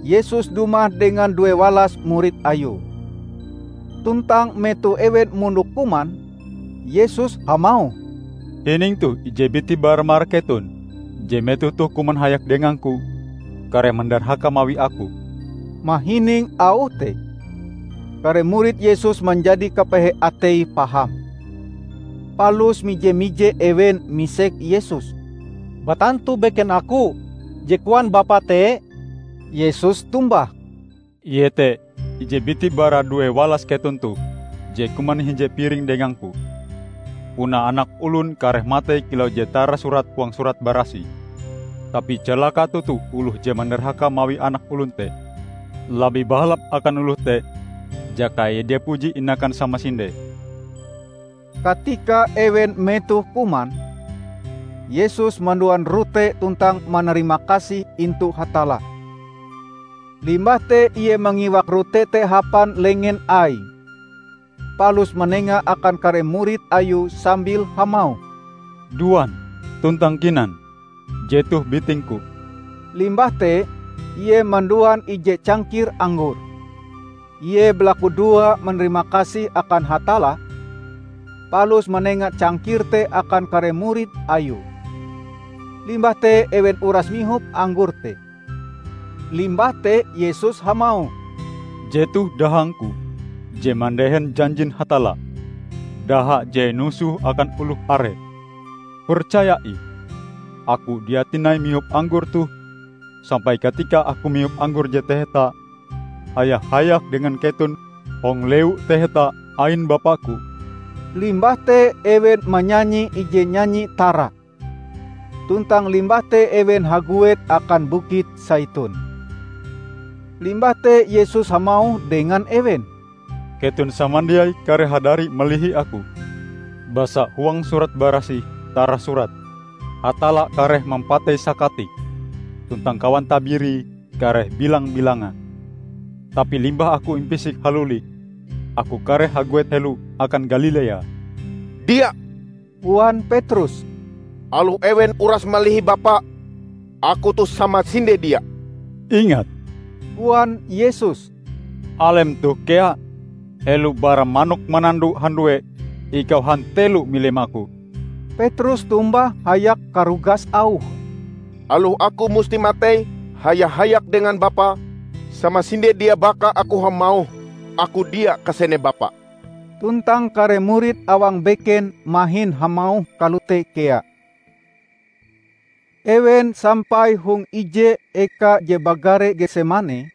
Yesus dumah dengan due walas murid Ayue. Tuntang metoh ewen mondok kuman, Yesus hamauh, "Hining toh ije biti bara marak keton, je metoh toh kuman hayak dengang-Ku, kareh mandarhaka mawi Aku." Mahining auh te, kare murid Yesus manjadi kapehe ateie paham, palus mije-mije ewen misek Yesus, "Batantu beken Aku je koan Bapa te?" Yesus tombah, "Ie te ije biti bara due walas keton toh je kuman hinje piring dengang-Ku. Puna Anak Olon kareh matei kilau je tarasurat huang Surat Barasih. Tapi calaka toto oloh je mandarhaka mawi Anak Olon te! Labih bahalap akan oloh te jaka ie dia puji inakan samasinde." Katika ewen metoh kuman, Yesus manduan rote tuntang manarimakasih intu Hatalla. Limbah te Ie mangiwak rote te hapan lengen Aie, palus manenga akan kare murid Ayue sambil hamauh, "Duan tuntang kinan, jetoh biting-Ku." Limbah te Ie manduan ije cangkir anggor. Ie balakudoa manarimakasih akan Hatalla, palus manenga cangkir te akan kare murid Ayue. Limbah te ewen uras mihop anggor te. Limbah te Yesus hamauh, "Jetoh dahang-Ku je mandehen janjin Hatalla, daha je inusoh akan oloh are. Percaya ih, Aku dia tinai mihop anggor toh sampai katika Aku mihop anggor je taheta haya-hayak dengan keton hong lewu taheta ain Bapa-Ku." Limbah te ewen manyanyi ije nyanyi tara. Tuntang limbah te ewen haguet akan Bukit Saitun. Limbah te Yesus hamauh dengan ewen, "Keton samandiai kareh hadari malihi Aku, basa huang Surat Barasih tarasurat, 'Hatalla kareh mampatei sakatik.' tuntang kawan tabirie kareh bilang-bilangan. Tapi limbah aku impisik haluli, aku kareh haguet helo akan Galilea." "Dia," koan Petrus, "aloh ewen uras malihi Bapa, aku toh samasinde dia." "Ingat," koan Yesus, "alem toh kea. Helo bara manok manando handue, ikau hantelo milim aku." Petrus tombah hayak karugas auhe, "Aloh aku musti matei haya-hayak dengan Bapa, samasinde dia baka aku hamauh, 'Aku dia kasene Bapa.'" Tuntang kare murid awang beken mahin hamauh kalote kea. Ewen sampai hong ije eka je bagare Getsemane,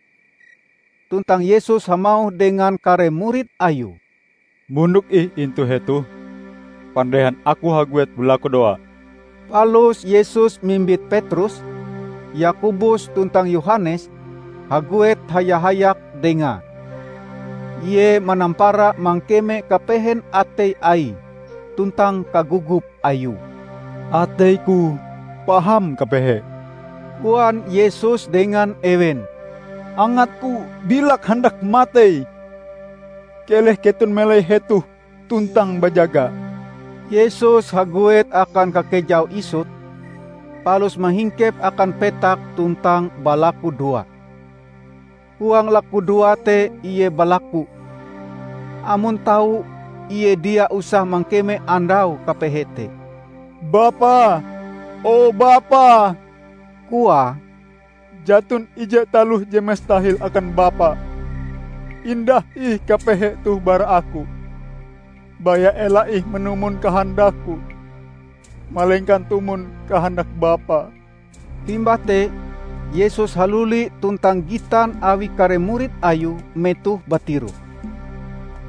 tuntang Yesus hamauh dengan kare murid Ayue, "Mondok ih intu hetoh, pandehan Aku haguet balakudoa." Palus Yesus mimbit Petrus, Yakobus tuntang Yohanes haguet haya-hayak Dengae. Ie manampara mangkeme kapehen atei Aie tuntang kagugup Ayue. "Atei-Ku paham kapehe," koan Yesus dengan ewen. "Angat-Ku bilak handak matei. Keleh keton melai hetoh tuntang bajaga." Yesus haguet akan kakejau isut, palus mahingkep akan petak tuntang balakudoa. Huang lakudoa te Ie balaku, amon tau Ie dia usah mangkeme andau kapehe te. "Bapa, o Bapa," koae, "jaton ije taloh je mustahil akan Bapa. Indah ih kapehe toh bara Aku. Baya ela ih manumon kahandak-Ku, malengkan tumon kahandak Bapa." Limbah te, Yesus haluli tuntang gitan awi kare murid Ayue metoh batiroh.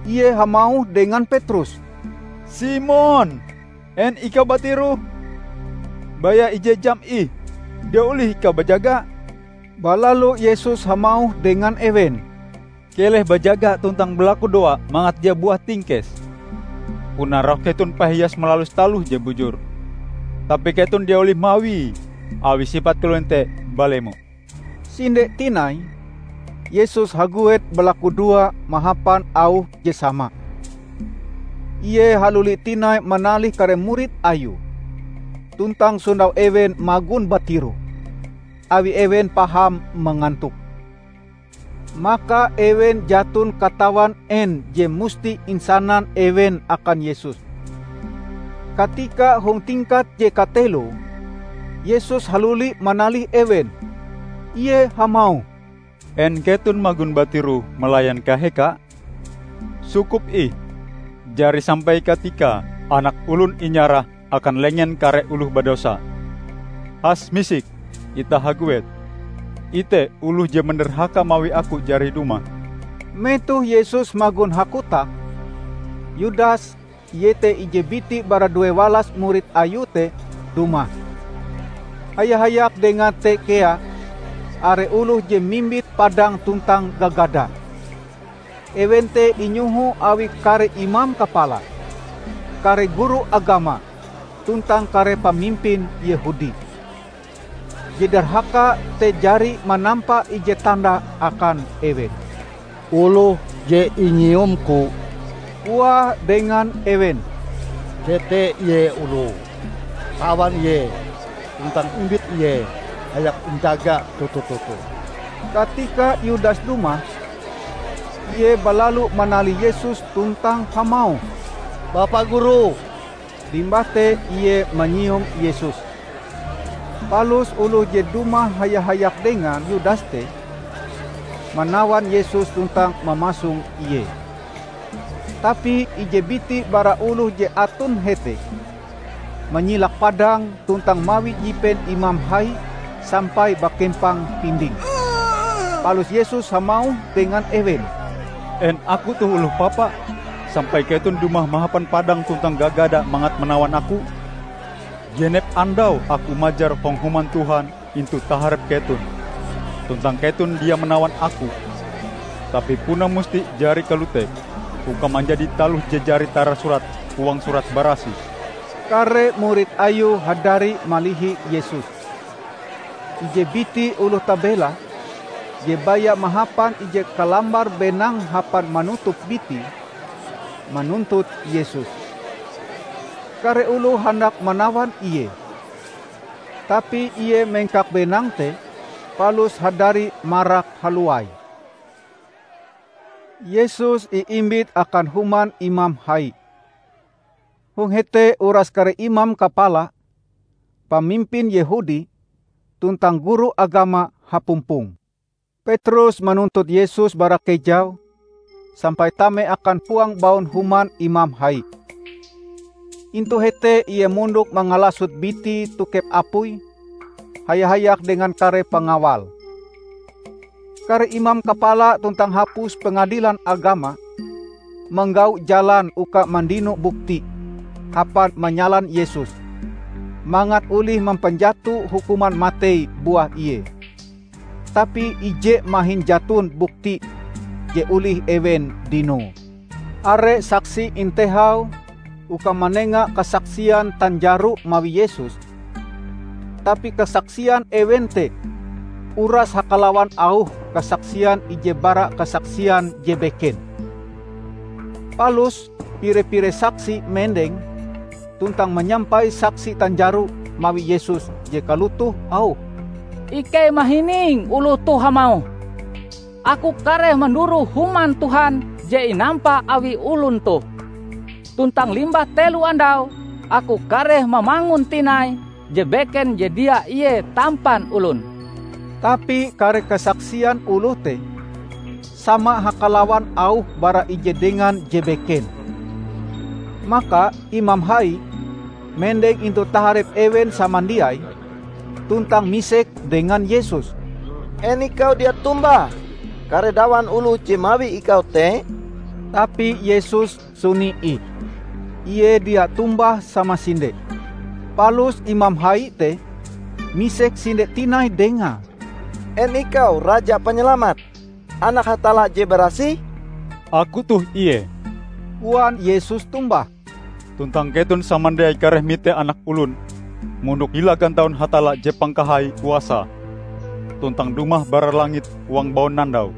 Ie hamauh dengan Petrus, "Simon, en ikau batiroh? Baya ije jam ih, dia olih ikau bajaga?" Balalu Yesus hamauh dengan ewen, "Keleh bajaga tuntang balakudoa mangat dia buah tingkes. Puna roh keton pahias malalus taloh je bujur, tapi keton dia olih mawie, awi sipat kalunen te balemo." Sinde tinai, Yesus haguet balakudoa mahapan auh je sama. Ie haluli tinai manalih kare murid Ayue, tuntang sondau ewen magon batiroh, awi ewen paham mangantok. Maka ewen jaton katawan en je musti insanan ewen akan Yesus. Katika hong tingkat je kateloe, Yesus haluli manalih ewen. Ie hamauh, "En keton magon batiroh malayan kaheka? Sukup ih, jari sampai katika Anak Olon inyarah akan lengen kare oloh badosa. Has misik, itah haguet. Ite oloh je mandarhaka mawi Aku jari dumah." Metoh Yesus magon hakotak, Yudas, iete ije biti bara duewalas murid Ayue te, dumah. Haya-hayak Dengae te kea are oloh je mimbit padang tuntang gagada. Ewen te inyoho awi kare imam kapala, kare guru agama, tuntang kare pamimpin Yehudi. Je darhaka te jari manampa ije tanda akan ewen. "Oloh je inyium-Ku," koae dengan ewen, "jete ie oloh. Tawan ie, tuntang imbit ie hayak injaga toto-toto." Katika Yudas dumah, ie balalu manalih Yesus tuntang hamauh, "Bapa Guru!" Limbah te ie manyium Yesus. Palus oloh je dumah haya-hayak dengan Yudas te, manawan Yesus tuntang mamasong Ie. Tapi ije biti bara oloh je aton hete, manyilak padang tuntang mawi jipen imam hai sampai bakempang pinding. Palus Yesus hamauh dengan ewen, "En Aku toh oloh papa, sampai keton dumah mahapan padang tuntang gagada mangat manawan Aku? Genep andau Aku majar hong Human Tuhan intu taharep keton, tuntang keton dia manawan Aku. Tapi puna musti jari kalote uka manjadi taloh je jari tarasurat huang Surat Barasih." Kare murid Ayue hadari malihi Yesus. Ije biti oloh tabela, je baya mahapan ije kalambar benang hapan manutup bitie, manuntut Yesus. Kare oloh handak manawan Ie, tapi Ie mengkak benang te, palus hadari marak haluai. Yesus iimbit akan human imam hai. Hong hete uras kare imam kapala, pamimpin Yehudi, tuntang guru agama hapumpong. Petrus manuntut Yesus bara kejau sampai tame akan puang baun human imam hai. Intu hete ie mondok mangalasot biti tokep apui haya-hayak dengan kare pangawal. Kare imam kapala tuntang hapus pengadilan agama manggau jalan uka mandino bukti hapan manyalan Yesus, mangat olih mampanjato hukuman matei buah Ie. Tapi ije mahin jaton bukti je olih ewen dinoe. Are saksi intehau uka manenga kasaksian tanjaro mawi Yesus, tapi kasaksian ewen te uras hakalawan auh kasaksian ije bara kasaksian je beken. Palus pire-pire saksi mendeng tuntang manyampai saksi tanjaro mawi Yesus je kalotoh auhe, "Ikei mahining oloh toh hamauh, 'Aku kareh manduroh human Tuhan je inampa awi olon toh. Tuntang limbah telo andau, aku kareh mamangun tinai je beken je dia ie tampan olon.'" Tapi kare kasaksian oloh te sama hakalawan auh bara ije dengan je beken. Maka imam hai mendeng intu taharep ewen samandiai tuntang misek dengan Yesus, "En ikau dia tombah kare dawan oloh je mawi ikau te?" Tapi Yesus suni ih. Ie dia tombah samasinde. Palus imam hai te misek sinde tinai dengae, "En ikau Raja Panyalamat, Anak Hatalla je barasih?" "Aku toh ie," koan Yesus tombah. "Tuntang keton samandiai kareh mite Anak Olon mondok hila gantaun Hatalla je pangkahai kuasae, tuntang dumah bara langit huang baunandau."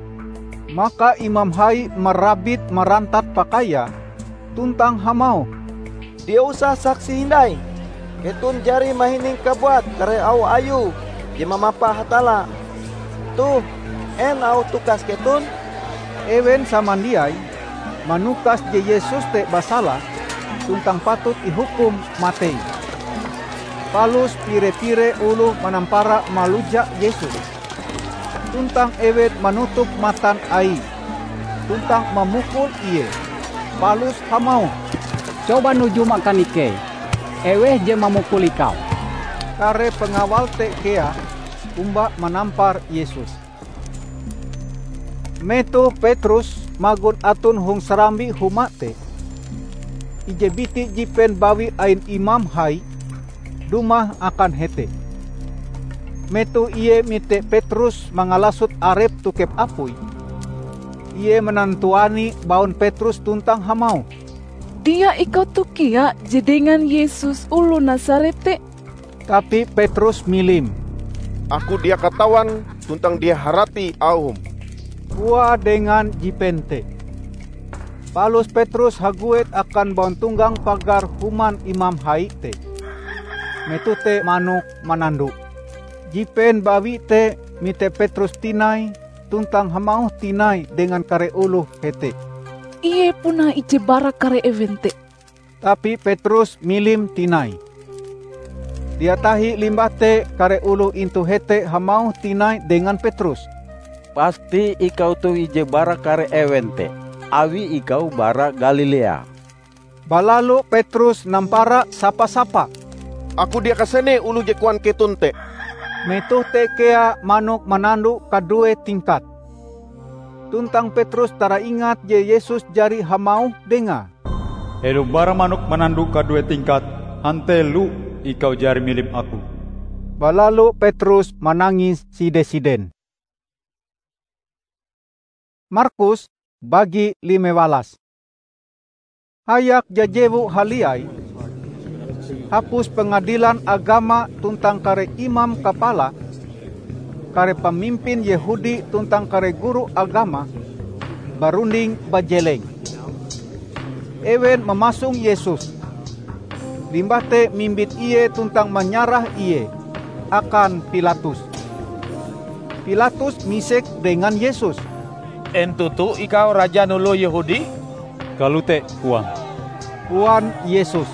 Maka imam hai marabit marantat pakaiae tuntang hamauh, "Dia usah saksi hindai! Keton jari mahining kabuat kare auh Ayue je mamapa Hatalla. Toh, en auh tukas keton?" Ewen samandiai manukas je Yesus te basala tuntang patut ihukum matei. Palus pire-pire oloh manampara maluja Yesus, tuntang ewen manutup matan Aie, tuntang mamukul Ie, palus hamauh, "Coba nujum akan ikei, eweh je mamukul ikau!" Kare pengawal te kea omba manampar Yesus. Metoh Petrus magon aton hong sarambi huma te, ije biti jipen bawi ain imam hai dumah akan hete. Metoh ie mite Petrus mangalasot arepe tokep apui, ie manantuani baun Petrus tuntang hamauh, "Dia ikau toh kea je dengan Yesus oloh Nasaret te?" Tapi Petrus milim. "Aku dia katawan tuntang dia harati auhm," koae dengan jipen te. Palus Petrus haguet akan bauntonggang pagar human imam hai te, metoh te manok manando. Jipen bawi te mite Petrus tinai tuntang hamauh tinai dengan kare oloh hete, "Ie puna ije bara kare ewen te." Tapi Petrus milim tinai. Dia tahi limbah te kare oloh intu hete hamauh tinai dengan Petrus, "Pasti ikau toh ije bara kare ewen te, awi ikau bara Galilea." Balalu Petrus nampara sapa-sapa, "Aku dia kasene oloh je koan keton te." Metoh te kea manok manando kadue tingkat. Tuntang Petrus taraingat je Yesus jari hamauh dengae, "Helo bara manok manando kadue tingkat, hantelo ikau jari milim Aku." Balalu Petrus manangis side-siden. Markus bagi lime walas. Hayak jajewu haliai, hapus pengadilan agama tuntang kare imam kapala kare pamimpin Yehudi tuntang kare guru agama barunding bajeleng. Ewen mamasong Yesus, limbah te mimbit Ie tuntang manyarah Ie akan Pilatus. Pilatus misek dengan Yesus, "En toto ikau rajan oloh Yehudi?" "Kalote," koan, koan Yesus.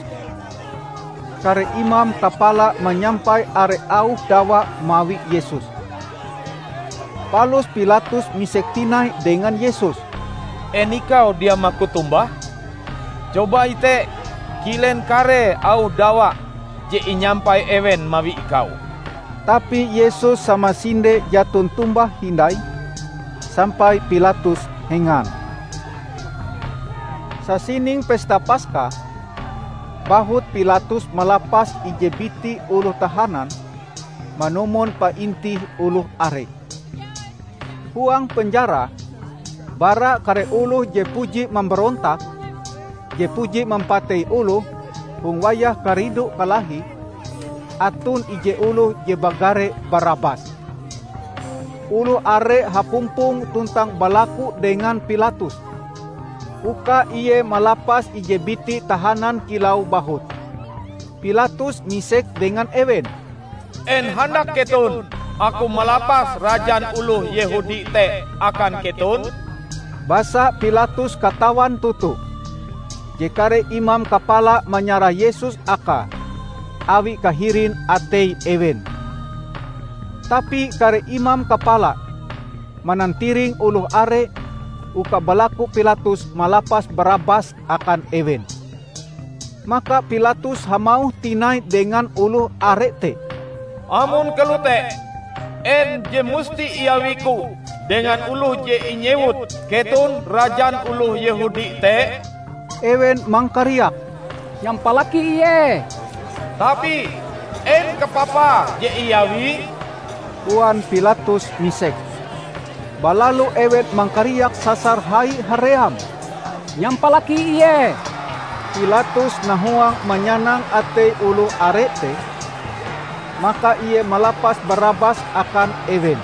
Kare imam kapala manyampai are auh dawa mawi Yesus. Palus Pilatus misek tinai dengan Yesus, "En ikau dia maku tombah? Coba ite, kilen kare auh dawa je inyampai ewen mawi ikau." Tapi Yesus samasinde jaton tombah hindai, sampai Pilatus hengan. Sasining pesta Paska, bahut Pilatus malapas ije biti oloh tahanan manumon paintih oloh are. Huang penjara, bara kare oloh je puji mambarontak, je puji mampatei oloh hong wayah karidu-kalahi, aton ije oloh je bagare Barabas. Oloh are hapumpong tuntang balaku dengan Pilatus, uka ie malapas ije biti tahanan kilau bahut. Pilatus misek dengan ewen, "En handak keton aku malapas rajan oloh Yehudi te akan keton?" Basa Pilatus katawan toto je kare imam kapala manyarah Yesus akae awi kahirin atei ewen. Tapi kare imam kapala manantiring oloh are uka balaku Pilatus malapas Barabas akan ewen. Maka Pilatus hamauh tinai dengan oloh are te, "Amon kalote, en je musti iawiku dengan oloh je inyewut keton rajan oloh Yehudi te?" Ewen mangkariak, "Nyampalaki Ie!" "Tapi en kapapa je iawie?" koan Pilatus misek. Balalu ewen mangkariak sasar hai haream, "Nyampalaki Ie!" Pilatus nahuang manyanang atei oloh are te, maka ie malapas Barabas akan ewen.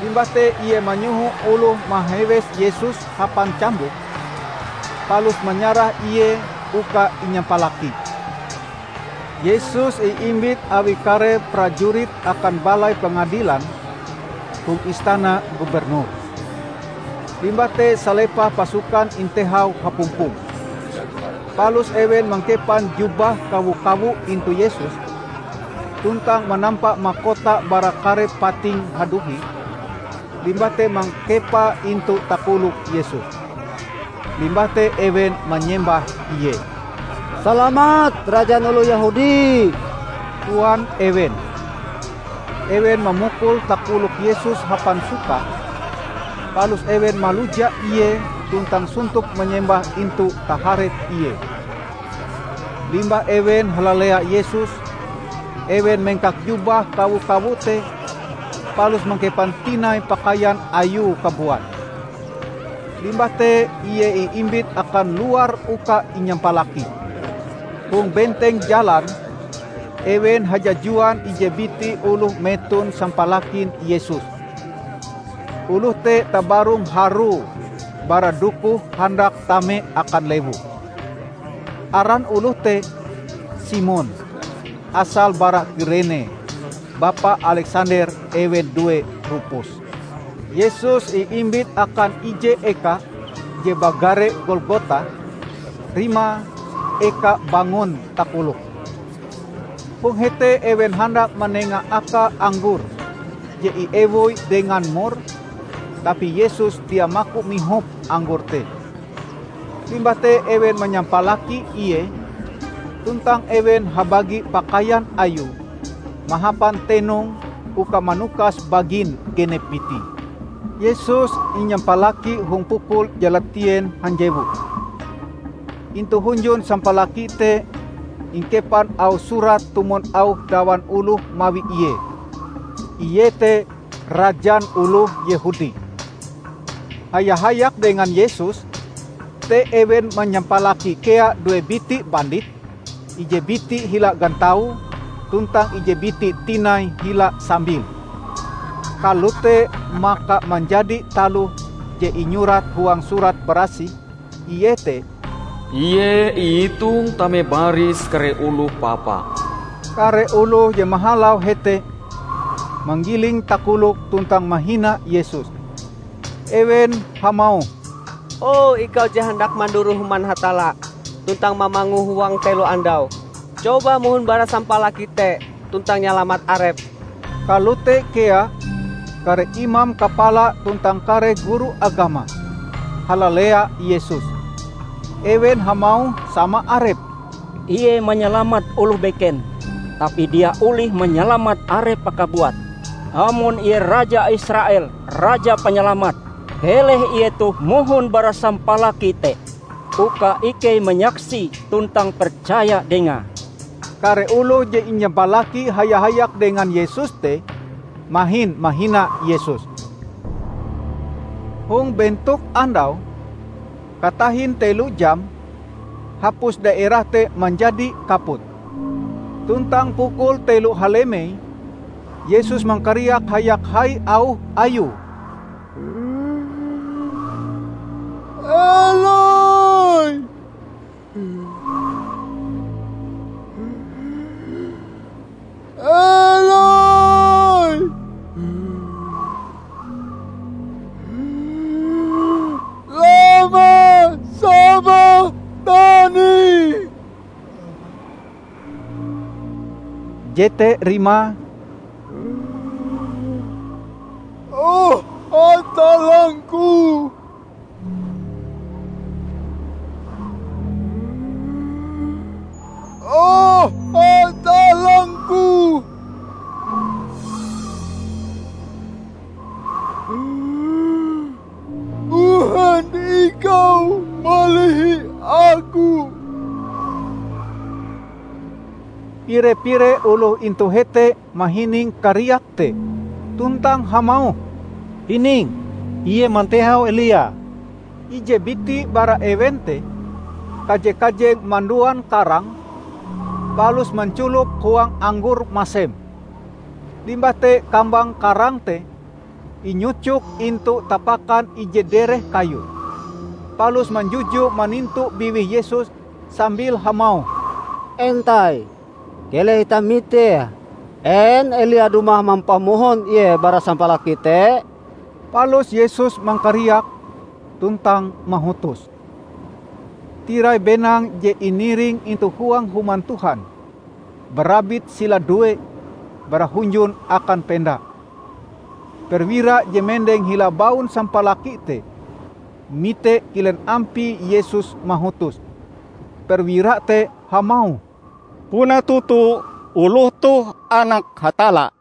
Limbah te ie manyoho oloh mahewes Yesus hapan cambuk, palus manyarah Ie uka inyampalaki. Yesus iimbit awi kare prajurit akan balai pengadilan hong istana gubernur. Limbah te salepah pasukan intehau hapumpong. Palus ewen mangkepan jubah kawo-kawo intu Yesus, tuntang manampa makota bara kare pating haduhi, limbah te mangkepae intu takolok Yesus. Limbah te ewen manyembah Ie. "Salamat, Rajan oloh Yehudi!" koan ewen. Ewen mamukul takolok Yesus hapan suka, palus ewen maluja Ie tuntang sontop manyembah intu taharep Ie. Limbah ewen halalea Yesus, ewen mengkak jubah kawo-kawo te, palus mangkepan tinai pakaian Ayue kabuat. Limbah te Ie iimbit akan luar uka inyampalaki. Hong benteng jalan, ewen hajajuan ije biti oloh meton sampalakin Yesus. Oloh te tabarong harue bara dukuh handak tame akan lewu. Aran oloh te Simon, asal bara Kirene, bapa Aleksander, ewen due Rupus. Yesus iimbit akan ije eka je bagare Golgota, rimae Eka Bangon Takolok. Hong hete ewen handak manenga aka anggor je iewoi dengan mor, tapi Yesus dia maku mihop anggor te. Limbah te ewen manyampalaki Ie, tuntang ewen habagi pakaian Ayue mahapan tenong uka manukas bagin genep biti. Yesus inyampalaki hong pukul jalatien hanjewu. Intu hunjun sampalaki te ingkepan auh surat tumon auh dawan oloh mawi Ie, iete "Rajan oloh Yehudi". Haya-hayak dengan Yesus te ewen manyampalaki kea due biti bandit, ije biti hila gantaue tuntang ije biti tinai hila sambile. Kalote maka manjadi taloh je inyurat huang Surat Barasih, iete, "Ie iitong tame baris kare oloh papa." Kare oloh je mahalau hete manggiling takolok tuntang mahina Yesus. Ewen hamauh, "O ikau je handak manduroh Human Hatalla tuntang mamangue huang telo andau, coba mohon bara sampalaki te tuntang nyalamat arep." Kalote kea kare imam kapala tuntang kare guru agama halalea Yesus. Ewen hamauh sama arep, "Ie manyalamat oloh beken, tapi dia olih manyalamat arepe kabuat. Amon Ie Raja Israel, Raja Panyalamat, keleh Ie toh mohon bara sampalaki te, uka ikei manyaksi tuntang percaya Dengae." Kare oloh je inyampalaki haya-hayak dengan Yesus te mahin mahina Yesus. Hong bentok andau, katahin telo jam, hapus daerah te manjadi kaput. Tuntang pukul telo halemei, Yesus mangkariak hayak hai auh Ayue, "Eloi, Eloi, lama sabakhtani?" Jete rimae, "O Hatallang-Ku, O Hatallang-Ku, mbuhen Ikau malihi Aku?" Pire-pire oloh intu hete mahining kariak te, tuntang hamauh, "Hining, ie mantehau Elia!" Ije biti bara ewen te kaje-kajeng manduan karang, palus manculop huang anggor masem. Limbah te kambang karang te inyucok intu tapakan ije dereh kayu, palus manjuju manintu biwih Yesus sambil hamauh, "Entai, keleh itah mitee, en Elia dumah mampamohon Ie bara sampalaki te?" Palus Yesus mangkariak tuntang mahutos. Tirai benang je iniring intu huang Human Tuhan barabit sila due bara hunjun akan penda. Perwira je mendeng hila baun sampalaki te mite kilen ampie Yesus mahutos. Perwira te hamauh, "Puna toto oloh toh Anak Hatalla!"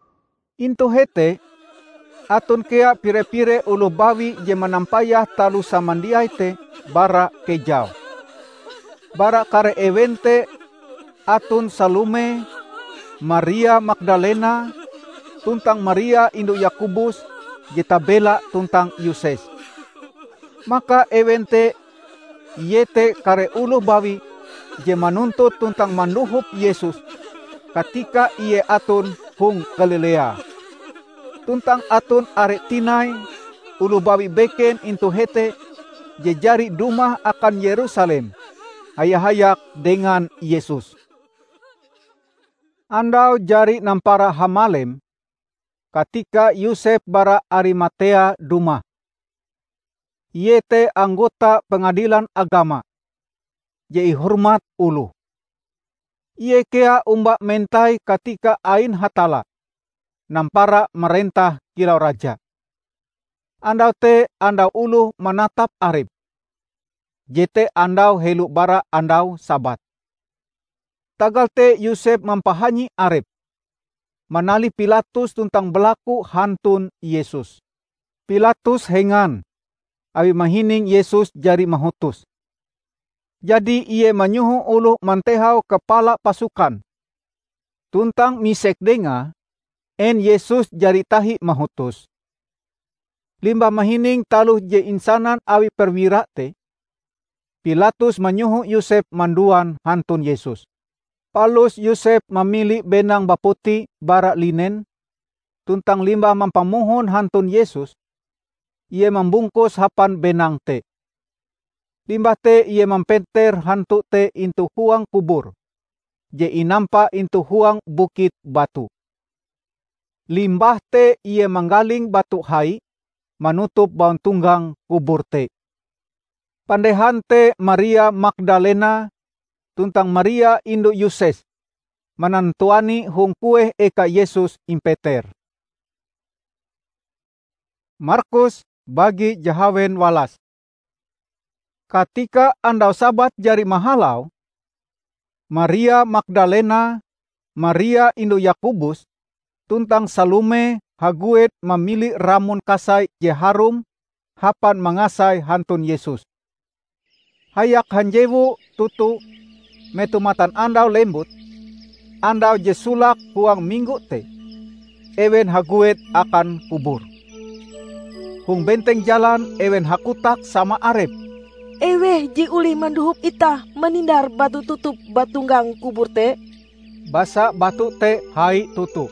Intu hete, aton kea pire-pire oloh bawi je manampayah taloh samandiai te bara kejau. Bara kare ewen te aton Salome, Maria Magdalena, tuntang Maria indu Yakobus je tabela tuntang Yoses. Maka ewen te, iete kare oloh bawi je manuntut tuntang mandohop Yesus katika Ie aton hong Galilea. Tuntang aton are tinai oloh bawi beken intu hete je jari dumah akan Yerusalem haya-hayak dengan Yesus. Andau jari nampara hamalem, katika Yosep bara Arimatea dumah. Ie te anggota Pengadilan Agama je ihormat oloh. Ie kea omba mentai katika ain Hatalla nampara marentah kilau raja. Andau te andau oloh manatap arep. Jete andau helo bara andau Sabat. Tagal te Yosep mampahanyi arep, manalih Pilatus tuntang balaku hantun Yesus. Pilatus hengan awi mahining Yesus jari mahutos. Jadi ie manyoho oloh mantehau kapala pasukan, tuntang misek dengae, en Yesus jari tahi mahutos. Limbah mahining taloh je insanan awi perwira te, Pilatus manyoho Yosep manduan hantun Yesus. Palus Yosep mamili benang baputi bara linen, tuntang limbah mampamohon hantun Yesus, ie mambungkuse hapan benang te. Limbah te ie mampenter hantu te intu huang kubur je inampa intu huang bukit batu. Limbah te ie manggaling batu hai manutup bauntonggang kubur te. Pandehan te Maria Magdalena tuntang Maria indu Yoses manantuani hong kueh eka Yesus impeter. Markus bagi jahawen walas. Katika andau Sabat jari mahalau, Maria Magdalena, Maria indu Yakobus, tuntang Salome haguet mamili ramon kasai je harum hapan mangasai hantun Yesus. Hayak hanjewu toto metoh matanandau lembut, andau je solake huang minggo te, ewen haguet akan kubur. Hong benteng jalan ewen hakotak sama arepe, "Eweh je olih mandohop itah manindar batu tutup bauntonggang kubur te?" Basa batu te hai toto.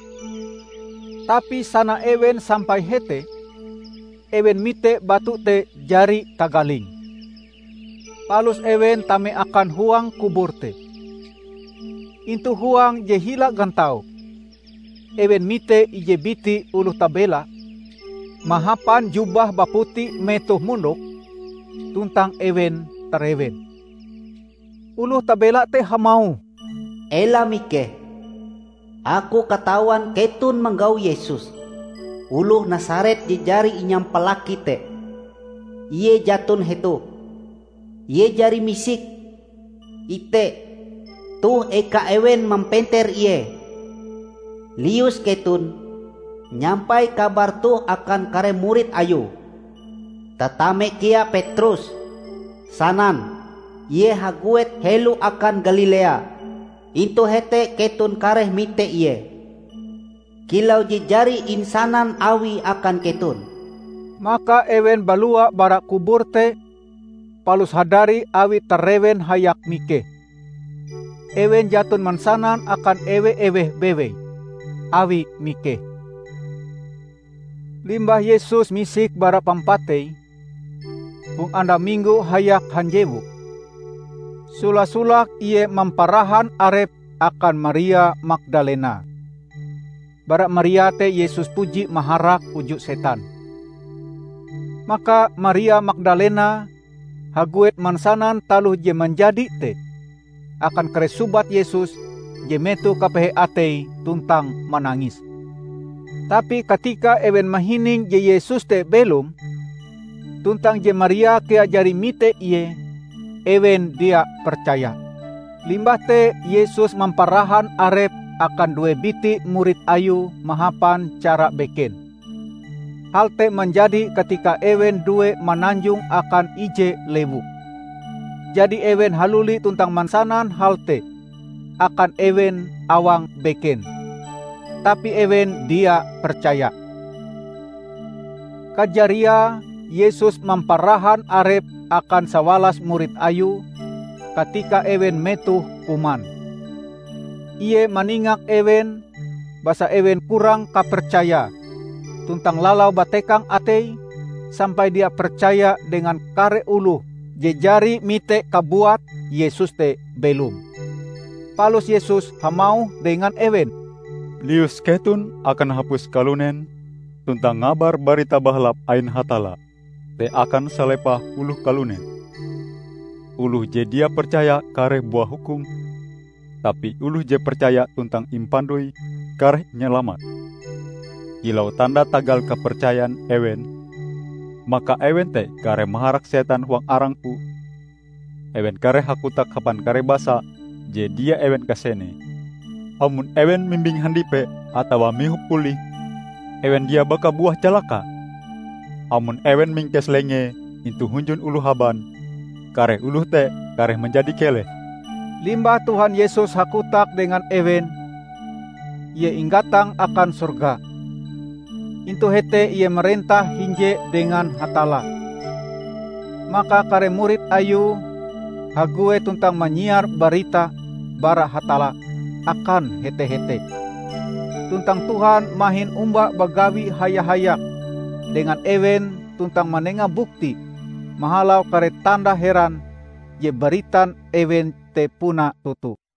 Tapi sana ewen sampai hete, ewen mite batu te jari tagaling. Palus ewen tame akan huang kubur te. Intu huang je hila gantau, ewen mite ije biti oloh tabela mahapan jubah baputi metoh mondok, tuntang ewen tarewen. Oloh tabela te hamauh, "Ela mikeh! Aku katawan keton manggau Yesus, oloh Nasaret je jari inyampalaki te. Ie jaton hetoh. Ie jari misik. Ite, toh eka ewen mampenter ie. Lius keton, nyampai kabar toh akan kare murid ayue. Tatame kea Petrus, sanan, ie haguet helo akan Galilea. Intu hete keton kareh mite ie, kilau je jari insanan awie akan keton." Maka ewen balua bara kubur te, palus hadari awi tarewen hayak mikeh. Ewen jaton mansanan akan ewe-eweh bewei awi mikeh. Limbah Yesus misik bara pampatei, hong andau minggo hayak hanjewu, sola-solake ie mamparahan arepe akan Maria Magdalena. Bara Maria te Yesus puji maharak uju setan. Maka Maria Magdalena haguet mansanan taloh je manjadi te akan kare sobat Yesus je metoh kapehe ateie tuntang manangis. Tapi katika ewen mahining je Yesus te belom, tuntang je Maria kea jari mite ie, ewen dia percaya. Limbah te Yesus mamparahan arepe akan due biti murid Ayue mahapan cara beken. Hal te manjadi katika ewen due mananjong akan ije lewu. Jadi ewen haluli tuntang mansanan hal te akan ewen awang beken. Tapi ewen dia percaya. Kajariae Yesus mamparahan arepe akan sawalas murid Ayue katika ewen metoh kuman. Ie maningak ewen basa ewen kurang kapercayae, tuntang lalau batekang ateie sampai dia percaya dengan kare oloh je jari mite kabuat Yesus te belom. Palus Yesus hamauh dengan ewen, "Lius keton akan hapus kalunen tuntang ngabar Barita Bahalap ain Hatalla te akan salepah oloh kalunen. Oloh je dia percaya kareh buah hukum, tapi oloh je percaya tuntang impandoi kareh inyalamat. Kilau tanda tagal kapercayan ewen, maka ewen te kareh maharak setan huang arang-Ku. Ewen kareh hakotak hapan kare basa je dia ewen kasenee. Amon ewen mimbing handipe atawa mihop olih, ewen dia bakabuah calaka. Amon ewen mingkes lengee intu hunjun oloh haban, kare oloh te kareh manjadi keleh." Limbah Tuhan Yesus hakotak dengan ewen, Ie inggatang akan sorga. Intu hete Ie marentah hinje dengan Hatalla. Maka kare murid Ayue haguet tuntang manyiar barita bara Hatalla akan hete-hete. tuntang Tuhan mahin omba bagawi haya-hayak dengan ewen tuntang manenga bukti mahalau kare tanda heran je baritan ewen te puna toto.